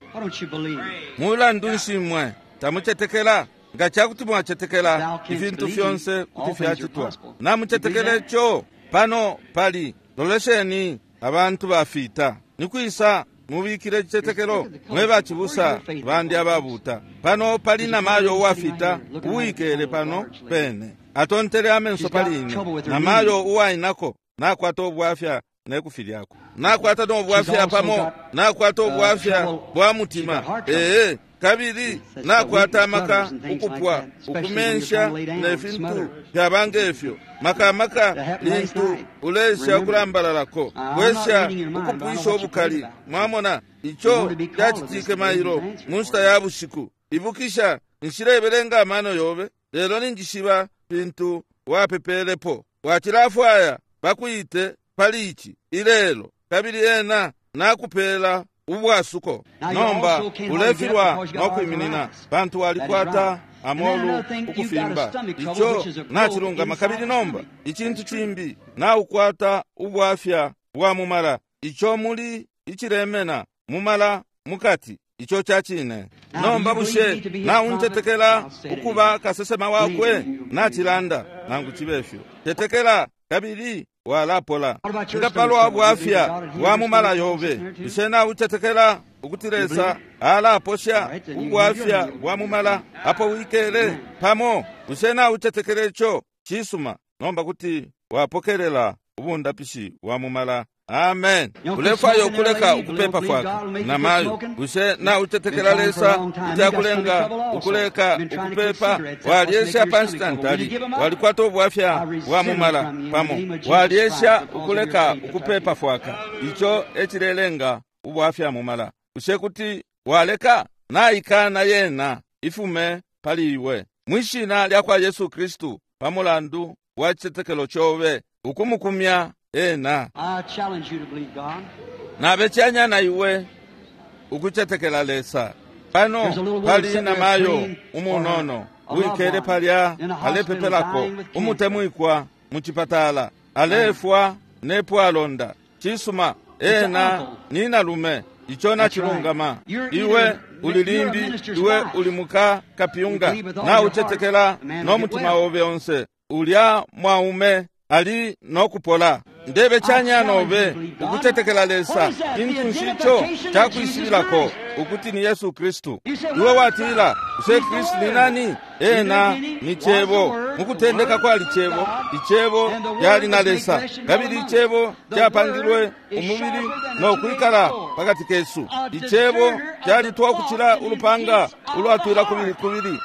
Mulandu nshi mwe tamucetekela? Nga cakuti mwacetekela, ifintu fyonse kuti fyacitwa. Namucetekela ico? Pano pali, lolesheni abantu bafita. Nikwisa mubikile icicetekelo, mwe bacibusa bandi ababuta? Pano pali namayo uwafita uwikele pano pene, atontele amenso pali ine. Namayo uwainako nakwata ubwafya nekufilyako, nakwata nobwafya pamo, nakwata ubwafya bwa mutima. Ee, kabili nakwata amaka ukupwa ukumensha ne fintu fyaba ngefyo, makamaka lintu ulesha ukulambalalako, wesha ukupwisha ubukali. Mwamona ico cacitike mailo mu nshita ya bushiku. Ibukisha, nshilebelenga amano yobe, lelo ninjishiba fintu wapepelepo. Wacilafwaya bakwite pali ici ilelo, kabili ena nakupela ubwasuko. Nomba ulefilwa nokwiminina pantu walikwata amolu ukufimba. Ico nacilungama. Kabili nomba icintu cimbi, naukwata ubwafya bwa mumala, ico muli icilemena mumala mukati. Ico cacine. Nomba bushe nauntetekela ukuba kasesema wakwe? Nacilanda nangu cibe fyo. Tetekela kabili walapola. Nga palwa bwafya bwa mumala yobe, bushe naucetekela ukuti Lesa alaposha ubwafya bwa mumala apo wikele pamo? Bushe naucetekela ico? Cisuma. Nomba kuti wapokelela ubundapishi bwa mumala. Amen. Ulefwaya ukuleka ukupepa fwaka, namayo? Bushe naucetekela Lesa kuti akulenga ukuleka ukupepa? Walyesha pa nshita ntali, walikwata ubwafya bwa mumala pamo, walyesha ukuleka ukupepa fwaka. Ico ecilelenga ubwafya mumala. Bushe kuti waleka? Naikana yena ifume pali iwe mwishina lya kwa Yesu Kristu, pa mulandu wa cicetekelo cobe ukumukumya ena. Nabecanya na iwe ukucetekela Lesa. Pano pali namayo umunono wikele palya alepepelako umutemwikwa mucipatala, alefwa nepwalonda. Cisuma, ena ni nalume. Ico nacilungama. Iwe uli limbi, iwe uli muka kapyunga, naucetekela no mutima obe onse. Ulya mwaume ali nokupola. Ndebe canya nobe ukucetekela Lesa. Cintu nshi ico cakwishibilako ukuti ni Yesu Kristu? Iwe watila, bushe Kristu ni nani? Ena ni Cebo. Mukutendeka kwali Cebo, Icebo cali na Lesa, kabili Icebo capangilwe umubili no kwikala pakati kesu. Icebo calitwa ukucila ulupanga ulwatwila kubili kubili,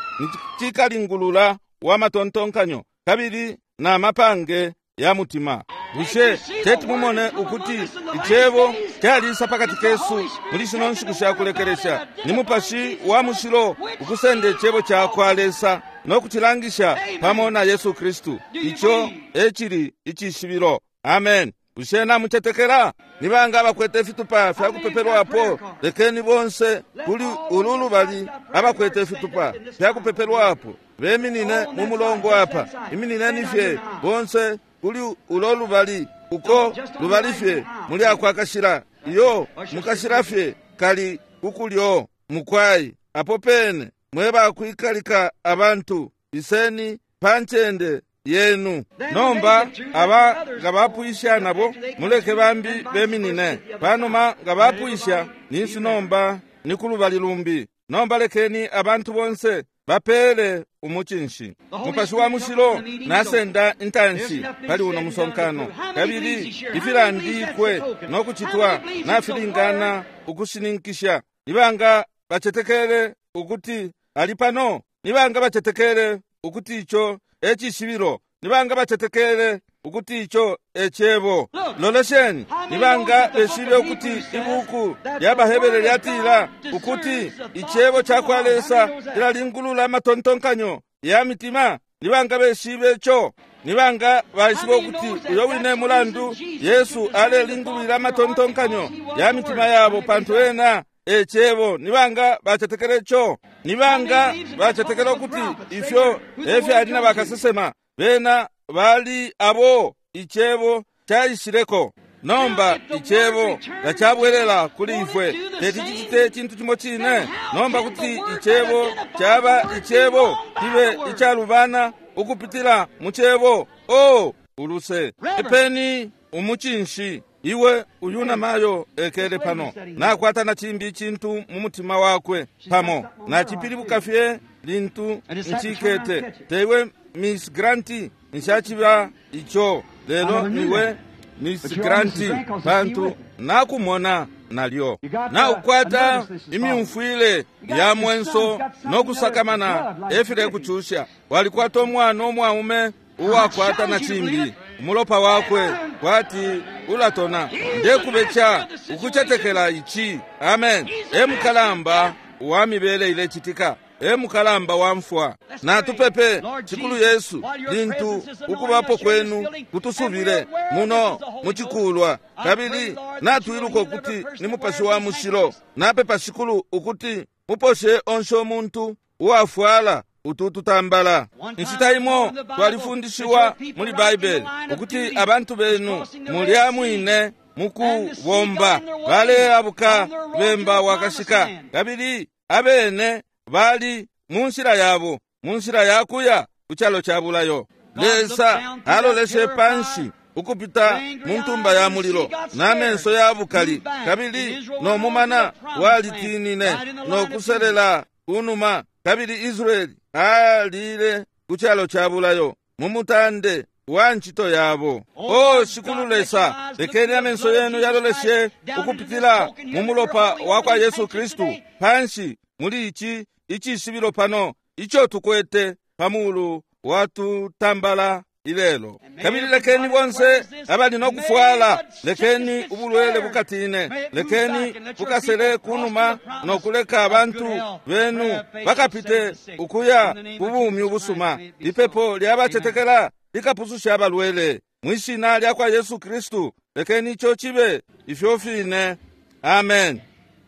cikalingulula wa matontonkanyo kabili na mapange ya mutima. Bushe teti mumone ukuti Icebo calisa pakati kesu muli shino nshiku sha kulekelesha? Ni Mupashi wa Mushilo ukusenda Icebo ca kwa Lesa no kucilangisha pamo na Yesu Kristu. Ico ecili icishibilo. Amen. Bushe namucetekela? Ni banga abakwete ifitupa fya kupepelwapo? Lekeni bonse kuli ulu lubali abakwete ifitupa fya kupepelwapo. Beminine mu mulongo apa. Iminineni fye bonse kuli ulo lubali, uko lubali fye muli akwakashila. Iyo mukashila fye kali kukulyo mukwai. Apo pene mweba kwikalika abantu, iseni pancende yenu. Nomba aba nga bapwisha nabo muleke bambi beminine. Panuma nga bapwisha ninsi nomba ni kulubali lumbi. Nomba lekeni abantu bonse bapele umucinshi. Mupashi wa mushilo nasenda intanshi pali uno musonkano, kabili ifilandikwe no kuchitwa nafilingana ukushininkisha. Nibanga bachetekele ukuti ali pano? Nibanga bachetekele ukuti icho echishibilo? Nibanga bachetekele ukuti icho echebo? Lolesheni, nibanga beshibe ukuti ibuku lya Bahebere lyatila ukuti ichebo cha kwa Lesa lilalingulula amatontonkanyo ya mitima? Nibanga beshibe icho? Nibanga baishibe ukuti uyo wine mulandu Yesu alelingulula amatontonkanyo ya mitima yabo pantu ena echebo? Nibanga bachetekele icho? Nibanga bachetekele ukuti ifyo efyali na bakasesema bena bali abo ichebo chaishileko? Nomba ichebo tachabwelela kuli ifwe, teti chichite chintu chimo chine. Nomba kuti ichebo chaba ichebo kibe ichalubana ukupitila muchebo. O uluse epeni umuchinshi iwe uyuna mayo ekele pano nakwata na chimbi chintu mu mutima wakwe pamo nachipilibuka fye lintu nchikete. Tewe Miss Granti nshachiba icho lelo niwe Miss Granti pantu nakumona nalyo. Naukwata imyumfwile ya mwenso nokusakamana efile kuchusha. Walikwata omwana omwaume uwakwata na chimbi umulopa wakwe kwati ulatona. Ndekubecha ukuchetekela ichi. Amen. Emukalamba wa mibele ilechitika, emukalamba wa mfwa. Natupepe Chikulu Yesu lintu ukubapo kwenu kutusubile muno muchikulwa, kabili natwiluka ukuti ni mupashi wa mushilo. Napepa Shikulu ukuti muposhe onse omuntu uwafwala utututambala. Inshita imo twalifundishiwa muli Baibele ukuti abantu benu mulya mwine mukubomba baleabuka bemba wakashika, kabili abene bali munshila yabo, munshila yakuya kuchalo cha bulayo. Lesa aloleshe panshi ukupita muntumba ya mulilo n'amenso ya bukali, kabili nomumana walitinine nokuselela kunuma, kabili Israeli alile kuchalo cha bulayo mumutande wa nchito yabo. O Shikulu Lesa, lekeni amenso yenu yaloleshe ukupitila mu mulopa wa kwa Yesu Kristu panshi muli ichi icishibilo pano icho tukwete pamulu watutambala ilelo. Kabili lekeni bonse abali nokufwala, lekeni ubulwele bukatine, lekeni bukasele kunuma nokuleka abantu benu bakapite ukuya kubumi ubusuma. Ipepo lyabachetekela likapususha abalwele mwishina lya kwa Yesu Kristu. Lekeni icho chibe ifyo fine. Amen.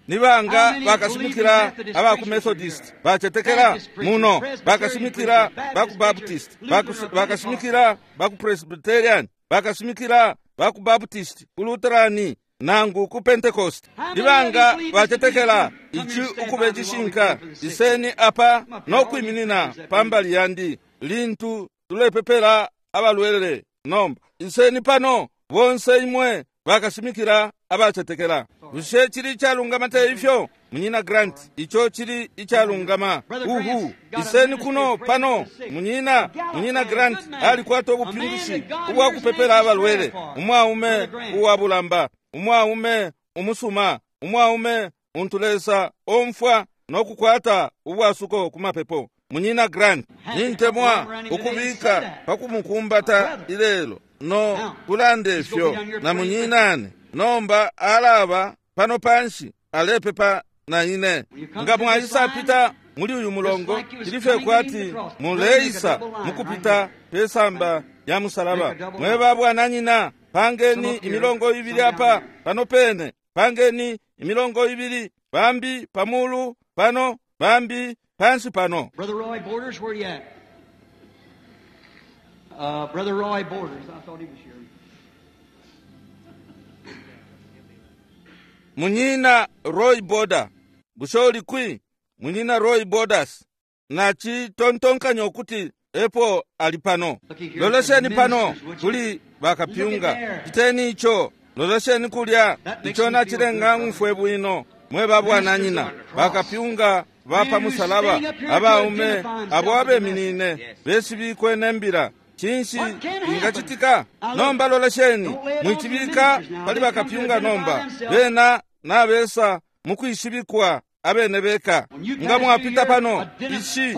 Nibanga bakashimikila abaku Methodist bachetekela muno, bakashimikila baku Baptist, bakashimikila baku Presbyterian, bakashimikila baku Baptist, ku Lutherani nangu ku Pentecost. Nibanga bachetekela ichi ukube chishinka? Iseni apa nokwiminina pambali yandi lintu tulepepela abalwele. Nomba iseni pano bonse imwe bakashimikila abachetekela. Bushe chili ichalungama te ifyo? Munyina Grant, icho chili ichalungama. Uhu, iseni kuno pano. Munyina Grant alikwata ubupingushi ubwa kupepela abalwele. Umwaume uwabulamba, umwaume umusuma, umwaume untu Lesa omfwa nokukwata ubwasuko kumapepo. Munyina Grant, nintemwa ukubika pakumukumbata ilelo no kulanda ifyo na munyinane. Nomba alaba pano panshi alepepa na ine. Nga mwaisapita muli uyu mulongo, chilife kwati muleisa mukupita pesamba ya musalaba. Mweba bwananyina, pangeni imilongo ibili apa pano pene, pangeni imilongo ibili, bambi pamulu pano, bambi pansi pano. Brother Roy Borders, where you at? Brother Roy Borders, I thought he was here. Munyina Roy Border, bushe uli kwi? Munyina Roy Borders, nacitontonkanya ukuti epo ali pano. Lolesheni pano kuli bakapyunga, citeni ico. Lolesheni kulya, ico nacilenga ng'umfwe bwino. Mwe babwananyina, bakapyunga ba pa musalaba, abaume abo abeminine beshibikwe nembila. Cinshi ingacitika? Nomba lolesheni, mwicibika pali bakapyunga nomba. Bena nabesa mukwishibikwa abene beka. Nga mwapita pano, ishi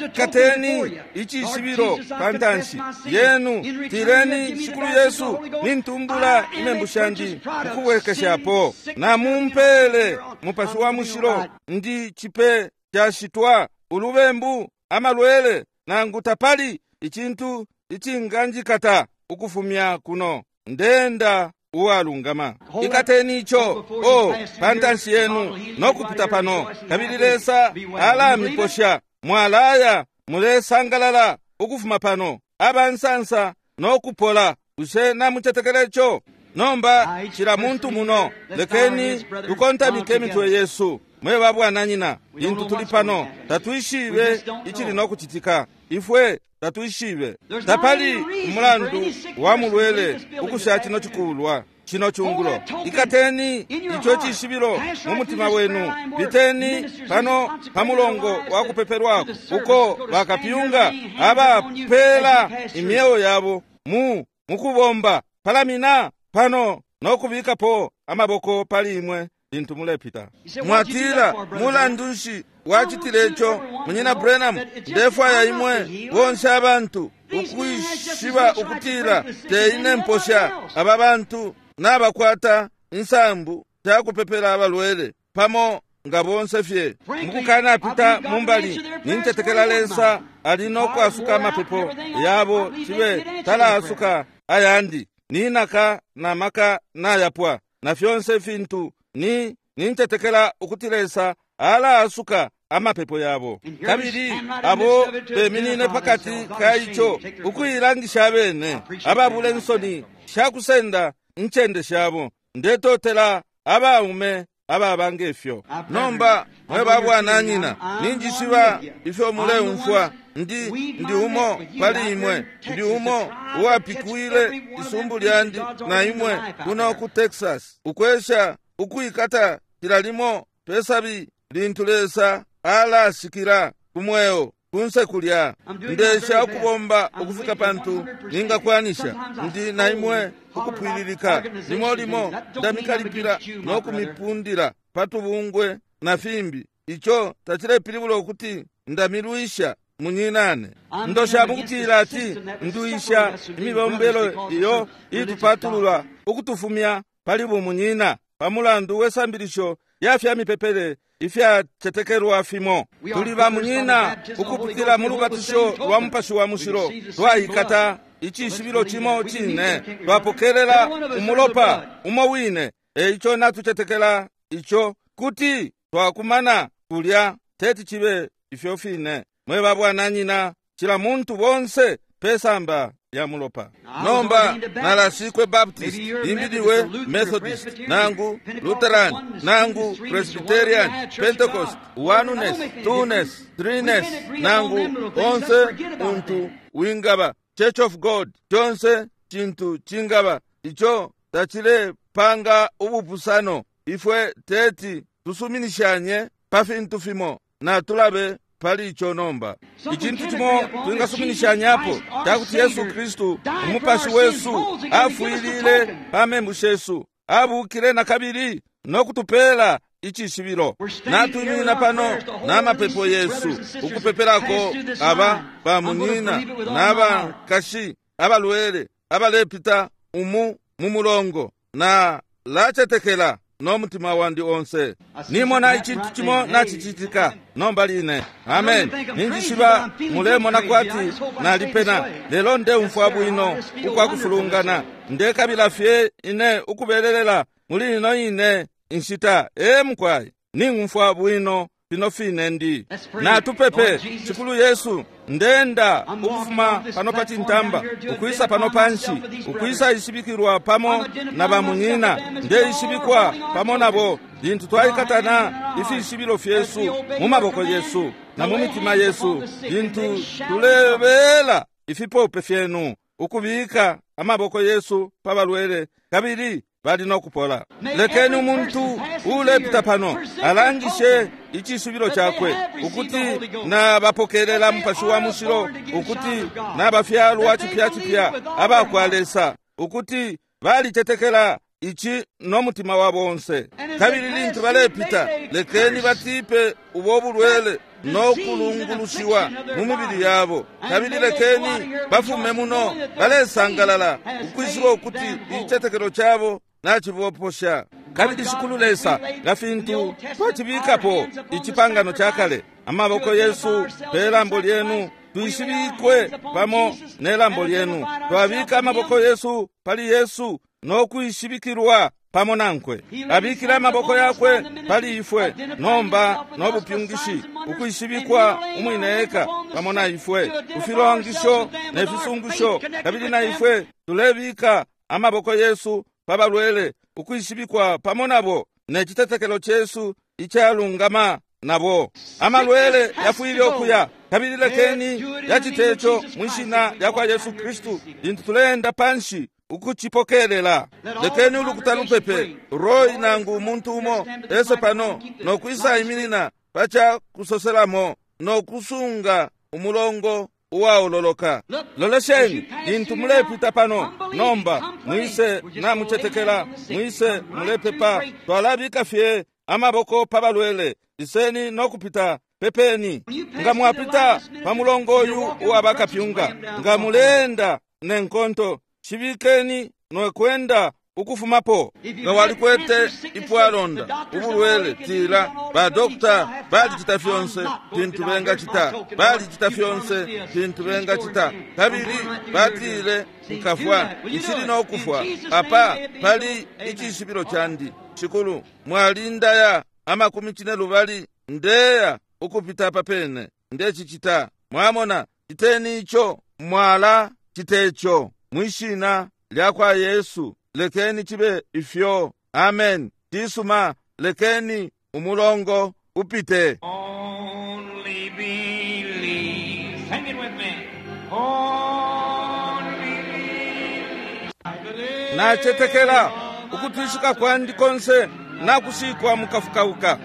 ikateni icishibilo pa ntanshi yenu, tileni Shikulu Yesu, nintumbula imembu shandi mukubwekeshapo, namumpele Mupashi wa Mushilo, ndi cipe cashitwa ulubembu, amalwele, nangu tapali icintu icinganjikata ukufumya kuno, ndenda uwalungama. Ikateni ico o pa ntanshi yenu nokupita pano, kabili Lesa alamiposha. Mwalaya mulesangalala ukufuma pano, abansansa nokupola. Bushe namucetekela ico? Nomba cila muntu muno, lekeni tukontamike imitwe yesu. Mwe babwananyina, lintu tuli pano tatwishibe icili nokucitika. Ifwe tatwishibe. Tapali umulandu wa mulwele ukusha cino cikulwa cino cungulo. Ikateni ico cishibilo mu mutima wenu, piteni pano pa mulongo wa kupepelwako uko bakapyunga abapela imyeo yabo mu mukubomba. Palamina pano nokubikapo amaboko pali imwe lintu mulepita. Mwatila, mulandu nshi wacitile ico, Munyina Branham? Ndefwaya imwe bonse abantu ukwishiba ukutila te ine mposha aba bantu nabakwata insambu shakupepela abalwele pamo nga bonse fye. Mukukanapita mumbali, nincetekela Lesa ali nokwasuka amapepo yabo, cibe talaasuka ayandi. Ninaka na maka nayapwa na fyonse fintu, ni nincetekela ukuti Lesa alaasuka amapepo yabo. Kabili abo beminine pakati ka ico ukuilangisha abene, ababula insoni shakusenda incende shabo. Ndetotela abaume ababa ngefyo. Nomba mwe babwananyina, ninjishiba ifyo muleumfwa. Ndi umo pali imwe, ndi umo uwapikwile isumbu lyandi na imwe kuno ku Texas, ukwesha ukwikata cila limo pesabi lintu Lesa alasikila ku mweo kunse kulya. Ndesha ukubomba ukufika pantu ningakwanisha. Ndi na imwe ukupwililika. Limo limo ndamikalipila no kumipundila patubungwe na fimbi. Ico tacilepilibula ukuti ndamilwisha munyinane. Ndosha mukutila ati nduisha imibombelo iyo itupatulula ukutufumya pali bumunyina pamulandu we sambilisho ya fya mipepele ifyacetekelwa fimo. Tuli bamunyina ukupitila mu lubatisho lwa Mupashi wa Mushilo, twaikata icishibilo cimo cine, twapokelela umulopa umo wine. Eico natucetekela ico kuti twakumana kulya, teti cibe ifyo fine. Mwe babwananyina, cila muntu bonse pesamba ya mulopa. Nomba nalasikwe Baptist, limbi Methodist, nangu Lutheran, nangu Presbyterian, Pentecost, Oneness, Twoness, Threeness, nangu onse untu wingaba Church of God, conse cintu cingaba ico tacilepanga ubupusano. Ifwe teti tusuminishanye pa fintu fimo, na tulabe pali ico nomba. Icintu cimo twingasuminishanyapo cakuti Yesu Kristu umupashi wesu afwilile pa membu shesu, abukile na kabili no kutupela icishibilo. Natwiminina pano n'amapepo yesu ukupepelako aba bamunyina n'abankashi abalwele abalepita umu mu mulongo, na lacetekela no mutima wandi onse. Nimona icintu cimo nacicitika nomba line. Amen. Ninjishiba mulemona kwati nalipena, lelo ndeumfwa bwino ukwakufulungana. Ndekabila fye ine ukubelelela muli ino ine inshita. Ee mukwai, ning'umfwa bwino. Pino fine ndi. Natupepe. Shikulu Yesu, ndenda ukufuma pano pa cintamba ukwisa pano panshi, ukwisa ishibikilwa pamo na bamunyina, ndeishibikwa pamo nabo lintu twaikatana ifishibilo fyesu mu maboko yesu na mu mitima yesu, lintu tulebela ifipope fyenu ukubika amaboko yesu pa balwele kabili bali no kupola. Lekeni umuntu ulepita pano alangishe icishibilo chakwe ukuti nabapokelela Mupashi wa Mushilo, ukuti nabafyalwa cipya cipya abakwa Lesa, ukuti balicetekela ici no mutima wabo onse. Kabili lintu balepita, lekeni batipe ubo bulwele no kulungulushiwa mu mibili yabo, kabili lekeni bafume muno balesangalala ukwishiba ukuti icitetekelo cabo naciboposha. Kabili Shikulu Lesa, nga fintu twacibikapo icipangano ca kale, amaboko yesu pe lambo lyenu twishibikwe pamo ne lambo lyenu. Twabika amaboko yesu pali Yesu no kwishibikilwa pamo nankwe. Abikile amaboko yakwe pali ifwe nomba no bupyungishi, ukwishibikwa umwine eka pamo na ifwe kufilongisho ne fisungusho. Kabili na ifwe tulebika amaboko yesu pa balwele, ukwishibikwa pamo nabo ne citetekelo cesu icalungama nabo. Amalwele yafwile ukuya, kabili lekeni yaciteco mwishina lya kwa Yesu Kristu lintu tuleenda panshi ukucipokelela. Lekeni ulukuta lupepe Roy nangu umuntu umo ese pano nokwisa iminina paca kusoselamo nokusunga umulongo uwaololoka. Lolesheni lintu mulepita pano nomba, mwise namucetekela, mwise mulepepa. Twalabika fye amaboko pa balwele. Iseni nokupita, pepeni. Nga mwapita pa mulongo uyu uwa bakapyunga, nga muleenda ne nkonto, shibikeni nokwenda ukufumapo. Nga walikwete ipwalonda ubulwele, tila badokta balicita fyonse fintu bengacita, balicita fyonse fintu bengacita, kabili batile nkafwa, nshili nokufwa. Apa pali icishibilo candi. Shikulu, mwalindaya 40 ndeya ukupita papene ndecicita. Mwamona, citeni ico, mwala citeco mwishina lya kwa Yesu. Lekeni cibe ifyo. Amen. Cisuma, lekeni umulongo upite. Only believe. Sing it with me. Only believe. I believe. Nacetekela ukutwishika kwandi konse nakushikwa mukafukauka.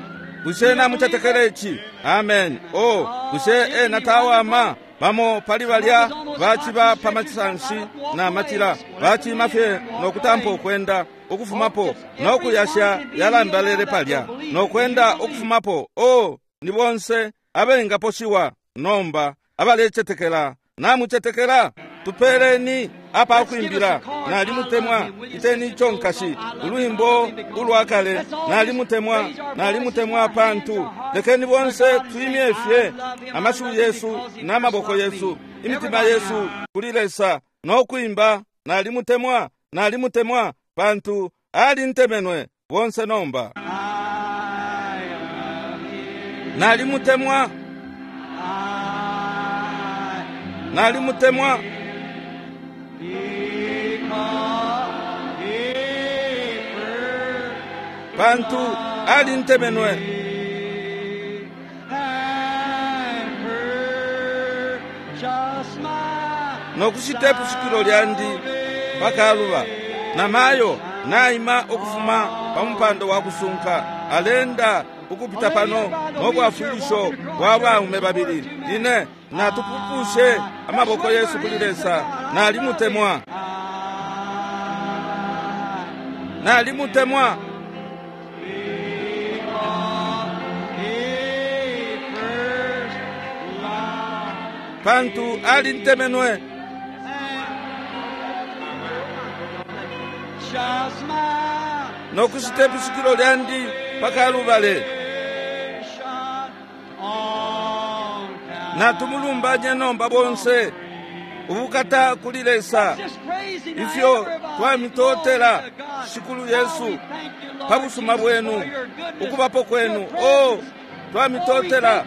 Bushe namucetekela ici? Amen. Oh, bushe ena tawama? Bamo pali balya baciba pa masanshi na matila, bacima fye nokutampa ukwenda ukufumapo nokuyasha yalambalele palya nokwenda ukufumapo. Oh, ni bonse abengaposhiwa nomba abalecetekela. Namucetekela? Tupeleni apa kwimbila nalimutemwa. Iteni ico nkashi, ulwimbo ulwa kale, nalimutemwa, nalimutemwa pantu. Lekeni bonse twimye fye amashiwi yesu n'amaboko yesu, imitima yesu kuli Lesa nokwimba nalimutemwa, nalimutemwa pantu alintemenwe. Bonse nomba nalimutemwa, nalimutemwa pantu alintemenwe. Nokushita ipusukilo lyandi pakaluba. Namayo naima ukufuma pa mupando wa kusunka, alenda ukupita pano nobwafwilisho bwa baume babili. Ine natupupushe amaboko yesu kuli Lesa. Nalimutemwa, nalimutemwa. Pantu alintemenwe. Nokushita ipusukilo lyandi pakalubale. Natumulumbanye nomba bonse. Ubukata kuli Lesa. Ifyo twamitotela Shikulu Yesu pa busuma bwenu, ukubapo kwenu. Oh, Twamitotela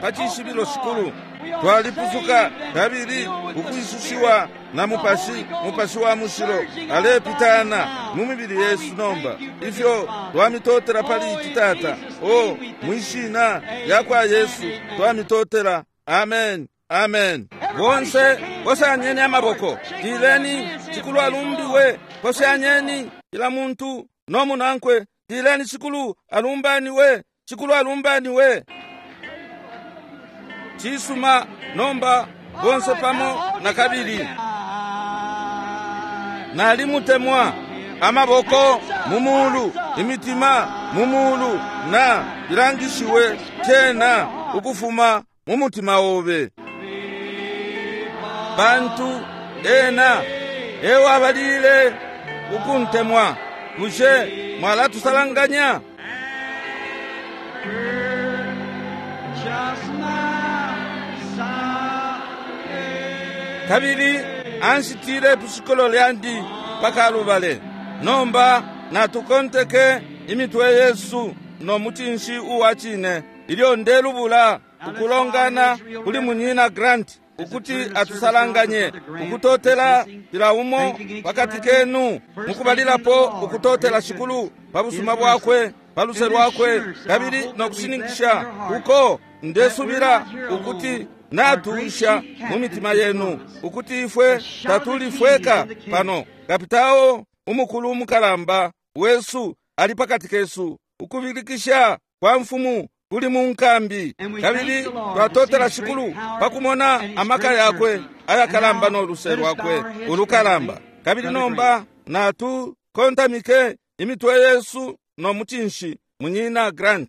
pa cishibilo Shikulu. Twalipusuka kabili ukwisushiwa na Mupashi, Mupashi wa Mushilo alepitana mu mibili yesu nomba. Ifyo twamitotela pali ici, Tata. O mwishina lya kwa Yesu twamitotela. Amen. Amen. Bonse poshanyeni amaboko, tileni Shikulu alumbiwe. Poshanyeni kila muntu no munankwe, tileni Shikulu alumbaniwe, Shikulu alumbaniwe. Cisuma, nomba bonse pamo na kabili. Nalimutemwa. Amaboko mu mulu, imitima mu mulu, na bilangishiwe cena ukufuma mu mutima obe. Pantu ena ewabalile ukuntemwa. Bushe mwalatusalanganya? Just my Kabili anshitile ipusukilo lyandi pakalubale. Nomba natukonteke imitwe yesu no mucinshi uwa cine ilyo ndelubula ukulongana kuli Munyina Grant ukuti atusalanganye ukutotela cila umo pakati kenu. Mukubalilapo ukutotela Shikulu pa busuma bwakwe, pa luse lwakwe, kabili no kushininkisha uko ndesubila ukuti natuusha mu mitima yenu ukuti ifwe tatuli fweka pano. Kapitao umukulu umukalamba wesu ali pakati kesu. Ukubilikisha kwa mfumu kuli mu nkambi, kabili twatotela Shikulu pakumona amaka yakwe ayakalamba no luse lwakwe ulukalamba. Kabili nomba natukontamike imitwe yesu no mucinshi. Munyina Grant.